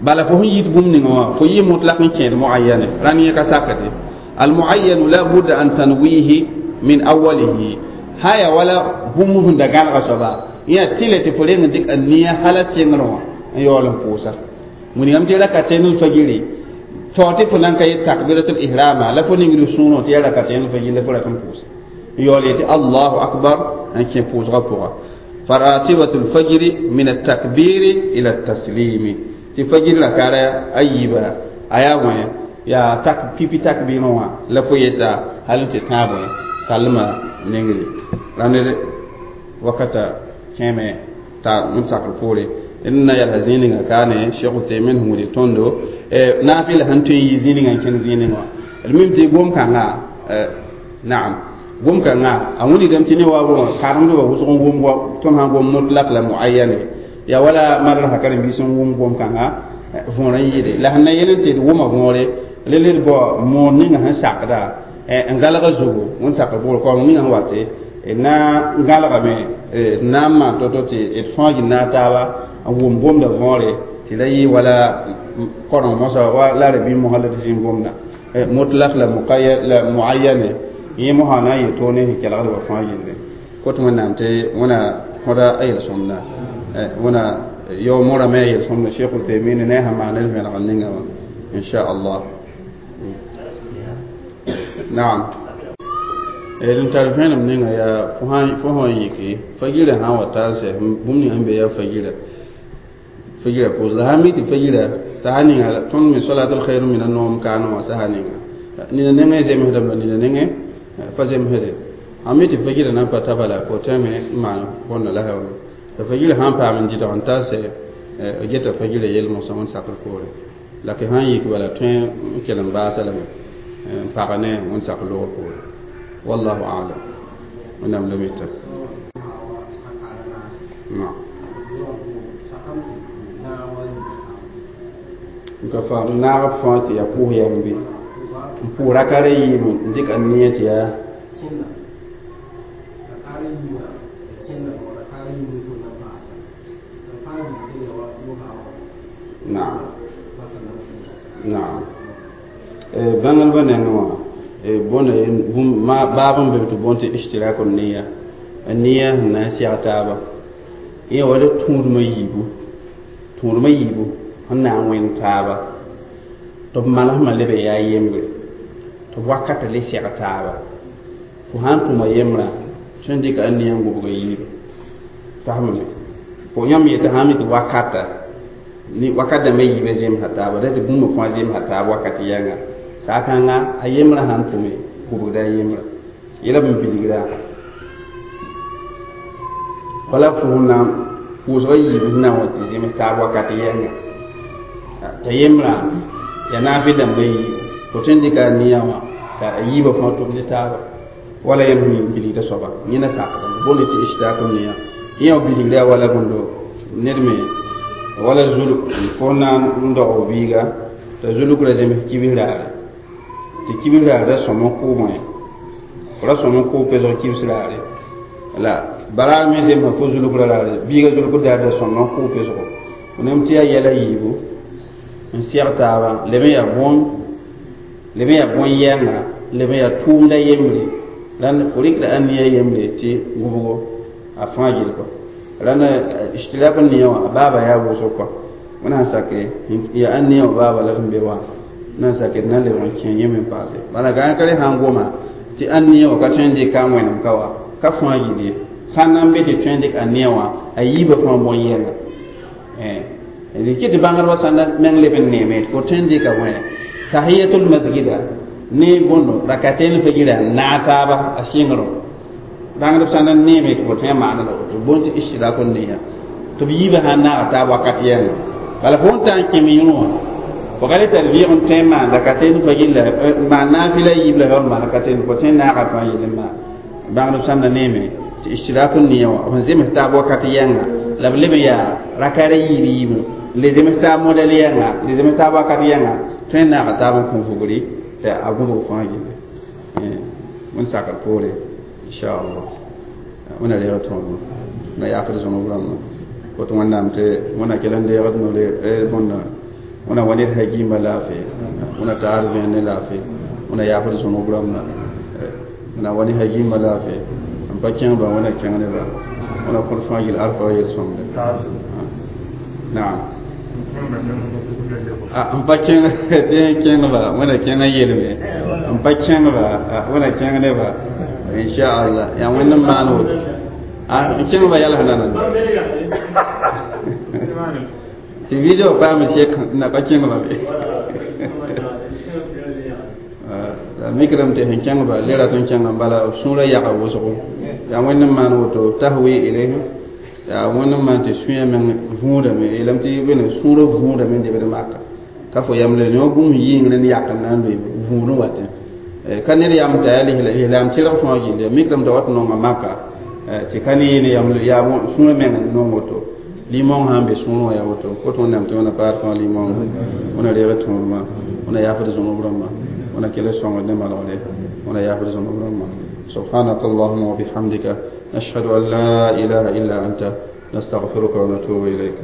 بل فهو يتبوم نوا فهي مطلق كان معين راني كساكته المعين لا بد أن تنويه من أوله هيا ولا بوم دغال غصبا يا تيلة فلين ديك النية حالة سينغروا يولم فوسا من يوم تيلا كتين الفجري tɩ fo nan ka yet takbiratul ihrama la fo ningr sũurẽ tɩ yaa rakatayn fajr la fo rat n pʋʋsa yaool yetɩ allahu akbar n kẽ pʋʋsgã pʋga faratibatul fajri min atakbiri ila taslimi tɩ fajr rakara a yiiba a yaa wẽ yaa tak pipi takbirẽ wã la fo yeta hal n tɩ tãab wẽ salma nengre rãnd wakata kẽeme t'a n sakr poore n na yɛlsa zĩig ninga kaane Cheikh Uthaymin sẽn wilg tõndo naafɩla sẽn tõe n yɩ zĩig ninga n kẽnd zĩig ninga wã d mim tɩ gom-kãngã naam gom-kãngã a wilgdame tɩ ne wa karemdbã wʋsg n wʋm tõnd sãn gom mutlak la muayyane yaa wala madrasa karen-biis n wʋm gom-kãngã võor n yɩɩde la sẽn na yel n tɩ d wʋma võore le d bao moor ninga sẽn sakda n galga zugu n sakd pʋgr kaoong ninga sẽn wate na n galgame d na n maan to-to tɩ d fãag naag taaba n wʋm gomda võore tɩ la yɩ wala koreng mosã wa la rabi mosã la tɩ zĩig gomda mutlak la muqayyad la muayyane yẽ mosã na n yɩ toog ne sẽn kelgd wa fãa yelle kot wẽnnaam tɩ wẽna kõda a yel-sõmda wẽna yao morã me a yel-sõmda Cheikh Uthaymin ne a sẽn maan d vẽlgr ninga wã inchallah naam d tar vẽenem ninga yaa fo sã n yiki fajirã sã n wa ta n sɛ bũmb ninga sẽn be yaa fajira fajira pʋʋs la sã n mi tɩ fajira saha ninga tõnd me salatul khairu min an-nawm kaanẽ wã saha ninga nina nengẽ zemsdame la nina nengẽ pa zemsde sã mi tɩ fajira na n pa ta bala fo tõeme n maan bõnda la la fajira sã n paam n dɩdg n ta n sɛ geta fajira yel mosã wẽnd sakr poore la kɩ sã n yik bala tõe n kell n baasa lame n pag ne wẽnd sak loogr poore wallahu a'lam wẽnnaam la mita n ka faam naag fãa tɩ yaa pʋʋs yam bɩ n pʋʋs rakara yiib n dɩk a nia tɩ yaa naam naam bãngrba nengẽ wã bõnda baab n be tɩ bõn tɩ ishtiraku niya a nia sẽn na n sɛg taaba yẽ wa tũudmã yiibu sẽn na n wẽnd taaba Tɩ b malsmã leb n yaa yembre tɩ b wakatã le seg taaba fo sã n tʋma yembrã tõe n dɩka a nia n gʋbg yiiba fasmame fo yãmb yetɩ sã n mi tɩ wakata ni wakat dãmbã yiibã zemsa taaba da tɩ bũmb fãa zemsa taab wakat yɛnga saakãnga a yembrã sãn tʋme gʋbgda a yembrã yela b n bilgra wala fo na pʋʋsgã yiib sẽn na n wa tɩ zems taab wakat yɛnga t'a yembrã ya naafɩ dãmbã yiib fo tõe n dɩka a nia wã t'a a yiibã fãa tʋm ne taaba wala yãmb sẽn bilgda soaba yẽna sakdame boond tɩ ishtrak nia yẽ wã bilgra wala bõndo ned me wala zuluk fo na n dog biiga t'a zulukra zems kibs raare tɩ kibs raar ra sõm n kʋʋmẽ fo ra sõm n kʋʋ pesg kibs raare la baraar me zemsa fo zulukra raare biiga zulukr daar da sõm n kʋʋ pesgo fo nem tɩ yaa yɛla yiibu n seg taaba leb n yaa bõn leb n yaa bõn-yɛnga leb n yaa tʋʋmda yembre rãnd fo rɩkda a nia yembre tɩ gʋbgo a fãa gill kɔ rãnd ishtirak nia wã a baaba yaa wʋsg kɔ wẽna sã n sake yaa a nia wã baaba la d be wã na n sake d na n lebg n kẽ yẽ me n paase bala gã ka re sã n goma tɩ a nia wã ka tõe n dɩka a wẽnem ka wa ka fãa gill ye sã n na n be tɩ tõe n dɩk a nia wã a yiibã fãa bõn-yɛnga d kɩ tɩ bãngdbã sã n meng leb n neeme tɩ fo tõe n dɩka wẽ tahiyatul masjida ne bõndo rakaten fajira naag taaba a sɩngrõ bãngdb sã n neeme tɩ fo tõe n maana la woto bõn tɩ ishtirak n neya tɩ b yiibã sã n naaga taab wakat yɛnga bala fo n ta n kẽ yẽ wã fo ka le tar vɩɩg n tõe n maan rakaten fajir la maan naafɩla yiib la yaool maan rakaten fo tõe n naaga fãa yel n maan bãngdb sã n na neeme tɩ ishtirak n neya wã b sẽn zems taab wakat yɛnga la b leb n yaa rakara yiib yiibẽ le zems taab modɛl yɛnga le zems taab wakat yɛnga tõe n naaga taab n kõ vugri tɩ a gũbg fãa gilli wẽn sakr poore inchallah wẽna reeg tõogo na yaafd zõnb rãmbã woto wẽnnaam tɩ wẽna kell n deegd nore bõnda wẽna wa ned hagiimã laafɩ wẽna taar vẽen ne laafɩ wẽna yaafd zõnb rãmbã wẽna wa ne hagiimã laafɩ n pa kẽngba wẽna kẽng neba wẽna kõt fãa gill alfa wa yel-sõmde naam n pa kẽng tɩ kẽngba wẽna kẽng n yelme n pa kẽngba wẽna kẽng neba inchallah yaa wẽnd n maan woto n kẽngba yals nana tɩ video paam sek na pa kẽngba be la mikrame tɩ sẽn kẽngba le rat n kẽng n bala b sũurã yaga wʋsgo yaa wẽnd n maan woto tahwi ilayhim yaa wẽnd n maan tɩ sũyã meng vũudame yeelame tɩ bene sũurã vũudame n debd maka ka fo yamle ne bũmb yɩngr n yak n na n loe vũudẽ watẽ ka ned yam t'a yaa lislaam tɩrg fãa gilli mikrame t'a wat nonga maka tɩ ka ne yene yam yaa sũurã meng n nong woto limong sã n be sũurẽ wã yaa woto kot wẽnnaam tɩ wẽna paad fãa limong wẽna reeg tõodmã wẽna yaafd zõnb rãmbã wẽna kell sõngd ne malgde wẽna yaafd zõnb rãmbã سبحانك اللهم وبحمدك نشهد أن لا إله إلا أنت نستغفرك ونتوب إليك.